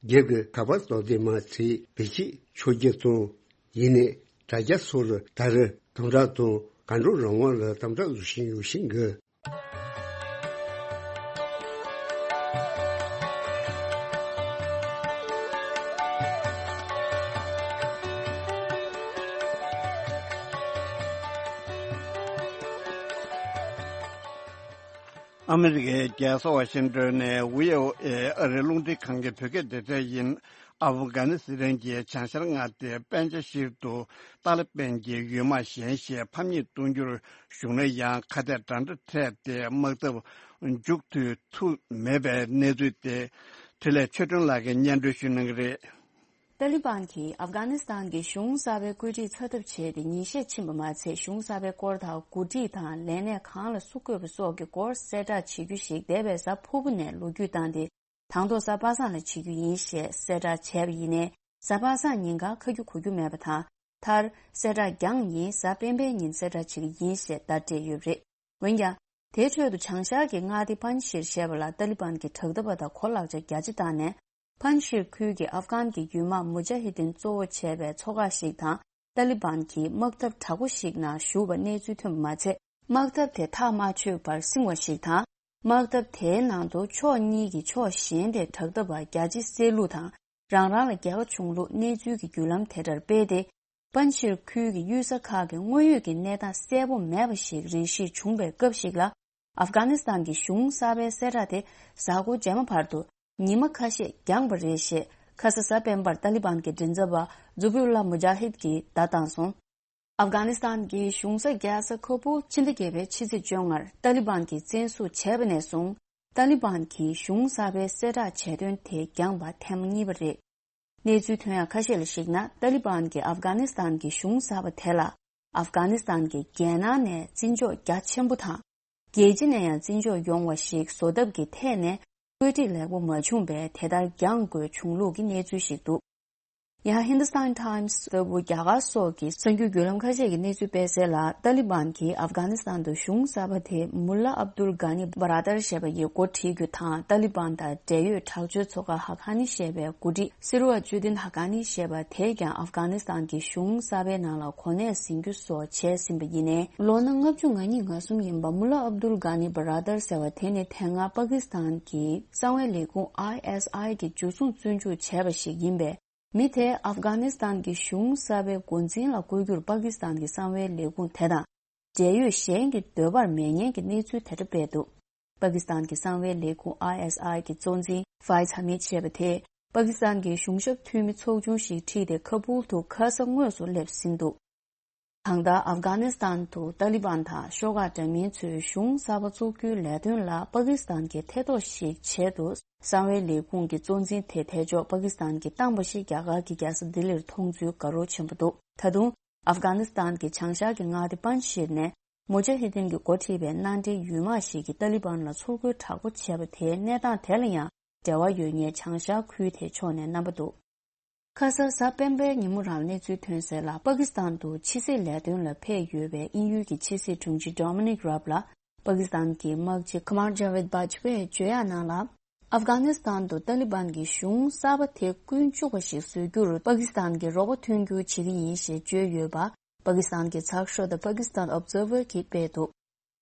སྒེར་གྱི་ཁ་པར་དོ་དམ་མ་ཚད་བེད་སྤྱོད་ཆོག་རྒྱུ་དང་། ཡིན་ནའི་དྲ་རྒྱ་སོགས་ལ་ད་རེས་དམ་དྲག་དང་གར་འགྲོ་རང་དབང་ལ་དམ་དྲག་བཟོ་བཞིན་ཡོད་བཞིན་གི། ཨ་མི་རི་ཀའི་རྒྱལ་ས་ཝ་ཤིང་ཏོན་ནས་བྷི་ཨོ་ཨེ་ཨ་རིའི་རླུང་འཕྲིན་ཁང་གི་བོད་སྐད་སྡེ་ཚན་ཡིན། ཨབ་གྷ་ནི་སི་ཐན་གྱི་བྱང་ཤར་མངའ་སྡེའི་པན་ཇ་ཤིར་དུ་ཏཱ་ལི་པན་གྱི་ཡུལ་དམག་གཞན་ཞིག་ཕམ་ཉེས་གཏོང་རྒྱུར་ཞུགས་ན་ཡང་ཁ་གཏད་འདྲ་འདྲ་འཕྲད་དེ་དམག་འཐབ་མཇུག་མཐུད་ཐུབ་མེད་པའི་གནས་ཚུལ་དེ། འཕྲིན་ལས་ཆོས་སྒྲོན་ལགས་ཀྱིས་སྙན་སྒྲོན་ཞུ་གནང་གི་རེད། ཏཱ་ལི་བན་གྱིས་ཨབ་གྷ་ནི་སི་ཐན་གྱི་གཞུང་གསར་པའི་བཀོད་སྒྲིག་ཚ་ཐབས་བྱས་ཏེ་ཉིན་ཤས་ཕྱིན་པ་མ་ཚད། གཞུང་གསར་པའི་སྐོར་དང་འགོ་ཁྲིད་དང་ལས་གནས་གང་ལ་སུ་བསྐོས་པ་སོགས་ཀྱི་སྐོར་གསལ་བསྒྲགས་བྱེད་རྒྱུ་ཞིག་འདས་པའི་གཟའ་ཕུར་བུ་ནས་ལོ་རྒྱུས་བཏང་སྟེ། དང་ཐོག་གཟའ་པ་སངས་ལ་བྱེད་རྒྱུ་ཡིན་ཞེས་གསལ་བསྒྲགས་བྱས་པ་ཡིན་ནའི། གཟའ་པ་སངས་ཉིན་གང་ཁ་རྒྱུ་གོ་རྒྱུ་མེད་པ་དང་། མཐར་གསལ་བསྒྲགས་འགྱངས་ཡིན། གཟའ་སྤེན་པའི་ཉིན་གསལ་བསྒྲགས་བྱེད་ཀྱི་ཡིན་ཞེས་བརྡ་སྤྲད་ཡོད་པ་རེད། འོན་ཀྱང་། དེའི་ཁྲོད་དུ་བྱང་ཤར་གྱི་མངའ་སྡེ་པན་ཤིར་ཞེས་པ་ལ་ཏཱ་ལི་བན་གྱི་དྲག་འཐབ་པ་དང་གོ་ལག་ཆ་རྒྱ་ཆེ་བཏང་ནས། པན་ཤིར་ཁུལ་གྱི་ཨབ་གྷན་གྱི་ཡུལ་དམག་མུ་ཇ་ཧི་དིན་གཙོ་བོ་བྱས་པའི་ཚོགས་ཁག་ཞིག་དང་ཏཱ་ལི་བན་གྱིས་དམག་འཐབ་དྲག་པོ་ཞིག་ནང་ཞུགས་པ་གནས་ཚུལ་ཐོན་པ་མ་ཚད། དམག་འཐབ་དེ་ཐག་མ་ཆོད་པར་བསྲིང་བ་ཞིག་དང་། དམག་འཐབ་དེའི་ནང་དུ་ཕྱོགས་གཉིས་ཀྱི་ཕྱོགས་གཞན་དེ་དྲག་འཐབ་པ་རྒྱ་ཆེ་བསད་ལུགས་དང་། རང་རང་ལ་རྒྱལ་ཁ་བྱུང་ལུགས་གནས་ཚུལ་གྱི་བརྒྱུད་ལམ་དེ་ལྟར་སྤེལ་ཏེ། པན་ཤིར་ཁུལ་གྱི་གཡུལ་ས་ཁག་གི་དངོས་ཡོད་ཀྱི་གནས་སྟངས་གསལ་པོ་མེད་པ་ཞིག་རེ་ཞིག་བྱུང་བའི་སྐབས་ཤིག་ལ། ཨབ་གྷ་ནི་སི་ཐན་གྱི་གཞུང་གསར་པའི་གསལ་བསྒྲགས་དེ་གཟའ་འཁོར་རྗེས་མ་བར་དུ་ཉི་མ་ཁ་ཤས་འགྱངས་པ་རེད་ཞེས། ཁ་ས་གཟའ་སྤེན་པར་ཏཱ་ལི་བན་གྱི་མགྲིན་ཚབ་པ་ཛུ་བྷི་ཨུ་ལ་མུ་ཇ་ཧིད་ཀྱིས་བརྡ་བཏང་སོང་། ཨབ་གྷ་ནི་སི་ཐན་གྱི་གཞུང་ས་རྒྱལ་ས་ཁ་པུལ་ཕྱི་ཟླ་བརྒྱད་པའི་ཕྱི་ཚེས་བཅོ་ལྔར་ཏཱ་ལི་བན་གྱིས་བཙན་བཟུང་བྱས་པ་ནས་བཟུང་། ཏཱ་ལི་བན་གྱིས་གཞུང་གསར་པའི་གསལ་བསྒྲགས་བྱས་དོན་དེ་འགྱངས་པ་ཐེངས་མ་གཉིས་པ་རེད། གནས་ཚུལ་ཐོན་ཡག་ཁ་ཤས་ལ་གཞིགས་ན། ཏཱ་ལི་བན་གྱིས་ཨབ་གྷ་ནི་སི་ཐན་གྱི་གཞུང་གསར་པ་དེ་ལ། ཨབ་གྷ་ནི་སི་ཐན་གྱི་རྒྱལ་ནང་ནས་བརྩི་འཇོག་རྒྱ་ཆེན་པོ་དང་། རྒྱལ་སྤྱི་ནས་ཡང་བརྩི་འཇོག་ཡོང་བ་ཞིག་བཟོ་ཐབས་ཀྱི་ཐད་ནས་བཀོད་སྒྲིག་ལེགས་པོ་མ་བྱུང་བས། དེ་ལྟར་འགྱངས་དགོས་བྱུང་ལུགས་ཀྱི་གནས་ཚུལ་ཞིག་འདུག། ཡང་ཧིན་དུ་སྟན་ཊའིམ་སི་ལྟ་བུ་རྒྱ་གར་སོགས་ཀྱི་གསར་འགྱུར་བརྒྱུད་ལམ་ཁ་ཤས་ཀྱིས་གནས་ཚུལ་སྤེལ་གསལ་ལ། ཏཱ་ལི་བན་གྱིས་ཨབ་གྷ་ནི་སི་ཐན་དུ་གཞུང་གསར་པ་དེ་མུ་ལ་ཨབ་དུལ་གྷ་ནི་བྷ་ར་དར་ཞེས་པ་ཡིས་འགོ་ཁྲིད་རྒྱུ་དང་། ཏཱ་ལི་བན་དང་འབྲེལ་ཡོད་དྲག་སྤྱོད་ཚོགས་ཁག་ཧ་ཀ་ནི་ཞེས་པའི་འགོ་ཁྲིད་སི་རུ་ཨ་ཇུ་དིན་ཧ་ཀ་ནི་ཞེས་པ་དེས་ཀྱང་ཨབ་གྷ་ནི་སི་ཐན་གྱི་གཞུང་གསར་པའི་ནང་ལ་གོ་གནས་ཟིན་རྒྱུ་སོགས་བྱས་ཟིན་པ་ཡིན་ནའི། ལོ་ན་ལྔ་བཅུ་ང་གཉིས་ང་གསུམ་ཡིན་པ་མུ་ལ་ཨབ་དུལ་གྷ་ནི་བྷ་ར་དར་ཟེར་བ་དེ་ནི་དེ་སྔ་པ་ཀི་སི་ཐན་གྱི་གསང་བའི་ལས་ཁུངས་ཨའི་ཨེས་ཨའི་གིས་འཇུ་བཟུང་བཙོན་འཇུག་བྱས་པ་ཞིག་ཡིན་པས། མི་དེ་ཨབ་གྷ་ནི་སི་ཐན་གྱི་གཞུང་གསར་པའི་འགོ་འཛིན་ལ་བསྐོ་རྒྱུར་པ་ཀི་སི་ཐན་གྱི་གསང་བའི་ལས་ཁུངས་དེ་དང་འབྲེལ་ཡོད་གཞན་གྱི་འདོད་པར་མེད་ཉེན་གྱི་གནས་ཚུལ་དེ་འདྲ་སྤེལ་འདུག། པ་ཀི་སི་ཐན་གྱི་གསང་བའི་ལས་ཁུངས་ཨའི་ཨེས་ཨའི་གྱི་གཙོ་འཛིན་ཕའི་ཛ་ཧ་མིད་ཅེས་པ་དེས་པ་ཀི་སི་ཐན་གྱི་གཞུང་ཞབས་འཐུས་མི་ཚོགས་ཆུང་ཞིག་ཁྲིད་དེ་ཁ་པུལ་དུ་ཁ་ས་དངོས་སུ་སླེབས་ཟིན་འདུག། གང་ལྟར་ཨབ་གྷ་ནི་སི་ཐན་དུ་ཏཱ་ལི་བན་དང་ཤོག་ཁག་འདྲ་མིན་ཚོས་གཞུང་གསར་པ་བཙུགས་རྒྱུའི་ལས་དོན་ལ་པ་ཀི་སི་ཐན་གྱིས་ཐེ་གཏོགས་ཤིག་བྱས་འདུག། གསང་བའི་ལས་ཁུངས་ཀྱི་གཙོ་འཛིན་དེ་ཐེ་ཆོག་པ་ཀི་སི་ཐན་གྱིས་བཏང་པ་ཞིག་རྒྱ་གར་གྱི་རྒྱལ་ས་ལྡི་ལིར་མཐོང་ཚུལ་དགའ་རབ་ཆེན་པོ་འདུག། ད་དུང་ཨབ་གྷ་ནི་སི་ཐན་གྱི་བྱང་ཤར་གྱི་མངའ་སྡེ་པན་ཤིར་ནས་མུ་ཇ་ཧི་དིན་གྱིས་འགོ་ཁྲིད་པའི་མནའ་འབྲེལ་ཡུལ་དམག་ཞིག་གིས་ཏཱ་ལི་བན་ལ་ཚུར་རྒོལ་དྲག་པོ་བྱས་པ་དེའི་གནས་སྟངས་དེ་ལ་ཡང་འབྲེལ་བ་ཡོད་ངེས་བྱང་ཤར་ཁུལ་དེའི་ཕྱོགས་ནས་རྣམ་པ་འདུག། ཁ་སང་གཟའ་སྤེན་པའི་ཉིན་མོ་རང་གནས་ཚུལ་ཐོན་གསལ་ལ། པ་ཀི་སི་ཐན་དུ་ཕྱི་སྲིད་ལས་དོན་ལ་ཕེབས་ཡོད་པའི་དབྱིན་ཡུལ་གྱི་ཕྱི་སྲིད་དྲུང་ཆེ་ཌོ་མི་ནིག་རབ་ལ། པ་ཀི་སི་ཐན་གྱི་དམག་སྤྱི་ཁ་མར་ཇ་ཝེད་བྷ་ཇ་པེ་ཡིས་བརྗོད་ཡག་ནང་ལ། ཨབ་གྷ་ནི་སི་ཐན་དུ་ཏཱ་ལི་བན་གྱི་གཞུང་གསར་པ་དེ་ཀུན་སྤྱོད་པ་ཞིག་བཟོ་རྒྱུར་པ་ཀི་སི་ཐན་གྱི་རོགས་པ་མཐུན་འགྱུར་བྱེད་ཀྱི་ཡིན་ཞེས་བརྗོད་ཡོད་པ། པ་ཀི་སི་ཐན་གྱི་ཚགས་ཤོག་The Pakistan Observer གྱིས་སྤེལ་འདུག།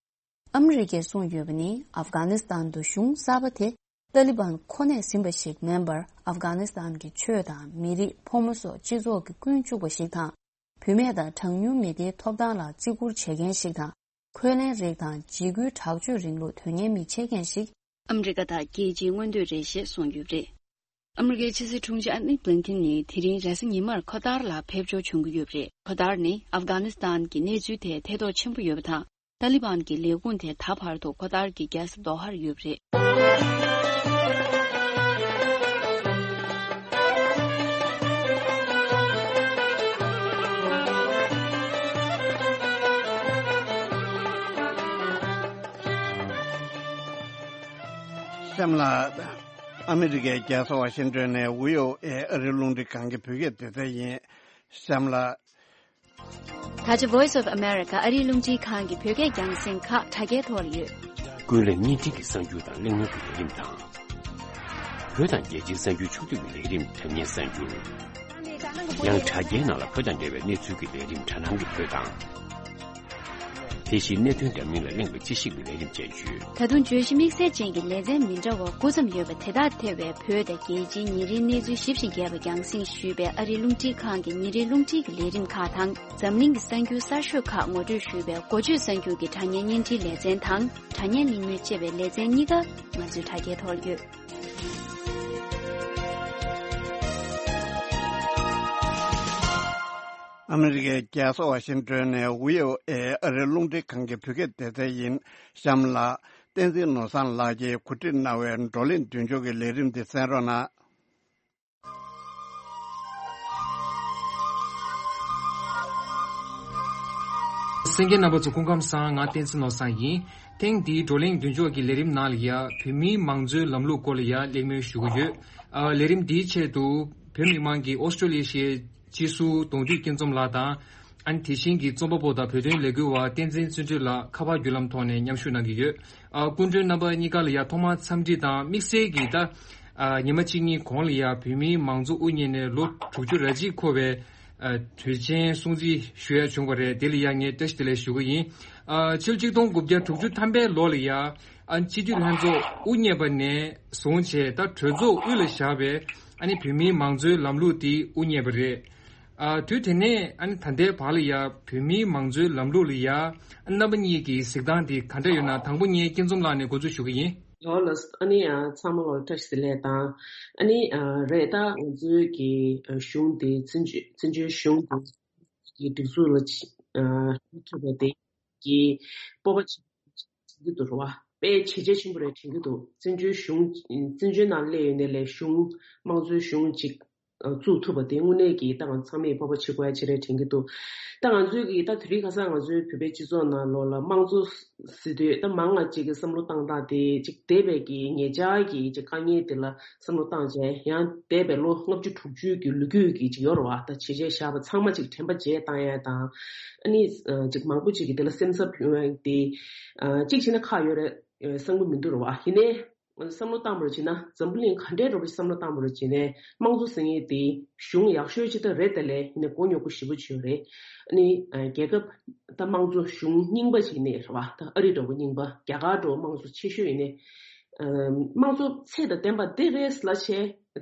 ཨ་མི་རི་ཀས་གསུངས་ཡོད་པ་ནི། ཨབ་གྷ་ནི་སི་ཐན་དུ་གཞུང་གསར་པ་དེ་ཏཱ་ལི་བན་ཁོ་ནས་ཟིན་པ་ཞིག་མིན་པར། ཨབ་གྷ་ནི་སི་ཐན་གྱི་ཆོས་དང་མི་རིགས། ཕོ་མོ་སོགས་སྤྱི་ཚོགས་ཀྱི་ཀུན་སྤྱོད་པ་ཞིག་དང་། བུད་མེད་དང་གྲངས་ཉུང་མི་སྡེའི་ཐོབ་ཐང་ལ་བརྩི་བཀུར་བྱེད་མཁན་ཞིག་དང་། འཁོན་ལན་རིགས་དང་འཇིགས་སྐུལ་དྲག་སྤྱོད་རིང་ལུགས་དོན་གཉེར་མི་བྱེད་མཁན་ཞིག། ཨ་མི་རི་ཀ་དང་རྒྱལ་སྤྱིའི་མངོན་འདོད་རེད་ཞེས་གསུངས་ཡོད་པ་རེད། ཨ་མི་རི་ཀའི་ཕྱི་སྲིད་དྲུང་ཆེ་ཨན་ནི་བྷི་ལིན་ཁིན་ནི་དེ་རིང་རེས་གཟའ་ཉི་མར་ཁོ་ཐར་ལ་ཕེབས་འབྱོར་བྱུང་གི་ཡོད་པ་རེད། ཁོ་ཐར་ནི་ཨབ་གྷ་ནི་སི་ཐན་གྱི་གནས་ཚུལ་ཐད་ཐེ་གཏོགས་ཆེན་པོ་ཡོད་པ་དང་། ཏཱ་ལི་བན་གྱི་ལས་ཁུངས་དེ་ད་བར་དུ་ཁོ་ཐར་གྱི་རྒྱལ་ས་དོ་ཧར་ཡོད་པ་རེད། གཤམ་ལ། ཨ་མི་རི་ཀའི་རྒྱལ་ས་ཝ་ཤིང་ཏོན་ནས་བྷི་ཨོ་ཨེ་ཨ་རིའི་རླུང་འཕྲིན་ཁང་གི་བོད་སྐད་སྡེ་ཚན་ཡིན། གཤམ་ལ། ད་ཆ་Voice of America ཨ་རིའི་རླུང་འཕྲིན་ཁང་གི་བོད་སྐད་རྒྱང་སྲིང་ཁག་དྲ་རྒྱའི་ཐོག་ལ་ཡོད། ཀུན་གླེང་བརྙན་འཕྲིན་གྱི་གསར་འགྱུར་དང་གླེང་མོལ་གྱི་ལས་རིམ་དང་། བོད་དང་རྒྱལ་སྤྱིའི་གསར་འགྱུར་ཕྱོགས་བསྡུས་ཀྱི་ལས་རིམ་དྲ་བརྙན་གསར་འགྱུར། ཡང་དྲ་རྒྱའི་ནང་ལ་བོད་དང་འབྲེལ་བའི་གནས་ཚུལ་གྱི་ལས་རིམ་དྲ་སྣང་གི་བོད་དང་། དེ་བཞིན་གནད་དོན་འདྲ་མིན་ལ་གླེང་བའི་དཔྱད་ཞིབ་ཀྱི་ལས་རིམ་སྤྱན་བརྒྱུད། ད་དུང་བརྗོད་གཞི་དམིགས་བསལ་ཅན་གྱི་ལེ་ཚན་མི་འདྲ་བ་དགུ་ཙམ་ཡོད་པ་དེ་དག་ཐེ་བའི་བོད་དང་རྒྱལ་སྤྱིའི་ཉིན་རེའི་གནས་ཚུལ་ཞིབ་ཅིང་རྒྱས་པ་རྒྱང་སྲིང་ཞུས་པའི་ཨ་རིའི་རླུང་འཕྲིན་ཁང་གི་ཉིན་རེའི་རླུང་འཕྲིན་གྱི་ལས་རིམ་ཁག་དང་། འཛམ་གླིང་གི་གསར་འགྱུར་གསར་ཤོས་ཁག་ངོ་སྤྲོད་ཞུས་པའི་འགོ་བརྗོད་གསར་འགྱུར་གྱི་དྲ་བརྙན་བརྙན་འཕྲིན་ལེ་ཚན་དང་། དྲ་བརྙན་གླེང་མོལ་ཅེས་པའི་ལེ་ཚན་གཉིས་ཀ་ང་ཚོས་དྲ་རྒྱའི་ཐོག་བརྒྱུད། ཨ་མི་རི་ཀའི་རྒྱལ་ས་ཝ་ཤིང་ཏོན་ནས་བྷི་ཨོ་ཨེ་ཨ་རིའི་རླུང་འཕྲིན་ཁང་གི་བོད་སྐད་སྡེ་ཚན་ཡིན། གཤམ་ལ། བསྟན་འཛིན་ནོར་བཟང་ལགས་ཀྱིས་གོ་སྒྲིག་གནང་བའི་བགྲོ་གླེང་མདུན་ལྕོག་གི་ལས་རིམ་འདི་གསན་རོགས་གནང་། གསན་མཁན་རྣམ་པ་ཚོ་སྐུ་ཁམས་བཟང་། ང་བསྟན་འཛིན་ནོར་བཟང་ཡིན། ཐེངས་འདིའི་བགྲོ་གླེང་མདུན་ལྕོག་གི་ལས་རིམ་ནང་ལ་ཡ་བོད་མིའི་མང་གཙོའི་ལམ་ལུགས་སྐོར་ལ་ཡ་གླེང་མོལ་ཞུ་གི་ཡོད། ཨ། ལས་རིམ་འདིའི་ཆེད་དུ་བོད་མི་མང་གིས་ཨོ་སི་ཀྲོ་ལི་ཤའི་སྤྱི་ཟུར་གདོང་འདུས་སྐྱིད་འཛོམས་ལགས་དང་། ཨ་ནི་དེ་བཞིན་གྱི་རྩོམ་པ་པོ་དང་བོད་དོན་ལས་འགུལ་བ་བསྟན་འཛིན་བརྩོན་འགྲུས་ལགས་ཁ་པར་བརྒྱུད་ལམ་ཐོག་ནས་མཉམ་ཞུགས་གནང་གི་ཡོད། ཨ། སྐུ་མགྲོན་རྣམ་པ་གཉིས་ཀ་ལ་ཡང་ཐོག་མར་འཚམས་འདྲི་དང་། དམིགས་བསལ་གྱིས་ད། ཨ། ཉི་མ་གཅིག་གཉིས་གོང་ལ་ཡང་བོད་མིའི་མང་གཙོ་དབུ་བརྙེས་ནས་ལོ་དྲུག་ཅུ་རེ་གཅིག་འཁོར་བའི། ཨ། དུས་ཆེན་སྲུང་བརྩི་ཞུ་ཡ་བྱུང་བ་རེད། དེ་ལ་ཡང་ངས་བཀྲ་ཤིས་བདེ་ལེགས་ཞུ་གི་ཡིན། ཨ། ཕྱི་ལོ་ཆིག་སྟོང་དགུ་བརྒྱ་དྲུག་ཅུ་ཐམ་པའི་ལོ་ལ་ཡང་། ཨ། སྤྱི་འཐུས་ལྷན་ཚོགས་དབུ་བརྙེས་པ་ནས་བཟུང་བྱས་ད་གྲོས་ཚོགས་དབུས་ལ་བཞག་པའི། ཨ་ནི་བོད་མིའི་མང་གཙོའི་ལམ་ལུགས་དེ་དབུ་བརྙེས་པ་རེད། ཨ། དུས་དེ་ནས་ཨ་ནི་ད་ལྟའི་བར་ལ་ཡ་བོད་མིའི་མང་གཙོའི་ལམ་ལུགས་ལ་ཡ་རྣམ་པ་གཉིས་ཀྱི་གཟིགས་སྟངས་དེ་ག་འདྲ་ཡོད་ན། དང་པོ་ངས་སྐྱིད་འཛོམས་ལགས་ནས་འགོ་འཛུགས་ཞུ་གི་ཡིན། ལགས་ལགས། ཨ་ནི་ཨ་ཚང་མ་ལ་བཀྲ་ཤིས་བདེ་ལེགས་དང་། ཨ་ནི་ཨ་རེད། ད་ང་ཚོའི་གི་ཨ་གཞུང་དེ་བཙན་བྱོལ་བཙན་བྱོལ་གཞུང་དེ་གི་སྒྲིག་འཛུགས་ལ་ཨ་ཐུབ་པ་དེ་གི་སྤོབས་པ་ཆེན་པོ་དྲན་གྱི་འདུག་རེད་བ། དཔེ་བྱས་རྗེས་ཆེན་པོ་རེད་དྲན་གྱི་འདུག་བཙན་བྱོལ་གཞུང་བཙན་བྱོལ་ནང་སླེབས་ཡོད་ནས་ལས་གཞུང་དམངས་གཙོའི་གཞུང་ཅིག་བཙུགས་ཐུབ་པ་དེ་དངོས་གནས་ཀྱི་ད་ང་ཚང་མས་སྤོབས་པ་བྱེད་དགོས་ཡ་ཅིག་རེད་དྲན་གྱི་འདུག་ད་ང་ཚོའི་གི་ད་དེ་རིང་ཁ་སང་ང་ཚོའི་བོད་པའི་སྤྱི་ཚོགས་ནང་ལོགས་ལ་དམངས་གཙོ་ཟེར་དུས་ད་མང་ང་ཅིག་གི་བསམ་བློ་བཏང་སྟངས་དེ་ཅིག་འདས་པའི་གི་ཉེ་ཆར་གྱི་ཅིག་དཀའ་ངལ་དེ་ལ་བསམ་བློ་བཏང་བྱས། ཡང་འདས་པའི་ལོ་ལྔ་བཅུ་དྲུག་ཅུའི་གི་ལོ་རྒྱུས་ཀྱི་ཅིག་ཡོད་རེད་བ། ད་བྱས་རྗེས་བཞག་པ་ཚང་མ་ཅིག་དྲན་པ་བརྗེད་བཏང་ཡ་དང་། ཨ་ནི་ཅིག་མང་པོ་ཅིག་གི་དེ་ལ་སེམས་འཚབ་ཡོང་ཡ་དེ་ཅིག་བྱས་ན་ཁག་ཡོད་རེད་བསམ་གི་མི་འདུག་རེད་བ། ཡིན་ནའི། བསམ་བློ་བཏང་བ་རེ་བྱས་ན་འཛམ་བུ་གླིང་ག་འདྲའི་འགྲོ་བའི་བསམ་བློ་བཏང་བ་རེ་བྱས་ནས་དམངས་གཙོ་ཟེར་མཁན་དེ་གཞུང་ཡག་ཤོས་ཅིག་ད་རེད། ད་ལས་ཡིན་ན་མགོ་རྙོག་པོ་ཞེ་པོ་ཅིག་ཡོད་རེད། ཨ་ནི་རྒྱལ་ཁབ་ད་དམངས་གཙོ་གཞུང་རྙིང་པ་ཅིག་ཡིན་ནའི་རེད་བ། ད་ཨ་རི་འདྲ་བོ་རྙིང་པ། རྒྱ་གར་འདྲ་བོ་དམངས་གཙོ་ཆེ་ཤོས་ཡིན་ནའི། དམངས་གཙོ་ཚད་དང་ལྡན་པ་དེ་རེད་ལབ་བྱས་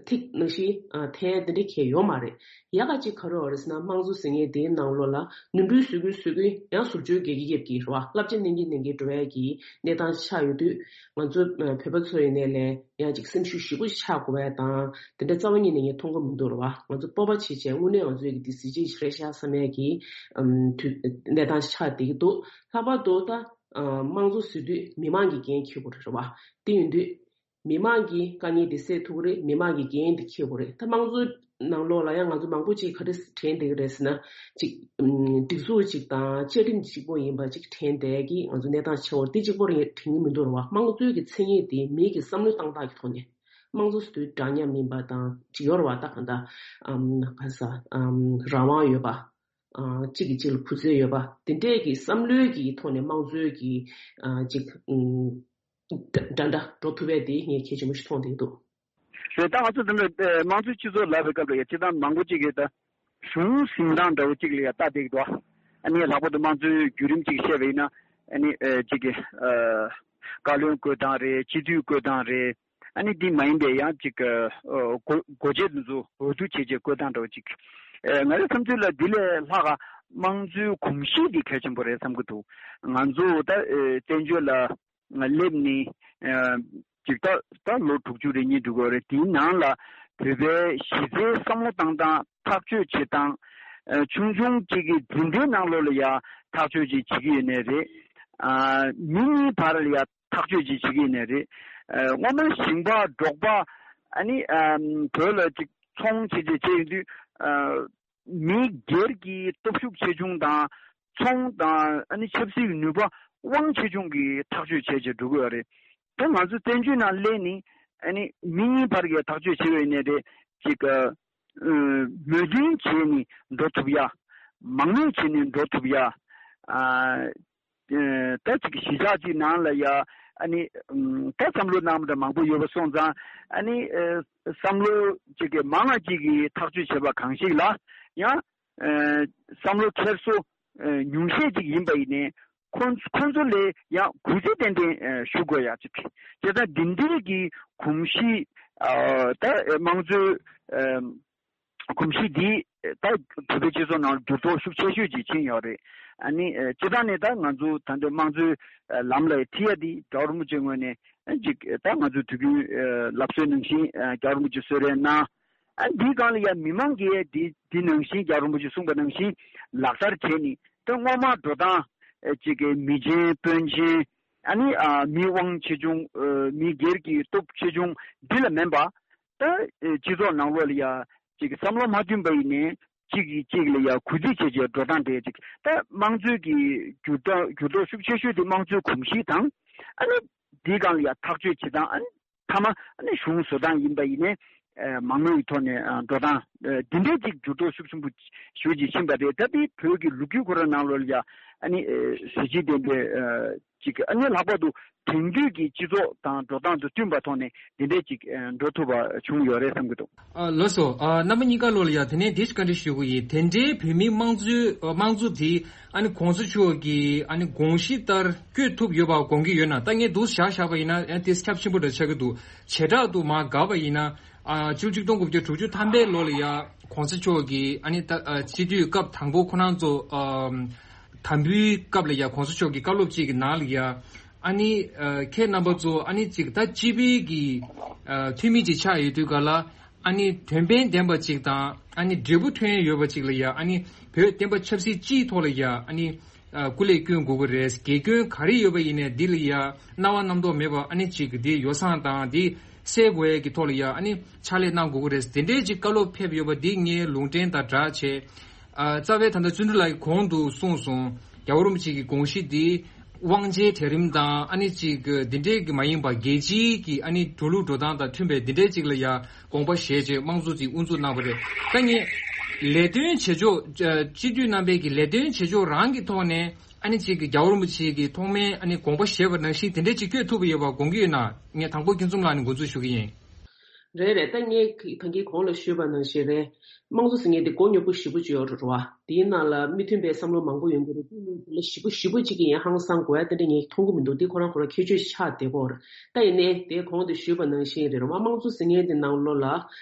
ཐིག་ནང་བཞིན་འཐེན་དེ་འདྲ་གང་ཡང་ཡོད་མ་རེད། ཡག་ག་ཅིག་ག་རེ་ཡོད་རེད་ཟེར་ན། དམངས་གཙོ་ཟེར་མཁན་དེའི་ནང་ལོགས་ལ་ནོར་འཁྲུལ་བཟོ་གིན་བཟོ་གིན་ཡང་ཟུར་བཅོས་རྒྱག་གིན་རྒྱག་གིན་རེད་བ། བསླབ་བྱ་གནང་གིན་གནང་གིན་འགྲོ་ཡ་གི་གནས་སྟངས་ཆགས་ཡོད་དུས། ང་ཚོ་བོད་པ་ཚོ་ཡིན་ནའི་ལས་ཡང་ཅིག་སེམས་ཤུགས་ཞེ་པོ་ཆག་དགོས་པ་དང་། དེ་འདྲ་རྩ་བ་ཉིད་ནས་ངས་མཐོང་གི་མི་འདུག་རེད་བ། ང་ཚོ་སྤོབས་པ་བྱེད་བྱས་དངོས་གནས་ང་ཚོའི་གི་དེ་གཟི་བརྗིད་ཞིག་རེད་ཤག་བསམ་ཡ་གི་ཨམ་དུས་གནས་སྟངས་ཆགས་བསྡད་ཀྱི་འདུག་ལྷག་པར་དུ་ད་ཨ་དམངས་གཙོ་ཟེར་དུས་མི་མང་གི་འགན་འཁྱེར་དགོས་རེད་བ། དེ་ཡིན་དུས། མི་མང་གི་དཀའ་ངལ་དེ་སེལ་ཐུབ་ཀྱི་རེད། མི་མང་གི་འགན་དེ་འཁྱེར་དགོས་རེད། ད་དམངས་གཙོའི་ནང་ལོགས་ལ་ཡང་ང་ཚོ་མང་པོ་ཅིག་ག་རེ་དྲན་བསྡད་ཀྱི་རེད་ཟེར་ན། ཅིག་ཨམ་སྒྲིག་འཛུགས་ཅིག་དང་བཅའ་ཁྲིམས་གཅིག་པོ་ཡིན་པ་ཅིག་དྲན་བསྡད་ཀྱི། ང་ཚོ་གནས་སྟངས་ཆེ་བ་དེ་གཅིག་པོ་རེད་དྲན་གྱི་མི་འདུག་རེད་བ། དམངས་གཙོའི་གི་མཚན་ཉིད་དེ་མི་གི་བསམ་བློ་བཏང་སྟངས་ཀྱི་ཐོག་ནས། དམངས་གཙོ་ཟེར་དུས་འདྲ་མཉམ་ཡིན་པ་དང་ཅིག་ཡོད་རེད་བ། ད་གང་ལྟར་ཨམ་ག་ས་ཨམ་རང་དབང་ཡོད་པ། ཨ་གཅིག་གིས་གཅིག་ལ་གུས་བརྩི་ཡོད་པ། དེ་འདྲས་ཀྱི་བསམ་བློའི་གི་ཐོག་ནས་དམངས་གཙོའི་གི་ཨ་ཅིག་ཨམ། འདྲ་འདྲ་འགྲོ་ཐུབ་པ་དེ་ངས་གལ་ཆེན་པོ་ཞིག་མཐོང་བསྡད་འདུག་རེད། ད་ང་ཚོ་འདི་འདྲ་དམངས་གཙོའི་སྤྱི་ཚོགས་ལབ་པའི་སྐབས་ལ་ཡ་སྤྱིར་བཏང་མང་པོ་ཅིག་གིས་ད་གཞུང་འཛིན་སྟངས་འདྲ་བོ་ཅིག་ལ་ཡ་ལྟ་བསྡད་ཀྱི་འདུག་ཨ་ནི་ལྷག་པར་དུ་དམངས་གཙོའི་བརྒྱུད་རིམ་ཅིག་བཤད་པ་ཡིན་ན། ཨ་ནི་ཨ་ཅིག་གི་ཨ་བཀའ་བློན་བསྐོས་སྟངས་རེད། སྤྱི་འཐུས་བསྐོས་སྟངས་རེད། ཨ་ནི་འདི་མ་ཡིན་པའི་ཡང་ཅིག་ཨ་སྒོ་སྒོ་འབྱེད་འདི་ཚོ་འོས་བསྡུ་བྱས་རྗེས་བསྐོས་སྟངས་འདྲ་བོ་ཅིག་ཨ་ང་རའི་བསམ་ཚུལ་ལ་འདི་ལས་ལྷག་ག་དམངས་གཙོའི་གོམས་གཤིས་འདི་གལ་ཆེན་པོ་རེད་བསམ་གྱི་འདུག་ང་ཚོ་ད་ཨ་བཙན་བྱོལ་ལ་སླེབས་ནས་ཨ་ཅིག་ད་ད་ལོ་དྲུག་ཅུ་རེ་གཉིས་འགྲོ་གི་ཡོད་རེད། དེའི་ནང་ལ་བོད་པའི་གཞི་རྩའི་བསམ་བློ་བཏང་སྟངས། ཐག་གཅོད་བྱེད་སྟངས། ཨ་ཆུང་ཆུང་གཅིག་གི་འཛིན་གྲྭའི་ནང་ལོགས་ལ་ཡ་ཐག་གཅོད་ཅིག་བྱེད་ཀྱི་ཡོད་ནའི་རེད། ཨ་མི་གཉིས་བར་ལ་ཡ་ཐག་གཅོད་ཅིག་བྱེད་ཀྱི་ཡོད་ནའི་རེད། ཨ་སྔོན་མ་ཞིང་པ་འབྲོག་པ་ཨ་ནི་ཨ་བོད་ལ་ཅིག་ཚོང་བྱེད་བྱེད་བྱེད་ཡོང་དུས། ཨ་མི་སྒེར་གྱི་སྟོབས་ཤུགས་ཆེ་ཆུང་དང་ཚོང་དང་ཨ་ནི་ཆབ་སྲིད་ནུས་པ་དབང་ཆེ་ཆུང་གིས་ཐག་གཅོད་བྱས་བྱས་འགྲོ་གི་ཡོད་རེད། ད་ང་ཚོ་བཙན་བྱོལ་ནང་སླེབས་ནས་ཨ་ནི་མི་གཉིས་བར་གྱི་ཐག་གཅོད་བྱེད་པ་ཡིན་ནའི་རེད། ཅིག་ཨ་མོས་མཐུན་བྱས་ནས་འགྲོ་ཐུབ་ཡ། མང་མོས་བྱས་ནས་འགྲོ་ཐུབ་ཡ། ཨ་ཨ་ད་ཅིག་གཞིས་ཆགས་ཅིག་ནང་ལ་ཡ་ཨ་ནི་ཨམ་ད་བསམ་བློ་གནང་བ་འདྲ་མང་པོ་ཡོད་པ་སོང་ཙང་། ཨ་ནི་ཨ་བསམ་བློ་ཅིག་གི་མང་ང་ཅིག་གིས་ཐག་གཅོད་བྱས་པ་གང་ཞིག་ལ་ཡང་ཨ་བསམ་བློ་འཁྱེར་སོ་ཨ་ཉུང་ཤས་ཅིག་ཡིན་པ་ཡིན་ནའི། ཁོང་ཁོང་ཚོ་ལས་ཡང་གུས་བརྩི་ཏན་ཏན་ཞུ་དགོས་ཡ་གཅིག་རེད། བྱས་ཙང་འདི་འདྲའི་གི་གོམས་གཤིས་ད་དམངས་གཙོའི་གོམས་གཤིས་འདི་ད་བོད་པའི་སྤྱི་ཚོགས་ནང་འགྱུར་ལྡོག་ཤུགས་ཆེ་ཤོས་ཅིག་ཕྱིན་ཡོད་རེད། ཨ་ནི་སྤྱིར་བཏང་ནས་ད་ང་ཚོ་ད་ལྟ་དམངས་གཙོའི་ལམ་ལ་ཁྲིད་ཡ་འདི་རྒྱལ་བ་རིན་པོ་ཆེ་ངོས་ནས་ཅིག་ད་ང་ཚོ་དུས་རྒྱུན་ལབ་སྲོལ་ནང་བཞིན་རྒྱལ་བ་རིན་པོ་ཆེ་གསོལ་རས་གནང་། ཨ་འདིའི་སྒང་ལ་ཡ་མི་མང་གིས་འདི་འདི་ནང་བཞིན་རྒྱལ་བ་རིན་པོ་ཆེས་གསུངས་པ་ནང་བཞིན་ལག་བསྟར་བྱས་ནས་ད་སྔོན་མ་འགྲོ་སྟངས་ཨེ་ཅིག་གི་མི་ཆེན་དཔོན་ཆེན་ཨ་ནི་ཨ་མི་དབང་ཆེ་ཆུང་ཨེ་མི་སྒེར་གྱི་སྟོབས་ཆེ་ཆུང་འདི་ལ་མིན་པ། ད་ཨེ་སྤྱི་ཚོགས་ནང་ལོགས་ལ་ཡ་ཅིག་བསམ་བློ་མ་མཐུན་པ་ཡིན་ནའི་གཅིག་གིས་གཅིག་ལ་ཡ་གུས་བརྩི་བྱེད་ཀྱི་འགྲོ་སྟངས་དེ་ཅིག་ད་དམངས་གཙོའི་གི་འགྱུར་ལྡོག་འགྱུར་ལྡོག་ཤུགས་ཆེ་ཤོས་དེ་དམངས་གཙོའི་གོམས་གཤིས་དང་ཨ་ནི་འདིའི་སྒང་ལ་ཡ་ཐག་གཅོད་བྱེད་སྟངས་ཨ་ནི། མཐའ་མ་ཨ་ནི་གཞུང་བཟོ་སྟངས་ཡིན་པ་ཡིན་ནའི་མང་མོས་ཀྱི་ཐོག་ནས་འགྲོ་སྟངས་འདི་འདྲའི་ཅིག་འགྱུར་ལྡོག་ཤུགས་ཆེན་པོ་ཞེ་པོ་ཅིག་ཕྱིན་པ་རེད། ད་དེ་བོད་ཀྱི་ལོ་རྒྱུས་ཁོ་རང་ནང་ལོགས་ལ་ཡ་ཨ་ནི་གཟི་བརྗིད་ལྡན་པའི་ཅིག་ཨ་ནི་ལྷག་པར་དུ་དེང་དུས་ཀྱི་སྤྱི་ཚོགས་དང་འགྲོ་སྟངས་དང་བསྟུན་པ་ཐོག་ནས་འདི་འདྲའི་ཅིག་འགྲོ་ཐུབ་པ་བྱུང་ཡོད་རེད་བསམ་གྱི་འདུག་ཨ་ལགས་སོ། ཨ་རྣམ་པ་གཉིས་ཀ་ལོགས་ལ་ཡ་དེ་ནས་འདི་ཞིག་བཀའ་འདྲི་ཞུ་གི་ཡིན། དེ་འདྲའི་བོད་མིའི་དམངས་གཙོའི་དམངས་གཙོ་དེ་ཨ་ནི་གོང་ས་མཆོག་གི་ཨ་ནི་དགོངས་གཞི་ལྟར་བསྐྱོད་ཐུབ་ཡོད་པ་དགོངས་ཀྱི་ཡོད་ན། ད་ངས་འདུག་བཞག་བཞག་པ་ཡིན་ན་ཨ་དེ་ཁྱབ་ཆེན་པོ་འདྲ་ཆགས་ཀྱི་འདུག་བྱེ་བྲག་ཏུ་མར་དགག་པ་ཡིན་ན་ཨ་ཕྱི་ལོ་ཆིག་སྟོང་དགུ་བརྒྱ་དྲུག་ཅུ་ཐམ་པའི་ལོ་ལ་ཡ་གོང་ས་མཆོག་གི་ཨ་ནི་ད་ཨ་སྤྱི་འཐུས་སྐབས་དང་པོ་ཁོ་རང་ཚོ་ཨ་དམ་འབུལ་སྐབས་ལ་ཡ་གོང་ས་མཆོག་གི་བཀའ་སློབ་ཅིག་གི་ནང་ལ་ཡ་ཨ་ནི་ཨ་ཁྱེད་རྣམ་པ་ཚོ་ཨ་ནི་ཅིག་ད་སྤྱི་པའི་གི་ཨ་འཐུས་མི་ཅིག་ཆགས་ཡོད་དུས་ག་ལ། ཨ་ནི་དོན་ཕན་ལྡན་པ་ཅིག་དང་ཨ་ནི་འབྲས་བུ་ཐོན་ཡོད་པ་ཅིག་ལ་ཡ་ཨ་ནི་བོད་བསྟན་པ་ཆབ་སྲིད་སྤྱིའི་ཐོག་ལ་ཡ་ཨ་ནི་ཨ་སྐུ་ལས་བསྐྱོན་དགོས་ཀྱི་རེད། དགེ་སྐྱོན་ག་རེ་ཡོད་པ་ཡིན་ནའི་འདི་ལ་ཡ་སྣང་བ་རྣམ་རྟོག་མེད་པ་ཨ་ནི་ཅིག་འདི་ཡོ་བསྲང་དང་འདི་སེལ་དགོས་ཡས་ཀྱི་ཐོག་ལ་ཡ་ཨ་ནི་ཕྱག་ལས་གནང་དགོས་ཀྱི་རེད། དེ་འདྲའི་ཅིག་བཀའ་སློབ་ཕེབས་ཡོད་པ་འདི་ངའི་ལུང་འདྲེན་དང་སྦྲགས་བྱས། ཨ་རྩ་བའི་ད་ལྟ་བརྩོན་འགྲུས་ལགས་ཀྱིས་གོང་དུ་གསུངས་སོང་། རྒྱལ་བ་རིན་པོ་ཆེ་གི་དགོངས་གཞི་འདི་དབང་ཆའི་གྲལ་རིམ་དང་ཨ་ནི་ཅིག་འདི་འདྲའི་གི་མ་ཡིན་པ་རྒྱལ་སྤྱིའི་གི་ཨ་ནི་འགྲོ་ལུགས་འགྲོ་སྟངས་དང་མཐུན་པའི་འདི་འདྲའི་ཅིག་ལ་ཡ་དགོངས་པ་བཞེས་བྱས་དམངས་གཙོ་ཅིག་དབུ་འཛུགས་གནང་བ་རེད། ད་ངས་ལས་དོན་བྱེད་ཕྱོགས་སྤྱི་འཐུས་རྣམ་པའི་གི་ལས་དོན་བྱེད་ཕྱོགས་རང་གི་ཐོག་ནས་ཨ་ནི་ཅིག་གི་རྒྱལ་བ་རིན་པོ་ཆེ་གི་ཐོག་མའི་ཨ་ནི་དགོངས་པ་བཞེས་པ་ནང་བཞིན་དེ་འདྲའི་ཅིག་བསྐྱོད་ཐུབ་པ་ཡོད་པ་དགོངས་ཀྱི་ཡོད་ན། ངས་དང་པོ་སྐྱིད་འཛོམས་ལགས་ནས་འགོ་འཛུགས་ཞུ་གི་ཡིན། རེད་རེད། ད་ངས་ད་གིན་གོང་ལ་ཞུས་པ་ནང་བཞིན་རེད། དམངས་གཙོ་ཟེར་མཁན་དེ་མགོ་རྙོག་པོ་ཞེ་པོ་ཅིག་ཡོད་རེད་བ། དེའི་ནང་ལ་མི་མཐུན་པའི་བསམ་བློ་མང་པོ་ཡོང་གི་རེད། དེ་ནི་དེ་ལ་ཞེ་པོ་ཞེ་པོ་ཅིག་གི་ཡང་ཧང་སང་དགོས་ཡ་དེ་འདྲ་ངས་མཐོང་གི་མི་འདུག་དེ་ཁོ་རང་ཁོ་རང་ཁྱད་ཆོས་ཤིག་ཆགས་བསྡད་ཀྱི་ཡོད་རེད། ད་ཡིན་ནའི་དེ་གོང་དུ་ཞུས་པ་ནང་བཞིན་རེད་བ། དམངས་གཙོ་ཟེར་མཁན་དེ་ནང་ལོགས་ལ་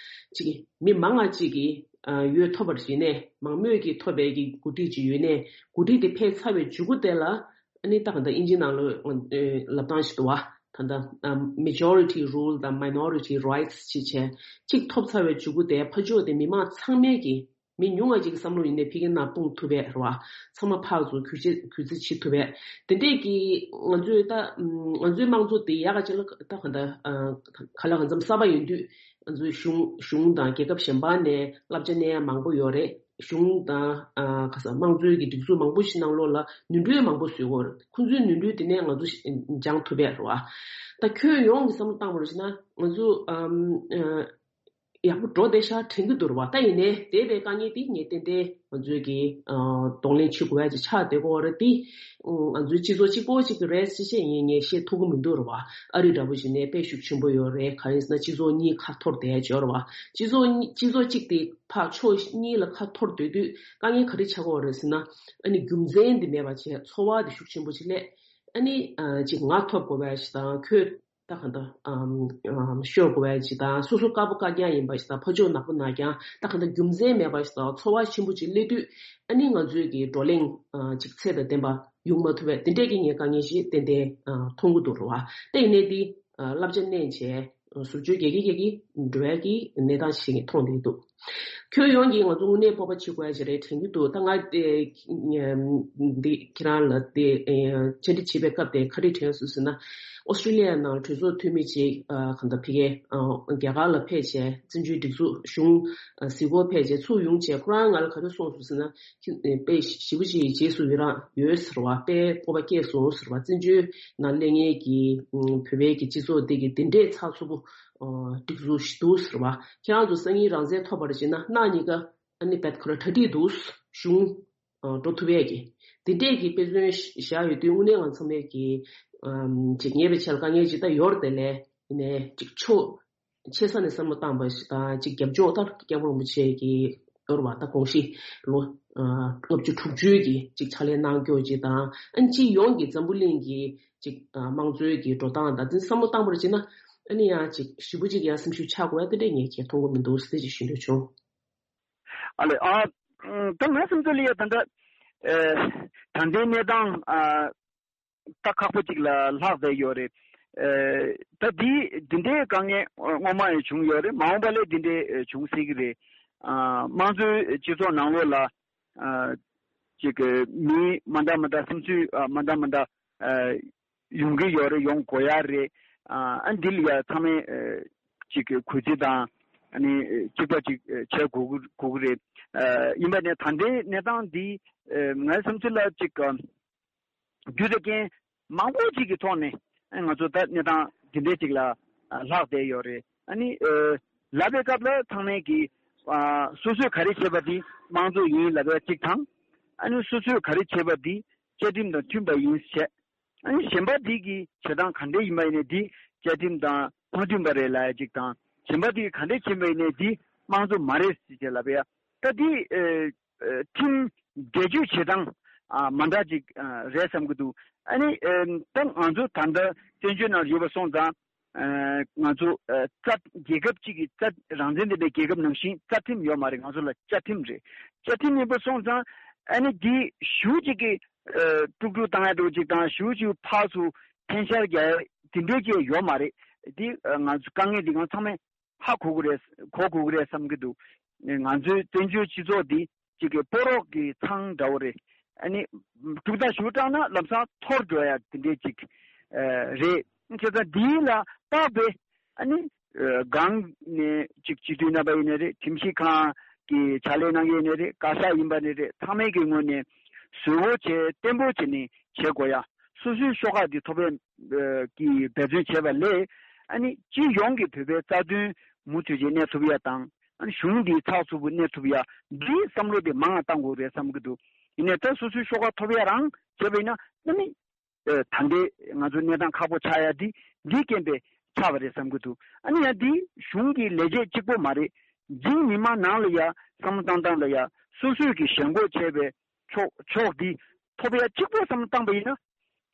ཅིག་མི་མང་ང་ཅིག་གིས་འོས་ཐོབ་པ་ཡིན་ནའི་མང་མོས་ཀྱིས་ཐོབ་པའི་གི་འགོ་ཁྲིད་ཅིག་ཡོད་ནའི་འགོ་ཁྲིད་དེ་ཕེབས་ཚར་བའི་མཇུག་གུ་དེ་ལ། ཨ་ནི་ད་ག་ད་དབྱིན་ཇི་ནང་ལོ་ལབ་སྟངས་ཤིག་འདུག་བ། ད་ད་majority rule དང་minority rights ཅེས་བྱས་གཅིག་ཐོབ་ཚར་བའི་མཇུག་གུ་དེ་ཕར་ཕྱོགས་དེ་མི་མང་ཚང་མས་ཀྱི་མི་ཉུང་བ་ཅིག་གི་བསམ་བློ་ཡིན་ནའི་ཕ་གིའི་ནང་སྤུངས་ཐུབ་པས་རེད་བ། ཚང་མ་ཕར་ཚུར་གུས་བརྩི་གུས་བརྩི་བྱེད་ཐུབ་པས། དེ་འདྲས་ཀྱི་ང་ཚོའི་ད་ང་ཚོའི་དམངས་གཙོ་དེ་ཡག་ག་ཅིག་ལ་ད་ག་ད་ག་ལ་གང་འཚམ་གསར་པ་ཡིན་དུས་ང་ཚོའི་གཞུང་གཞུང་དང་རྒྱལ་ཁབ་གཞན་པ་ནས་བསླབ་བྱ་གནང་ཡ་མང་པོ་ཡོད་རེད། གཞུང་དང་ཨ་ཁ་སང་དམངས་གཙོའི་གི་སྒྲིག་འཛུགས་མང་པོ་ཞིག་ནང་ལོགས་ལ་ནོར་འཁྲུལ་མང་པོ་བཟོས་ཡོད་རེད། ཁོང་ཚོའི་ནོར་འཁྲུལ་དེ་ནས་ང་ཚོ་ཞིག་སྦྱང་ཐུབ་པས་རེད་བ། ད་ཁྱོན་ཡོངས་ཀྱི་བསམ་བློ་བཏང་བ་རེད་ཟེར་ན་ང་ཚོ་ཨམ་ཨ་ཡག་པོ་འགྲོ་བསྡད་ཤག་དྲན་གྱི་འདུག་རེད་བ། ད་ཡིན་ནའི་དེ་བས་དཀའ་ངལ་དེ་ངས་ཏན་ཏན་ང་ཚོའི་གི་ཨ་གདོང་ལེན་བྱེད་དགོས་ཡ་ཅིག་ཆགས་བསྡད་ཀྱི་ཡོད་རེད་དེ། ང་ཚོའི་སྤྱི་ཚོགས་གཅིག་པོ་གཅིག་གི་རེད་ཟེར་བཤད་ཡིན་ངས་བཤད་ཐུབ་ཀྱི་མི་འདུག་རེད་བ། ཨ་རི་འདྲ་པོ་ཞིག་ནས་དཔེ་ཤུགས་ཆེན་པོ་ཡོད་རེད། ག་རེ་ཟེར་ན་སྤྱི་ཚོགས་གཉིས་ཁ་འཐོར་བསྡད་ཡ་ཅིག་ཡོད་རེད་བ། སྤྱི་ཚོགས་གཉིས་སྤྱི་ཚོགས་གཅིག་དེ་ཕར་ཕྱོགས་གཉིས་ལ་ཁ་འཐོར་སྡོད་དུས་དཀའ་ངལ་ག་རེ་ཆགས་ཀྱི་ཡོད་རེད་ཟེར་ན། ཨ་ནི་རྒྱུ་མཚན་འདི་མེད་པ་བྱས་ཚོར་བ་འདི་ཤུགས་ཆེན་པོ་ཅིག་སླེབས། ཨ་ནི་ཨ་ཅིག་ང་ཐོབ་དགོས་པ་ཞིག་དང་ཁྱོད་ད་ག་འདྲ་ཨམ་ཨམ་ཤོར་དགོས་པ་ཞིག་དང་སོ་སོ་དཀར་པོ་དཀར་རྐྱང་ཡིན་པ་ཞིག་དང་ཕར་ཕྱོགས་ནག་པོ་ནག་རྐྱང་ད་ག་འདྲ་རྒྱུ་མཚན་མེད་པ་ཞིག་དང་ཚོར་བ་ཆེན་པོ་ཅིག་སླེབས་དུས་ཨ་ནི་ང་ཚོའི་གི་བགྲོ་གླེང་ཨ་ཅིག་ཚད་དང་ལྡན་པ་ཡོང་མ་ཐུབ་པས་དེ་འདྲས་ཀྱི་ངས་དཀའ་ངལ་ཞིག་ཏན་ཏན་ཨ་མཐོང་གི་འདུག་རེད་བ། ད་ཡིན་ནའི་འདི་ཨ་བསླབ་བྱ་གནང་བྱས། ཟུར་བཅོས་རྒྱག་གི་རྒྱག་གི་འགྲོ་ཡ་གི་གནས་སྟངས་ཤིག་མཐོང་བསྡད་འདུག་ཁྱོན་ཡོངས་ཀྱིས་ང་ཚོ་དངོས་གནས་སྤོབས་པ་བྱེད་དགོས་ཡ་ཞིག་རེད་དྲན་གྱི་འདུག་ད་ང་དེ་འདི་ཁྱེད་རང་ལ་དེ་བཅར་འདྲི་བྱེད་པའི་སྐབས་དེ་ག་རེ་དྲན་སོང་ཟེར་ན། ཨོ་སི་ཀྲི་ལི་ཡ་ནང་གྲོས་ཚོགས་འཐུས་མི་ཅིག་གང་ལྟར་ཕ་གིའི་རྒྱ་གར་ལ་ཕེབས་བྱས་བཙན་བྱོལ་སྒྲིག་འཛུགས་གཞུང་གཟིགས་སྐོར་ཕེབས་བྱས་ཚུར་ཡོང་བྱས་ཁོ་རང་ང་ལ་ག་རེ་གསུངས་སོང་ཟེར་ན། དཔེ་ཞེ་པོ་ཅིག་རྗེས་སུ་ཡི་རང་ཡོད་ཟེར་བ། དཔེ་སྤོབས་པ་སྐྱེས་སོང་ཟེར་བ། བཙན་བྱོལ་ནང་སླེབས་མཁན་གྱི་བོད་པའི་གི་སྤྱི་ཚོགས་འདི་གི་འདི་འདྲས་ཚགས་ཚུད་པོ་སྒྲིག་འཛུགས་ཤིག་འདུག་ཟེར་བ། ཁྱེད་རང་ཚོ་སང་ཉིན་རང་བཙན་ཐོབ་པར་བྱེད་ན་གནངས་ཉིན་ཀ་ཨ་ནི་བད་ཁོ་ར་གྲ་སྒྲིག་འདུག་གཞུང་འགྲོ་ཐུབ་ཡས་ཀྱི་འདི་འདྲས་ཀྱི་དཔེ་མཚོན་བཞག་ཡོད་དུས་དངོས་གནས་ང་ཚང་མས་ཀྱི་ཅིག་ཉེ་བའི་ཆར་དཀའ་ངལ་ཅིག་ད་ཡོད་རེད་དེ་ལས་ཡིན་ནའི་ཅིག་ཕྱོགས་ཆེ་ས་ནས་བསམ་བློ་བཏང་པ་ཞིག་དང་ཅིག་རྒྱབ་ལྗོངས་ལྟར་སྐྱབས་མགོན་རིན་པོ་ཆེ་གི་ གཏོར་བ་དང་དགོངས་གཞི་ལོ་ལྔ་བཅུ་དྲུག་ཅུའི་གི་ཅིག་ཕྱག་ལས་གནང་སྐྱོར་ཅིག་དང་། ཨ་ནི་སྤྱི་ཡོངས་ཀྱི་འཛམ་བུ་གླིང་གི་ཅིག་དམངས་གཙོའི་གི་འགྲོ་སྟངས་དང་དེ་བསམ་བློ་བཏང་བར་བྱས་ན། ཨ་ནི་ཡང་ཅིག་ཞེ་པོ་ཅིག་ཡང་སེམས་ཤུགས་ཆག་དགོས་ཡ་དེ་འདྲས་ངས་ཁྱེད་མཐོང་གི་མི་འདུག་ཟེར་ཅིག་ཞུ་འདོད་བྱུང་། ཨ་ལས་ཨ། ད་ང་སེམས་ཚོར་ལ་ཡ་ད་ལྟ་ད་ལྟའི་གནས་སྟངས་ཨ། ད་ཁག་པོ་ཅིག་ལ་ལྷག་བསྡད་ཡོད་རེད། ཨ། ད་འདི་འདི་འདྲའི་དཀའ་ངལ་སྔོན་མ་ཡང་བྱུང་ཡོད་རེད། མ་འོངས་པ་ལ་འདི་འདྲའི་བྱུང་སྲིད་ཀྱི་རེད། ཨ། དམངས་གཙོའི་སྤྱི་ཚོགས་ནང་ལོགས་ལ་ཨ། ཅིག་མི་མ་འདྲ་མ་འདྲ་བསམ་ཚུལ་ཨ། མ་འདྲ་མ་འདྲ་ཨ། ཡོང་གི་ཡོད་རེད། ཡོང་དགོས་ཡ་རེད། ཨ། འདི་ལ་ཡ་ཚང་མས་ཨ། ཅིག་གུས་བརྩི་དང་ཨ་ནི་གཅིག་པ་ཅིག་བྱེད་དགོས་ཀྱི་རེད། ཨ། ཡིན་པ་ནས་ད་ལྟའི་གནས་སྟངས་འདི་ཨ། ངའི་བསམ་ཚུལ་ལ་ཅིག་རྒྱུ་དང་རྐྱེན་མང་པོ་ཅིག་གི་ཐོག་ནས་ང་ཚོ་ད་གནས་སྟངས་འདི་འདྲའི་ཅིག་ལ་ལྷག་བསྡད་ཡོད་རེད། ཨ་ནི་ལབ་པའི་སྐབས་ལ་ཚང་མས་ཀྱིས་སོ་སོས་ག་རེ་བྱས་པ་དེ་དམངས་གཙོ་ཡིན་ལབ་པ་གཅིག་དང་། ཨ་ནི་སོ་སོས་ག་རེ་བྱས་པ་དེ་བཅའ་ཁྲིམས་དང་མཐུན་པ་ཡིན་བྱས། ཨ་ནི་གཞན་པ་དེ་གི་བྱེད་སྟངས་ག་འདྲ་ཡིན་པ་ཡིན་ནའི་དེ་བཅའ་ཁྲིམས་དང་མ་མཐུན་པ་རེད་ལབ་ཡ་གཅིག་དང་། གཞན་པ་དེ་གི་ག་འདྲ་བྱས་པ་ཡིན་ནའི་དེ་དམངས་གཙོ་མ་རེད་ཟེར་བྱས་ལབ་ཡ། ད་དེ་ཨ། ཁྲིམས་འགལ་གཅོད་བྱེད་སྟངས་ཨ། མ་འདྲ་ཅིག་ཨ། རེད་བསམ་གྱི་འདུག་ཨ་ནི་ཨ། ད་ང་ཚོ་ད་ལྟ་བཙན་བྱོལ་ནང་ཡོད་པ་སོང་ཙང་ཨ། ང་ཚོ་ཨ། རྩ་རྒྱལ་ཁབ་ཅིག་གི་རྩ་རང་བཙན་ལྡན་པའི་རྒྱལ་ཁབ་ནང་བཞིན་རྩ་ཁྲིམས་ཡོད་མ་རེད། ང་ཚོ་ལ་བཅའ་ཁྲིམས་རེད། བཅའ་ཁྲིམས་ཡིན་པ་སོང་ཙང་ཨ་ནི་འདི་ཞུ་ཅིག་གི་ཨ། དཀྲུག་དཀྲུག་བཏང་ཡ་འདྲ་ཅིག་དང་ཞུ་ཅིག་ཕར་ཚུར་འཐེན་ཤར་རྒྱག་ཡ་དེ་འདྲས་ཅིག་ཡོད་མ་རེད། འདི་ཨ། ང་ཚོ་དཀའ་ངལ་འདི་གང་ཚང་མས་ཧ་གོ་གི་རེད། གོ་དགོས་ཀྱི་རེད་བསམ་གྱི་འདུག་ང་ཚོའི་བཙན་བྱོལ་སྤྱི་ཚོགས་འདི་གཅིག་གི་ཕོ་རོག་གི་ཚང་འདྲ་བོ་རེད། ཨ་ནི་དཀྲུག་ཐག་ཞུ་དྲགས་ན་ལམ་སང་འཐོར་འགྲོ་ཡ་དེ་འདྲས་ཅིག་ཨ། རེད། བྱས་ཙང་འདིའི་ལ་བརྟག་པའི་ཨ་ནི་ཨ། སྒང་ནས་ཅིག་སྤྱི་འཐུས་རྣམ་པ་ཡིན་ནའི་རེད། ཁྲིམས་ཞིབ་ཁང་གི་ཕྱག་ལས་གནང་མཁན་ཡིན་ནའི་རེད། བཀའ་ཤག་ཡིན་པ་ནའི་རེད། ཚང་མའི་གི་ངོས་ནས་བཟོ་བོ་བྱས་བརྟན་པོ་བྱས་ནས་བྱེད་དགོས་ཡ། སོ་སོའི་ཤོག་ཁག་འདི་ཐོབ་པའི་ཨ། གི་འབད་བརྩོན་བྱས་པ་ལས་ཨ་ནི་སྤྱི་ཡོངས་ཀྱི་བོད་པའི་རྩ་དོན་མུ་མཐུད་ཅིག་གནས་ཐུབ་ཡ་དང་། ཨ་ནི་གཞུང་འདི་ཚགས་ཚུད་པོ་གནས་ཐུབ་ཡ་འདིའི་བསམ་བློ་དེ་མང་ང་བཏང་དགོས་རེད་བསམ་གྱི་འདུག་ཡིན་ནའི་ད་སོ་སོའི་ཤོག་ཁག་ཐོབ་ཡ་རང་བྱས་པ་ཡིན་ན་ཨ་ནི་ཨ། ད་ལྟའི་ང་ཚོ་གནས་སྟངས་ཁག་པོ་ཆགས་ཡ་འདི་འདིའི་རྐྱེན་པས་ཆགས་པ་རེད་བསམ་གྱི་འདུག་ཨ་ནི་ཡང་འདི་གཞུང་གི་ལས་བྱེད་གཅིག་པོ་མ་རེད། འཛིན་མི་མང་ནང་ལ་ཡ་བསམ་བློ་བཏང་སྟངས་ལ་ཡ་སོ་སོས་ཀྱི་ཞེན་ཁོག་བྱས་པའི་ཕྱོགས་ཕྱོགས་འདི་ཐོབ་ཡ་གཅིག་པོ་བསམ་བློ་བཏང་པ་ཡིན་ན།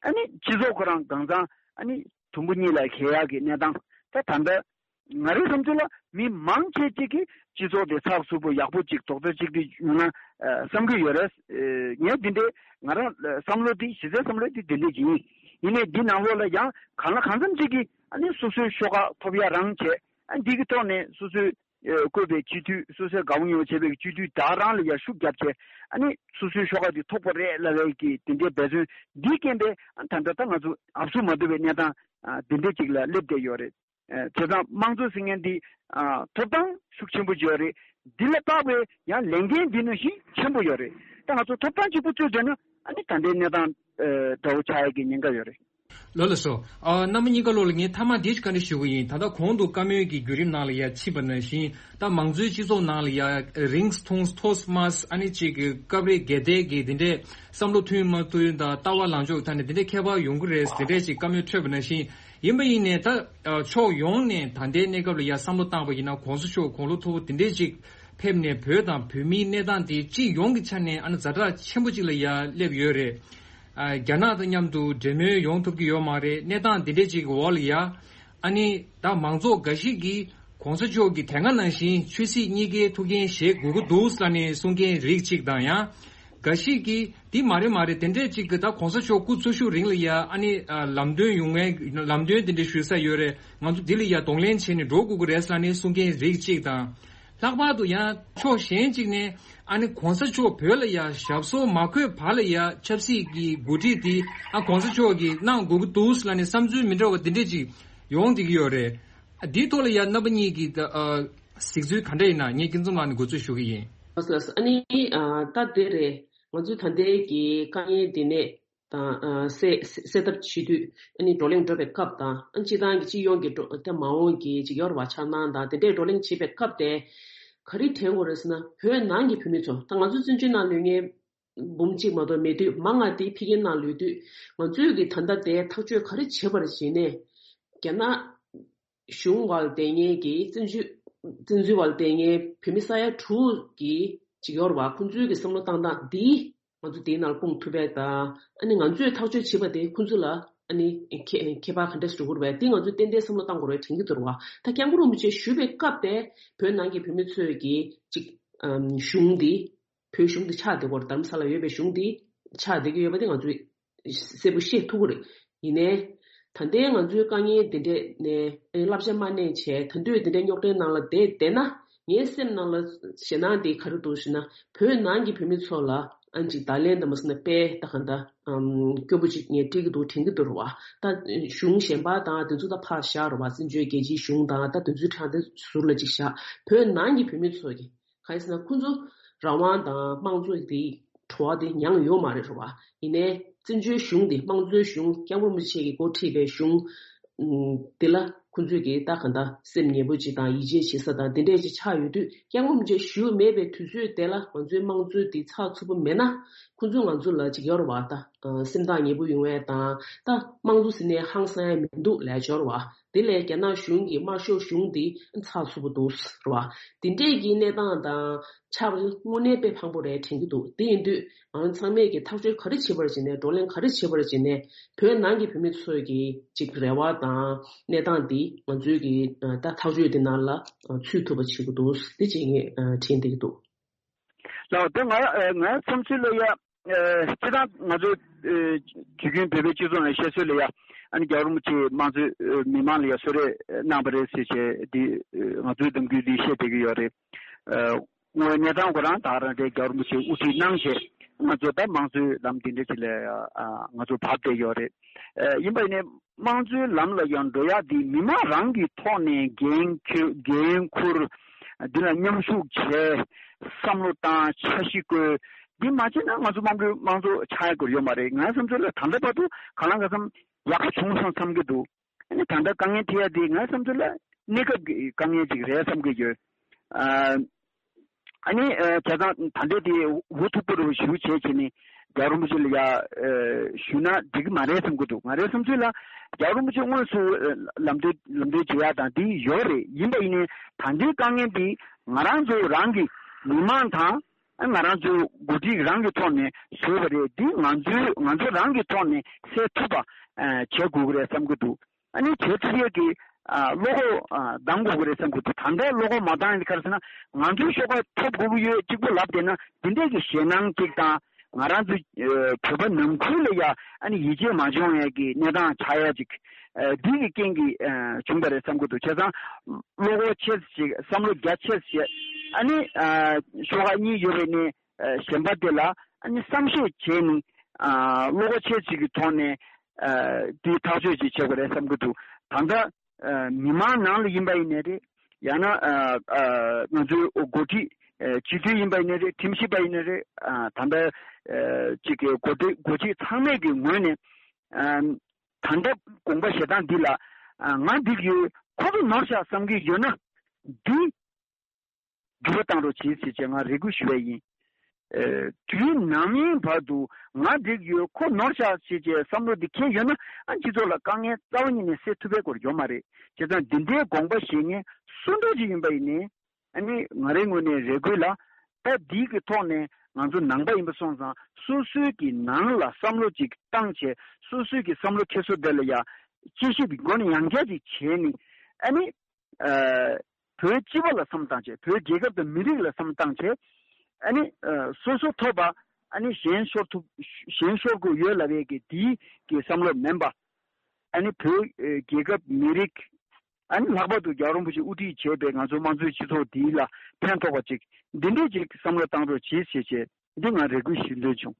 ཨ་ནི་སྤྱི་ཚོགས་ཁོ་རང་གང་ཚང་ཨ་ནི་དུམ་བུ་གཉིས་ལ་གས་ཡག་གི་གནས་སྟངས་ད་ད་ལྟ་ང་རའི་བསམ་ཚུལ་ལ་མི་མང་ཆེ་ཅིག་གིས་སྤྱི་ཚོགས་དེ་ཚགས་ཚུད་པོ་ཡག་པོ་ཅིག་རྡོག་རྩ་གཅིག་སྒྲིལ་ཡོང་ན་ཨ། བསམ་གྱི་ཡོད་རེད། ཨ། ངས་འདི་འདྲའི་ང་རང་བསམ་བློ་དེ་གཞི་རྩའི་བསམ་བློ་དེ་འདི་འདྲ་ཅིག་ཡིན། ཡིན་ནའི་འདི་ནང་ལོགས་ལ་ཡང་གང་ལ་གང་འཚམ་ཅིག་གིས་ཨ་ནི་སོ་སོའི་ཤོག་ཁག་ཐོབ་ཡ་རང་བྱས། ཨ། འདི་གི་ཐོག་ནས་སོ་སོའི་ཨ། བསྐོས་པའི་སྤྱི་འཐུས་སོ་སོའི་དགའ་བོ་ཉེ་བོ་བྱས་པའི་སྤྱི་འཐུས་དག་རང་ལ་ཡ་ཤུགས་རྒྱབ་བྱས། ཨ་ནི་སོ་སོའི་ཤོག་ཁག་དེ་ཐོབ་པ་རེད་ལབ་པའི་གི་དེ་འདྲའི་འབད་བརྩོན་འདིའི་རྐྱེན་པས་ཨ། ད་ལྟ་ད་ང་ཚོ་ཨབ་སུ་མ་ཐུབ་པའི་གནས་སྟངས་ཨ། དེ་འདྲའི་ཅིག་ལ་སླེབས་བསྡད་ཡོད་རེད། ཨ། བྱས་ཙང་དམངས་གཙོ་ཟེར་མཁན་འདི་ཨ། ཐོབ་ཐང་ཤུགས་ཆེན་པོ་ཅིག་ཡོད་རེད། འདི་ལ་བལྟ་བའི་ཡང་ལས་འགན་འདི་ནང་བཞིན་ཆེན་པོ་ཡོད་རེད། ད་ང་ཚོ་ཐོབ་ཐང་གཅིག་པུ་རྩོད་བྱས་ན་ཨ་ནི་ད་ལྟའི་གནས་སྟངས་ཨ། འདྲ་བོ་ཆགས་ཡ་གི་ཉེན་ཁ་ཡོད་རེད། ལགས་ལགས་སོ། ཨ། རྣམ་པ་གཉིས་ཀ་ལོག་ལ་ངས་མཐའ་མ་འདི་ཞིག་བཀའ་འདྲི་ཞུ་གི་ཡིན། ད་ལྟ་གོང་དུ་བཀའ་མོལ་གྱི་བརྒྱུད་རིམ་ནང་ལ་ཡ་ཕྱིན་པ་ནང་བཞིན་ད་མང་གཙོའི་སྤྱི་ཚོགས་ནང་ལ་ཡ་རིང་ཐུང་མཐོ་དམའ་ཨ་ནི་གཅིག་གི་སྐབས་རེ་འགལ་ཟླའི་གི་འདི་འདྲས་བསམ་བློ་མཐུན་མ་མཐུན་དང་ལྟ་བ་ལངས་ཕྱོགས་ཐད་ནས་འདི་འདྲས་ཁྱད་པར་ཡོང་གི་རེད་འདི་འདྲས་ཅིག་བཀའ་མོལ་འཕྲོད་པ་ནང་བཞིན། ཡིན་པ་ཡིན་ནའི་ད་ཨ། ཕྱོགས་ཡོངས་ནས་ད་ལྟའི་གནས་སྐབས་ལ་ཡ་བསམ་བློ་བཏང་པ་ཡིན་ན་གོང་ས་མཆོག་དགུང་ལོ་མཐོ་པོ་འདི་འདྲས་ཅིག་ཕེབས་ནས་བོད་དང་བོད་མིའི་གནས་སྟངས་དེ་སྤྱི་ཡོངས་ཀྱི་ཆ་ནས་ཨ་ནི་ཛ་དྲག་ཆེན་པོ་ཅིག་ལ་ཡ་སླེབས་ཡོད་རེད། ཨ། རྒྱ་ནག་དང་མཉམ་དུ་འབྲེལ་མོལ་ཡོང་ཐུབ་ཀྱི་ཡོད་མ་རེད། གནས་སྟངས་འདི་འདྲས་ཅིག་གི་འོག་ལ་ཡ། ཨ་ནི་ད་མང་ཚོགས་འགའ་ཞིག་གིས་གོང་ས་མཆོག་གིས་དེ་སྔ་ནང་བཞིན་ཆོས་སྲིད་གཉིས་ཀའི་ཐུགས་འགན་བཞེས་དགོས་ཀྱི་འདུག་ཟེར་ནས་གསུང་མཁན་རིགས་གཅིག་དང་། ཡང་འགའ་ཞིག་གིས་འདི་མ་རེད་མ་རེད་དེ་འདྲས་ཅིག་གི་ད་གོང་ས་མཆོག་སྐུ་འཚོ་བཞུགས་རིང་ལ་ཡ་ཨ་ནི་ཨ། ལམ་སྟོན་ཡོང་མཁན་ལམ་སྟོན་དེ་འདྲས་ཞུ་ས་ཡོད་རེད། ང་ཚོ་འདི་ལ་ཡ་གདོང་ལེན་བྱས་ནས་འགྲོ་དགོས་ཀྱི་རེད་ཟེར་ནས་གསུང་མཁན་རིགས་གཅིག་དང་། ལྷག་པར་དུ་ཡང་ཕྱོགས་གཞན་གཅིག་ནས་ཨ་ནི་གོང་ས་མཆོག་བོད་ལ་ཡ་ཞབས་སོར་མ་འཁོད་བར་ལ་ཡ་ཆབ་སྲིད་ཀྱི་འགོ་ཁྲིད་དེ་ཨ་གོང་ས་མཆོག་གིས་གནང་དགོས་ཀྱི་འདུག་ལབ་ནས་བསམ་ཚུལ་མི་འདྲ་བ་འདི་འདྲས་ཅིག་ཡོང་བསྡད་ཀྱི་ཡོད་རེད། འདིའི་ཐོག་ལ་ཡ་རྣམ་པ་གཉིས་ཀྱི་ཨ་གཟིགས་ཚུལ་ག་འདྲ་ཡིན་ན་ངས་སྐྱིད་འཛོམས་ལགས་ནས་འགོ་འཛུགས་ཞུ་གི་ཡིན། ལགས་སོ། ཨ་ནི་ཨ་ད་འདི་རེད། ང་ཚོའི་ད་ལྟའི་གི་དཀའ་ངལ་འདི་ནས། དང་། ཨ། སེལ་སེལ་ཐབས་བྱེད་དུས་ཨ་ནི་བགྲོ་གླེང་འགྲོ་བའི་སྐབས་དང་། ཨ། སྤྱི་བཏང་གི་སྤྱི་ཡོངས་ཀྱི་འགྲོ་ད་མ་འོངས་ཀྱི་ཅིག་ཡོད་རེད་བ། འཆར་སྣང་དང་དེ་འདྲའི་བགྲོ་གླེང་བྱེད་པའི་སྐབས་དེ་ག་རེ་དྲན་དགོས་རེད་ཟེར་ན། བོད་ནང་གི་བོད་མི་ཚོ། ད་ང་ཚོ་བཙན་བྱོལ་ནང་ལོགས་ངའི་འབུམ་གཅིག་མ་གཏོགས་མེད་དུས། མང་ང་དེ་ཕ་གིའི་ནང་ལོགས་དུས་ང་ཚོས་ཀྱི་ད་ལྟ་དེ་ཐག་གཅོད་ག་རེ་བྱེད་པར་བྱས་ནས། རྒྱ་ནག་གཞུང་བར་བསྡད་མཁན་གྱི་བཙན་བྱོལ་བཙན་འཛུལ་བར་བསྡད་མཁན་བོད་མི་ས་ཡ་དྲུག་གི་ ཅིག་ཡོད་རེད་བ། ཁོང་ཚོའི་གི་བསམ་བློ་བཏང་སྟངས་འདི་ང་ཚོ་དེའི་ནང་སྤུངས་ཐུབ་པས་དང་། ཨ་ནི་ང་ཚོས་ཐག་གཅོད་བྱེད་པ་དེ་ཁོང་ཚོ་ལ་ཨ་ནི་ཁྱད་ཁྱད་པར་ག་འདྲ་ཞིག་འགྲོ་གི་རེད་བས། དེ་ང་ཚོས་ཏན་ཏན་བསམ་བློ་བཏང་དགོས་རེད་དྲན་གྱི་འདུག་རེད་བ། ད་སྐྱབས་མགོན་རིན་པོ་ཆེ་བཞུགས་པའི་སྐབས་དེ་བོད་ནང་གི་བོད་མི་ཚོས་ཀྱི་ཅིག་ཨམ་གཞུང་འདི་བོད་གཞུང་འདི་ཆགས་བསྡད་ཀྱི་ཡོད་རེད། རྡ་རམ་ས་ལ་ཡོད་པའི་གཞུང་འདི་ཆགས་བསྡད་ཀྱི་ཡོད་པ་དེ་ང་ཚོས་གསལ་པོ་ཤེས་ཐུབ་ཀྱི་རེད། ཡིན་ནའི། ད་ལྟའི་ང་ཚོའི་དཀའ་ངལ་འདི་འདྲས་ནས་ཨེ་བསླབ་བྱ་མ་གནས་བྱས། ད་དུང་འདི་འདྲའི་རྙོག་དྲའི་ནང་ལ་བསྡད་བསྡད་ན། ངའི་སེམས་ནང་ལ་ཞེད་སྣང་འདི་ག་རེ་འདུག་ཞེ་ན། བོད་ནང་གི་བོད་མི་ཚོ་ལ་ཨ་ནི་ཅིག་བརྡ་ལན་དང་མ་སོང་ན་དཔེ་ད་ག་འདྲ་ཨམ་སྐྱོ་པོ་ཅིག་ངས་སྤྲད་ཀྱི་འདུག་དྲན་གྱི་འདུག་རེད་བ། ད་གཞུང་གཞན་པ་དང་དེ་ཚོ་ད་ཕར་བཞག་རེད་བ། བཙན་བྱོལ་རྒྱལ་སྤྱིའི་གཞུང་དང་ད་དེ་ཚོའི་ཕྲག་དེ་ཟུར་ལ་ཅིག་བཞག་བོད་ནང་གི་བོད་མི་ཚོ་གི་གང་ཡིན་ཟེར་ན། ཁོང་ཚོ་རང་དབང་དང་དམངས་གཙོ་དེ་གྲོགས་དེ་མྱངས་ཡོད་མ་རེད་རེད་བ། ཡིན་ནའི་བཙན་བྱོལ་གཞུང་དེ་དམངས་གཙོའི་གཞུང་། སྐྱབས་མགོན་རིན་པོ་ཆེ་གིས་འགོ་ཁྲིད་པའི་གཞུང་དེ་ལ་ཁོང་ཚོས་ཀྱི་ད་ག་འདྲ་སེམས་ཉེ་པོ་ཅིག་དང་ཡིད་ཆེས་བྱེད་ས་དང་དེ་འདྲས་ཅིག་ཆགས་ཡོད་དུས། སྐྱབས་མགོན་རིན་པོ་ཆེ་བཞུགས་མེད་པའི་དུས་ཚོད་དེ་ལ་ང་ཚོའི་དམངས་གཙོ་དེ་ཚགས་ཚུད་པོ་མེད་ན། ཁོང་ཚོས་ང་ཚོ་ལ་ཅིག་ཡོད་རེད་བ། ད་སེམས་ཐག་ཉེ་པོ་ཡོང་བས་དང་། ད་དམངས་གཙོ་ཟེར་ནས་ཧང་སང་ཡ་མི་འདུག་ལབ་ཡ་ཅིག་ཡོད་རེད་བ། དེ་ལས་རྒྱ་ནག་གཞུང་གི་དམར་ཤོག་གཞུང་འདི་ཚགས་ཚུད་པོ་འདུག་རེད་བ། འདི་འདྲས་ཀྱི་གནས་སྟངས་དང་ཆགས་པ་དངོས་གནས་དཔེ་ཕངས་པོ་རེད་དྲན་གྱི་འདུག་དེ་ཡིན་དུས་ང་རང་ཚང་མས་ཀྱི་ཐག་གཅོད་ག་རེ་བྱེད་པར་བྱས་ནས། བགྲོ་གླེང་ག་རེ་བྱེད་པར་བྱས་ནས། བོད་ནང་གི་བོད་མི་ཚོའི་གི་ཅིག་རེ་བ་དང་གནས་སྟངས་འདི་ང་ཚོའི་གི་ད་ཐག་གཅོད་འདི་ནང་ལ་ཚུད་ཐུབ་པ་བྱེད་དགོས་འདུག་འདི་བྱེད་ངེས་དྲན་བསྡད་ཀྱི་འདུག་ལགས། དེ་ང་ང་བསམ་ཚུལ་ལ་ཡ། ཨ་སྤྱིར་བཏང་ང་ཚོའི་ཨ་དུས་རྒྱུན་བོད་པའི་སྤྱི་ཚོགས་ནང་བཤད་སྲོལ་ལ་ཡ། ཨ་ནི་རྒྱལ་བ་རིན་པོ་ཆེས་དམངས་གཙོའི་ཨ་མི་མང་ལ་ཡ་གསོལ་རས་གནང་བ་རེད་ཟེར་བྱས་འདི། ཨ་ང་ཚོའི་གཏམ་རྒྱུད་འདི་བཤད་བསྡད་ཀྱི་ཡོད་རེད། ཨ་དངོས་གནས་སྟངས་ཁོ་རང་ད་རང་རེད། རྒྱལ་བ་རིན་པོ་ཆེས་དབུ་ཁྲིད་གནང་བྱས་ང་ཚོ་ད་དམངས་གཙོའི་ལམ་འདི་འདྲ་ཅིག་ལ་ཡ་ཨ་ང་ཚོ་བབས་བསྡད་ཡོད་རེད། ཨ་ཡིན་པ་ཡིན་ནའི། དམངས་གཙོའི་ལམ་ལ་ཡང་འགྲོ་ཡག་འདི་མི་མང་རང་གི་ཐོག་ནས་འགན་འཁུར། འགན་འཁུར། འདི་ལ་མཉམ་ཞུགས་བྱས། བསམ་བློ་བཏང་། འཆར་གཞི་བཀོད། འདི་མ་བྱས་ན་ང་ཚོ་དམངས་གཙོའི་དམངས་གཙོ་ཆགས་ཡག་སྐོར་ཡོད་མ་རེད། ངའི་བསམ་ཚུལ་ལ་ད་ལྟ་བར་དུ་གང་ལ་གང་འཚམ་ཡག་པོ་བྱུང་སོང་བསམ་གྱི་འདུག་ཨ་ནི་ད་ལྟ་དཀའ་ངལ་འཕྲད་ཡག་འདི་ངའི་བསམ་ཚུལ་ལ་གནས་སྐབས་ཀྱི་དཀའ་ངལ་ཅིག་རེད་བསམ་གྱི་ཡོད། ཨ། ཨ་ནི་ཨ་བྱས་ཙང་ད་ལྟའི་དེ་འུ་ཐུག་པོ་རུ་ཞུ་བྱས་བྱས་ནས་རྒྱལ་བ་རིན་པོ་ཆེ་ལ་ཡ་ཨ་ཞུས་ན་འགྲིག་གི་མ་རེད་བསམ་གྱི་འདུག་ང་རའི་བསམ་ཚུལ་ལ་རྒྱལ་བ་རིན་པོ་ཆེ་དངོས་སུ་ཨ་ལམ་སྟོན་ལམ་སྟོན་བྱེད་ཡག་དང་འདི་ཡོད་རེད། ཡིན་པ་ཡིན་ནའི་ད་ལྟའི་དཀའ་ངལ་འདི་ང་རང་ཚོ་རང་གི་མི་མང་དང་ཨ་ང་རང་ཚོའི་འགོ་ཁྲིད་རང་གི་ཐོག་ནས་བཟོས་པ་རེད། འདི་ང་ཚོའི་ང་ཚོ་རང་གི་ཐོག་ནས་སེལ་ཐུབ་པ་ཨ་བྱེད་དགོས་ཀྱི་རེད་བསམ་གྱི་འདུག་ཨ་ནི་བྱེད་ཐུབ་ཡས་ཀྱི་ཨ་བློ་ཁོག་ཨ་གདང་དགོས་ཀྱི་རེད་བསམ་གྱི་འདུག་ད་ལྟ་བློ་ཁོག་མ་གདང་ཡས་ག་རེ་ཟེར་ན་ང་ཚོའི་ཤོག་ཁག་ཐོབ་དགོས་ཀྱི་ཡོད་གཅིག་པོ་ལབ་བསྡད་ན་འདི་འདྲས་ཀྱི་ཞེད་སྣང་གཅིག་དང་། ང་རང་ཚོ་ཨ་བོད་པ་ནང་ཁུལ་ལ་ཡ་ཨ་ནི་ཡིད་ཆེས་མ་བྱུང་ཡས་ཀྱི་གནས་སྟངས་ཆགས་ཡ་ཅིག་ཨ་འདི་གི་རྐྱེན་གྱིས་ཨ་བྱུང་བ་རེད་བསམ་གྱི་འདུག་བྱས་ཙང་བློ་ཁོག་ཆེ་ཙམ་ཞིག་བསམ་བློ་རྒྱ་ཆེ་ཙམ་ཞིག་ཨ་ནི་ཨ་ཤོག་ཁག་གཉིས་ཡོད་པའི་ནས། ཨ་གཞན་པ་དེ་ལ་ཨ་ནི་བསམ་ཤེས་བྱས་ནས་ཨ་བློ་ཁོག་ཆེ་ཅིག་གི་ཐོག་ནས་ཨ་དེའི་ཐག་གཅོད་ཅིག་བྱེད་དགོས་རེད་བསམ་གྱི་འདུག་ད་ལྟ་ཨ་མི་མང་ནང་ལ་ཡིན་པ་ཡིན་ནའི་རེད། ཡང་ན་ཨ་ཨ་ང་ཚོའི་འགོ་ཁྲིད་ཨ་སྤྱི་འཐུས་ཡིན་པ་ཡིན་ནའི་རེད། ཁྲིམས་ཞིབ་པ་ཡིན་ནའི་རེད། ཨ་ད་ལྟ་ཨ་ཅིག་གི་འགོ་ཁྲིད་འགོ་ཁྲིད་ཚང་མས་ཀྱི་ངོས་ནས་ཨ་ད་ལྟ་དགོངས་པ་བཞེས་སྟངས་འདི་ལ་ཨ་ང་འགྲིག་ཡོད། ཁོ་ཚོ་ནོར་བཞག་བསམ་གྱི་ཡོད་ན་འདི། འགྱུར་བ་བཏང་རོགས་གྱིས་ཟེར་བྱས་ང་རེ་སྐུལ་ཞུ་བ་ཡིན། ཨེ། དུས་ནམ་ཡིན་བར་དུ་ང་འགྲིག་ཡོད་ཁོ་ནོར་བཞག་ཟེར་བྱས་བསམ་བློ་འདི་འཁྱེར་ཡོད་ན་ཨ་སྤྱི་ཚོགས་ལ་དཀའ་ངལ་རྩ་བ་ཉིད་ནས་སེལ་ཐུབ་པའི་སྐོར་ཡོད་མ་རེད། བྱས་ཙང་འདི་འདྲའི་དགོངས་པ་བཞེས་མཁན་སུ་འདྲ་ཅིག་ཡིན་པ་ཡིན་ནའི་ཨ་ནི་ང་རའི་ངོས་ནས་རེ་སྐུལ་ལ་ད་འདི་གི་ཐོག་ནས་ང་ཚོ་ནང་པ་ཡིན་པ་སོང་ཙང་སོ་སོའི་གི་ནང་ལ་བསམ་བློ་ཅིག་བཏང་བྱས་སོ་སོའི་གི་བསམ་བློ་འཁྱེར་སོ་དེ་ལ་ཡ་དཔྱད་ཞིབ་ཀྱི་སྒོ་ནས་ཡང་བསྐྱར་ཅིག་བྱས་ནས་ཨ་ནི། ཨ་བོད་སྤྱི་པ་ལ་བསམ་བཏང་བྱས། བོད་རྒྱལ་ཁབ་དང་མི་རིགས་ལ་བསམ་བཏང་བྱས། ཨ་ནི་ཨ་སོ་སོ་ཐོབ་པ་ཨ་ནི་གཞན་ཤོར་ཐུབ། གཞན་ཤོར་དགོས་ཡོད་ལབ་ཡས་ཀྱི་དེའི་གི་བསམ་བློ་མིན་པ། ཨ་ནི་བོད་ཨ་རྒྱལ་ཁབ་མི་རིགས་ཨ་ནི་ལྷག་པར་དུ་རྒྱལ་བ་རིན་པོ་ཆེ་དབུ་ཁྲིད་བྱས་པའི་ང་ཚོ་དམངས་གཙོའི་སྤྱི་ཚོགས་འདིའི་ལ་ཕན་ཐོགས་པ་ཅིག་འདི་འདྲས་ཅིག་བསམ་བློ་བཏང་རོགས་གྱིས་ཞེས་བྱས། འདི་ང་རེ་སྐུལ་ཞུ་འདོད་བྱུང་།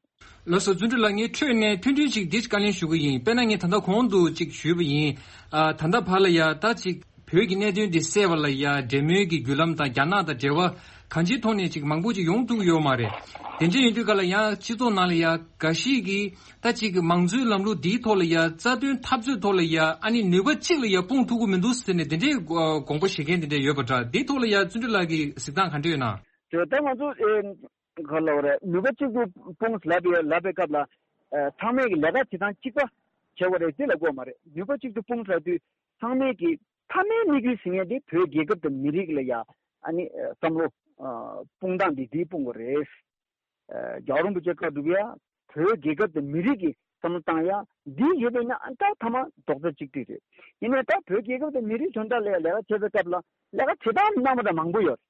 ལགས་སོ། བརྩོན་འགྲུས་ལགས། ངས་འཕྲོས་ནས་ཐུང་ཐུང་ཅིག་འདི་བཀའ་ལན་ཞུ་གི་ཡིན། དཔེར་ན་ངས་ད་ལྟ་གོང་དུ་ཅིག་ཞུས་པ་ཡིན། ཨ་ད་ལྟ་བར་ལ་ཡ་ད་ཅིག་བོད་ཀྱི་གནད་དོན་འདི་སེལ་བ་ལ་ཡ་འབྲེལ་མོལ་གྱི་བརྒྱུད་ལམ་དང་རྒྱ་ནག་དང་འབྲེལ་བ་གང་ཅིའི་ཐོག་ནས་ཅིག་མང་པོ་ཅིག་ཡོང་ཐུབ་ཀྱི་ཡོད་མ་རེད། དེ་འདྲ་ཡིན་དུས་ག་ལ་ཡ་སྤྱི་ཚོགས་ནང་ལ་ཡ་འགའ་ཞིག་གིས་ད་ཅིག་མང་གཙོའི་ལམ་ལུགས་འདིའི་ཐོག་ལ་ཡ་རྩ་དོན་འཐབ་རྩོད་ཐོག་ལ་ཡ་ཨ་ནི་ནུས་པ་གཅིག་ལ་ཡ་སྤུངས་ཐུབ་ཀྱི་མི་འདུག་ཟེར་ནས་དེ་འདྲའི་དགོངས་པ་བཞེས་མཁན་དེ་འདྲ་ཡོད་པ་འདྲ། འདིའི་ཐོག་ལ་ཡ་བརྩོན་འགྲུས་ལགས་ཀྱི་གཟིགས་སྟངས་ག་འདྲ་ཡོད་ན། དེ་ད་ང་ཚོ་ཨེ། ག་ལབ་རེད། ནུས་པ་གཅིག་ཏུ་སྤུངས་ལབ་པའི་ལབ་པའི་སྐབས་ལ། ཨ་ཚང་མས་ཀྱི་ལས་ཀ་བྱེད་སྟངས་གཅིག་པ་བྱེད་དགོས་རེད་ཅེས་ལབ་དགོས་མ་རེད། ནུས་པ་གཅིག་ཏུ་སྤུངས་ལབ་དུས་ཚང་མས་ཀྱི་མཐའ་མའི་དམིགས་ཡུལ་ཟེར་མཁན་དེ་བོད་རྒྱལ་ཁབ་དང་མི་རིགས་ལ་ཡ་ཨ་ནི་བསམ་བློ་ ཨ་སྤུངས་སྟངས་འདི་འདི་སྤུངས་དགོས་རེད། ཨ་རྒྱལ་བ་རིན་པོ་ཆེ་བཀའ་སྒྲུབ་ཡ་བོད་རྒྱལ་ཁབ་དང་མི་རིགས་ཀྱི་བསམ་བློ་བཏང་ཡ་འདི་ཡོད་པས་ན་ཨ་ད་ཐ་མ་རྡོག་རྩ་གཅིག་སྒྲིལ་རེད། ཡིན་ནའི་ད་བོད་རྒྱལ་ཁབ་དང་མི་རིགས་དོན་དག་ལ་ལས་ཀ་བྱེད་པའི་སྐབས་ལ་ལས་ཀ་བྱེད་སྟངས་གནང་བ་འདྲ་མང་པོ་ཡོད།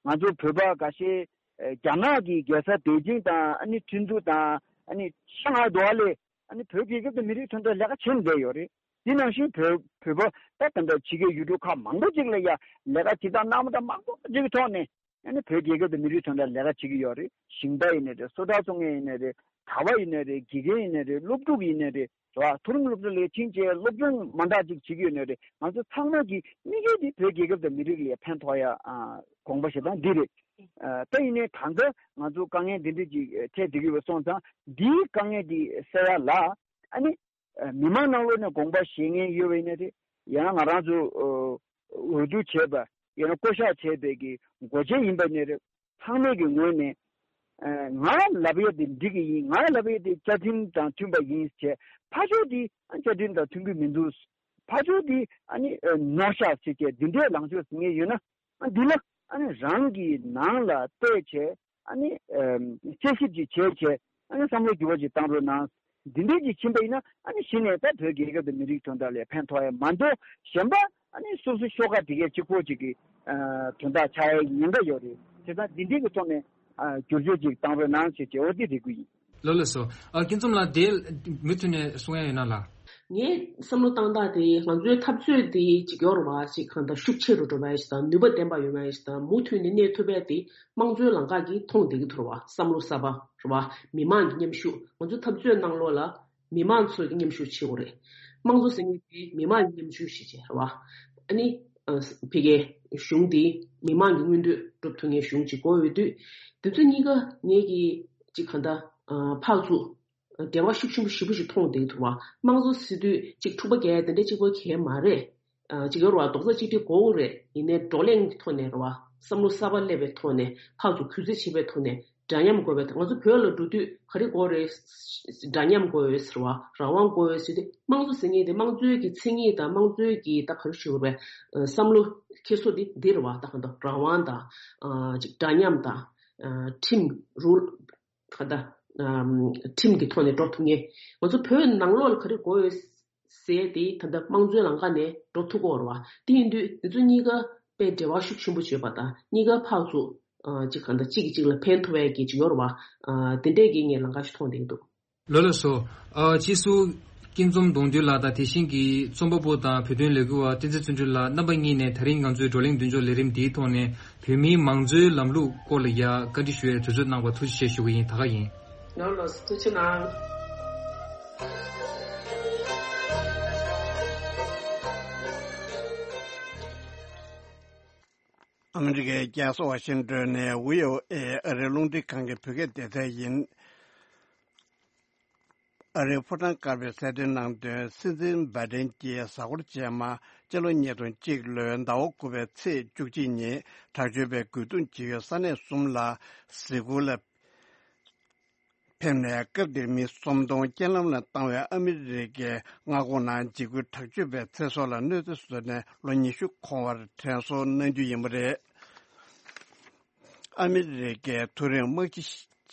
ང་ཚོ་བོད་པ་འགའ་ཤས་ཨ་རྒྱ་ནག་གི་རྒྱལ་ས་པེ་ཅིང་དང་ཨ་ནི་ཁྲིན་ཏུ་དང་ཨ་ནི་ཤང་ཧའེ་འགྲོ་བ་ལས་ཨ་ནི་བོད་རྒྱལ་ཁབ་དང་མི་རིགས་དོན་དག་ལས་ཀ་བྱེད་བསྡད་ཡོད་རེད། དེ་ནང་བཞིན་བོད་བོད་པ་ད་ད་ལྟ་ཕྱི་རྒྱལ་ཡུལ་གྲུ་ཁག་མང་པོ་ཅིག་ལ་ཡ་ལས་ཀ་བྱེད་སྟངས་གནང་བ་དང་མང་པོ་ཅིག་གི་ཐོག་ནས་ཨ་ནི་བོད་རྒྱལ་ཁབ་དང་མི་རིགས་དོན་དག་ལས་ཀ་བྱེད་ཀྱི་ཡོད་རེད། ཞིང་པ་ཡིན་ནའི་རེད། སོ་ཊ་བཙོང་མཁན་ཡིན་ནའི་རེད། གྲྭ་པ་ཡིན་ནའི་རེད། དགེ་རྒན་ཡིན་ནའི་རེད། སློབ་ཕྲུག་ཡིན་ནའི་རེད། རེད་བ། མཐོ་རིམ་སློབ་གྲྭ་ལ་ཕྱིན་བྱས་སློབ་སྦྱོང་མ་འདྲ་ཅིག་བྱེད་ཀྱི་ཡོད་ནའི་རེད། ང་ཚོ་ཚང་མ་གི་དམིགས་ཡུལ་དེ་བོད་རྒྱལ་ཁབ་དང་མི་རིགས་ལ་ཕན་ཐོགས་ཡ་ཨ་དགོངས་པ་བཞེས་སྟངས་འདི་རེད། ཨ་ད་ཡིན་ནའི་གང་ལྟར་ང་ཚོ་དཀའ་ངལ་འདི་འདྲ་ཅིག་འཕྲད་བསྡད་ཀྱི་ཡོད་པ་སོང་ཙང་འདིའི་དཀའ་ངལ་འདི་སེལ་ཡ་ལ་ཨ་ནི་ཨ་མི་མང་ནང་ལོགས་ནས་དགོངས་པ་བཞེས་མཁན་ཡོད་པ་ཡིན་ན་རེད། ཡང་ང་རང་ཚོ་ཨ་འོས་བསྡུ་བྱས་པ་ཡང་ན་བསྐོ་གཞག་བྱས་པའི་གི་འགོ་བྱེད་ཡིན་པ་ཡིན་ན་རེད། ཚང་མས་ཀྱི་ངོས་ནས་ཨ་ང་ལབ་ཡ་དེ་འགྲིག་གི་ཡིན། ང་ལབ་ཡ་དེ་བཅའ་ཁྲིམས་དང་མཐུན་པ་ཡིན་ཟེར། ཕར་ཕྱོགས་དེ་ཨ་བཅའ་ཁྲིམས་དང་མཐུན་གྱི་མི་འདུག་ཕར་ཕྱོགས་དེ་ཨ་ནི་ཨ་ནོར་ཤག་ཟེར་བྱས་འདི་འདྲའི་ལངས་ཕྱོགས་ཟིན་ངེས་ཡོད་ན་ཨ་འདི་ལ་ཨ་ནི་རང་གི་ནང་ལ་བལྟས་བྱས་ཨ་ནི་ཨ་དཔྱད་ཞིབ་ཅིག་བྱས་བྱས་ཨ་ནི་བསམ་བློ་འགྱུར་བ་ཅིག་བཏང་རོགས་གནང་། འདི་འདྲས་ཅིག་ཕྱིན་པ་ཡིན་ན་ཨ་ནི་གཞི་ནས་ད་བོད་རྒྱལ་ཁབ་དང་མི་རིགས་དོན་དག་ལ་ཕན་ཐོགས་ཡ་མ་གཏོགས་གཞན་པ་ཨ་ནི་སོ་སོ་ཤོག་ཁ་དེ་གའི་གཅིག་པོ་ཅིག་གི་ཨ་དོན་དག་ཆགས་ཡའི་ཉེན་ཁ་ཡོད་རེད། བྱས་ཙང་འདི་འདྲས་ཀྱི་ཐོག་ནས་ཨ་བསྒྱུར་བཅོས་ཅིག་བཏང་རོགས་གནང་ཞེས་བྱས་འོ་དེ་རེ་སྐུལ་ཡིན། ལགས་ལགས་སོ། ཨ་སྐྱིད་འཛོམས་ལགས་དེ་མུ་མཐུད་ནས་གསུང་ཡ་ཡོད་ན་ལགས། ངའི་བསམ་བློ་བཏང་སྟངས་དེ་ང་ཚོའི་འཐབ་རྩོད་དེ་ཅིག་ཡོད་རེད་བ། ཅིག་གང་ལྟར་ཤུགས་ཆེ་རུ་འགྲོ་བ་ཡིན་ཞིག་དང་ནུས་པ་ལྡན་པ་ཡོད་བ་ཡིན་ཞིག་དང་མུ་མཐུད་ནས་གནས་ཐུབ་པ་དེ་དམངས་གཙོའི་ལམ་ཁ་གིས་མཐོང་བསྡད་ཀྱི་འདུག་རེད་བ། བསམ་བློ་གསར་པ་རེད་བ། མི་མང་གི་མཉམ་ཞུགས། ང་ཚོ་འཐབ་རྩོད་ནང་ལོགས་ལ་མི་མང་ཚོས་མཉམ་ཞུགས་བྱེད་དགོས་རེད། དམངས་གཙོ་ཟེར་མཁན་དེ་མི་མང་གི་མཉམ་ཞུགས་ཤིག་བྱས་རེད་བ། ཨ་ནི་ཨ་ཕ་གིའི་གཞུང་དེ་མི་མང་གི་མངོན་འདོད་སྒྲུབ་ཐུབ་མཁན་གཞུང་ཅིག་དགོས་ཡོད་དུས། དེ་ཚོ་གཉིས་ཀ་ངེད་ཀྱིས་ཅིག་གང་ལྟར་ཨ་ཕར་ཚུར་འབྲེལ་བ་ཤུགས་ཆེན་པོ་ཞེ་པོ་ཞིག་མཐོང་བསྡད་ཐུབ་པ། དམངས་གཙོ་ཟེར་དུས་ཅིག་འཁྲུག་པ་རྒྱག་ཡ་དེ་འདྲ་གཅིག་པོ་གལ་མ་རེད། ཨ་ཅིག་ཡོད་རེད་བ། རྡོག་རྩ་གཅིག་སྒྲིལ་དགོས་རེད། ཡིན་ནའི་བགྲོ་གླེང་གི་ཐོག་ནས་རེད་བ། བསམ་བློ་གསར་པ་སླེབས་པའི་ཐོག་ནས་ཕར་ཚུར་གུས་བརྩི་བྱེད་པའི་ཐོག་ནས་འདྲ་མཉམ་དགོས་པའི། ང་ཚོ་བོད་ལ་འགྲོ་དུས་ག་རེ་དགོས་རེད། འདྲ་མཉམ་དགོས་ཡོད་ཟེར་བ། རང་དབང་དགོས་ཡོད་ཟེར་དུས་དམངས་གཙོ་ཟེར་མཁན་དེ་དམངས་གཙོའི་གི་མཚན་ཉིད་དང་དམངས་གཙོའི་གི་ད་ག་རེ་ཞུ་དགོས་རེད། ཨ་བསམ་བློ་འཁྱེར་སོ་དེ་འདི་རེད་བ། ད་གང་ལྟར་རང་དབང་དང་ཨ་ཅིག་འདྲ་མཉམ་དང་ཨ་ཁྲིམས་རུལ་ག་ད་ཨམ་ཁྲིམས་ཀྱི་ཐོག་ནས་འགྲོ་ཐུབ་མཁན། ང་ཚོ་བོད་ནང་ལོགས་ལ་ག་རེ་དགོས་ཡོད་ཟེར་དེ་ད་ལྟ་དམངས་གཙོའི་ལམ་ཁ་ནས་འགྲོ་ཐུབ་ཀྱི་ཡོད་རེད་བ། དེ་ཡིན་དུས་འདི་ཚོ་གཉིས་ཀ་དཔེ་འབྲེལ་བ་ཤུགས་ཆེན་པོ་ཡོད་པ་དང་། གཉིས་ཀ་ཕར་ཚུར་ཨ་གཅིག་གང་ལྟར་གཅིག་གིས་གཅིག་ལ་ཕན་ཐོགས་ཡས་ཀྱི་ཅིག་ཡོད་རེད་བ། ཨ་དེ་འདྲས་ཀྱི་ངས་ལམ་ཁ་ཞིག་མཐོང་བསྡད་ཀྱི་འདུག་ལགས་ལགས་སོ། ཨ་སྤྱི་ཟུར་སྐྱིད་འཛོམས་གདུང་རྒྱུད་ལགས་དང་། དེ་བཞིན་གྱི་རྩོམ་པ་པོ་དང་བོད་དོན་ལས་འགུལ་བ་བསྟན་འཛིན་བརྩོན་འགྲུས་ལགས། རྣམ་པ་གཉིས་ནས་ད་རིང་ང་ཚོའི་བགྲོ་གླེང་མདུན་ལྕོག་ལས་རིམ་འདིའི་ཐོག་ནས་བོད་མིའི་མང་གཙོའི་ལམ་ལུགས་སྐོར་ལ་ཡ་བཀའ་འདྲི་ཞུ་བའི་དུས་ཚོད་གནང་བར་ཐུགས་རྗེ་ཆེ་ཞུ་གི་ཡིན། ད་ག་ཡིན། ལགས་ལགས་སོ། ཐུགས་རྗེ་གནང་། ཨ་མི་རི་ཀའི་རྒྱལ་ས་ཝ་ཤིང་ཏོན་ནས་བྷི་ཨོ་ཨེ་ཨ་རིའི་རླུང་འཕྲིན་ཁང་གི་བོད་སྐད་སྡེ་ཚན་ཡིན། ཨ་རིའི་ཕོ་བྲང་དཀར་པོས་གསལ་སྟོན་གནང་དོན། སྲིད་འཛིན་བྷའི་ཏིན་གྱིས་གཟའ་འཁོར་རྗེས་མ་སྤྱི་ལོ་ཉིས་སྟོང་གཅིག་ལོའི་ཟླ་བ་དགུ་པའི་ཚེས་བཅུ་གཅིག་ཉིན་དྲག་སྤྱོད་པས་རྒོལ་རྡུང་བྱེད་ཡུལ་ས་གནས་གསུམ་ལ་གཟིགས་སྐོར་ལ་ཕེབས་ནས། སྐབས་དེར་མི་སུམ་སྟོང་རྐྱེན་ལམ་ལ་བཏང་བའི་ཨ་མི་རི་ཀའི་མངའ་ཁོངས་ནང་འཇིགས་སྐུལ་དྲག་སྤྱོད་པའི་ཚེ་སྲོག་ལ་གནོད་འཚེ་བཟོས་ནས་ལོ་ཉི་ཤུ་འཁོར་བར་དྲན་གསོ་གནང་རྒྱུ་ཡིན་པ་རེད། ཨ་མི་རི་ཀའི་མཐོ་རིམ་དམག་སྤྱི་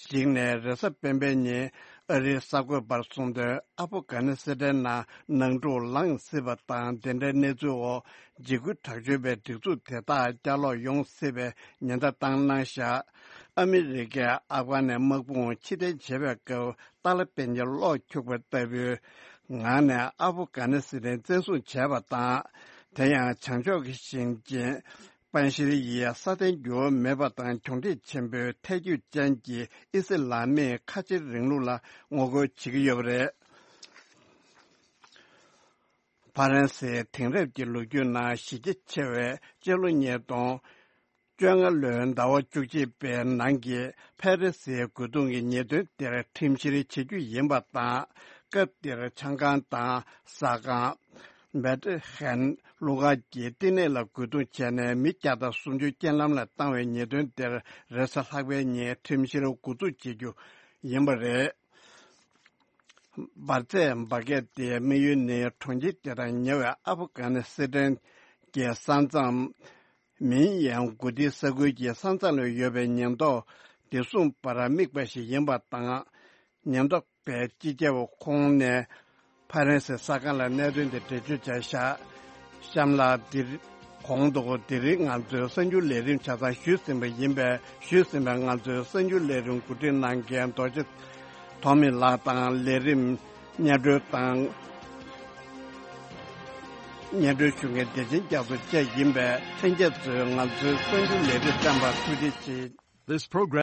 ཞིག་ནས་རེས་གཟའ་སྤེན་པའི་ཉིན་ཨ་རིའི་གསར་འགོད་པར་གསུངས་དོན། ཨ་ཕོ་གྷ་ནི་སི་ཐན་ནང་ནང་འཁྲུག་ལངས་སྲིད་པ་དང་། དེ་འདྲའི་གནས་ཚུལ་འོག་འཇིགས་སྐུལ་དྲག་སྤྱོད་པའི་སྒྲིག་འཛུགས་དེ་དག་བསྐྱར་ལོག་ཡོང་སྲིད་པའི་ཉེན་བརྡ་བཏང་གནང་བཞག་ཨ་མི་རི་ཀས་ཨབ་གྷ་ནི་དམག་དཔུང་ཕྱིར་འཐེན་བྱེད་པའི་སྐབས་ཏཱ་ལི་པན་གྱི་གློག་འཁྱུག་པ་ལྟ་བུའི་ངང་ནས་ཨ་ཕོ་གྷ་ནི་སི་ཐན་བཙན་བཟུང་བྱས་པ་དང་། དེ་ཡང་བྱང་ཕྱོགས་ཀྱི་ཞིང་ཆེན་པན་ཤིར་ཡིས་སྲ་བརྟན་འགྱུར་བ་མེད་པ་དང་གྱོང་ཁྲིད་ཆེན་པོའི་ཐལ་འགྱུར་ཅན་གྱི་ཨི་སི་ལ་མིའི་ཁ་ཆེའི་རིང་ལུགས་ལ་ངོ་རྒོལ་བྱེད་ཀྱི་ཡོད་པ་རེད། ཧྥ་རན་སིའི་དེང་རབས་ཀྱི་ལོ་རྒྱུས་ནང་གཞི་རྒྱ་ཆེ་བའི་སྤྱི་ལོ་ཉིས་སྟོང་བཅོ་ལྔ་ལོའི་ཟླ་བ་བཅུ་གཅིག་པའི་ནང་གི་ཕ་རི་སིའི་རྒོལ་རྡུང་གི་ཉེས་དོན་དེར་ཁྲིམས་བཤེར་བྱེད་རྒྱུ་ཡིན་པ་དང་། སྐབས་དེར་ཆང་ཁང་དང་ཟ་ཁང་། བེད་ཧན་གླུ་གར་གྱི་བསྟི་གནས་ལ་རྒོལ་རྡུང་བྱས་ནས་མི་བརྒྱ་དང་སུམ་ཅུ་རྐྱེན་ལམ་ལ་བཏང་བའི་ཉེས་དོན་དེར་རེས་གཟའ་ལྷག་པའི་ཉིན་ཁྲིམས་བཤེར་འགོ་འཛུགས་བྱེད་རྒྱུ་ཡིན་པ་རེད། འབར་རྫས་འབར་གས་དེའི་དམིགས་ཡུལ་ནི་གྲོང་ཁྱེར་དེ་དང་ཉེ་བའི་ཨབ་གྷ་ནི་སི་ཐན་གྱི་ས་མཚམས་ མིན་ཡང་གོ་ཏི་ས་ཁུལ་གྱི་ས་མཚམས་ལ་ཡོད་པའི་ཉེན་རྟོག་བདེ་སྲུང་པ་ར་དམིགས་པ་ཞིག་ཡིན་པ་དང་། ཉེན་རྟོག་པས་སྤྱི་ཁྱབ་ཁོང་ནས་ཕ་རན་སི་ས་ཁང་ལ་གནད་དོན་དེ་འགྲེལ་བརྗོད་བྱས་བཞག་གཤམ་ལ་འདིར་གོང་དུ་འདིར་ང་ཚོའི་གསར་འགྱུར་ལས་རིམ་ཆ་ཚང་ཞུས་ཟིན་པ་ཡིན་པས། ཞུས་ཟིན་པའི་ང་ཚོའི་གསར་འགྱུར་ལས་རིམ་གོ་སྒྲིག་གནང་མཁན་རྡོ་རྗེ་ཐོགས་མེད་ལགས་དང་། ལས་རིམ་སྙན་སྒྲོན་དང་། སྙན་སྒྲོན་ཞུ་མཁན་བདེ་ཆེན་རྒྱ་མཚོ་བཅས་ཡིན་པས། ལྷན་རྒྱས་ཚོས་ང་ཚོའི་གསར་འགྱུར་ལས་རིམ་སྤྲད་པར་ཐུགས་རྗེ་ཆེ། This program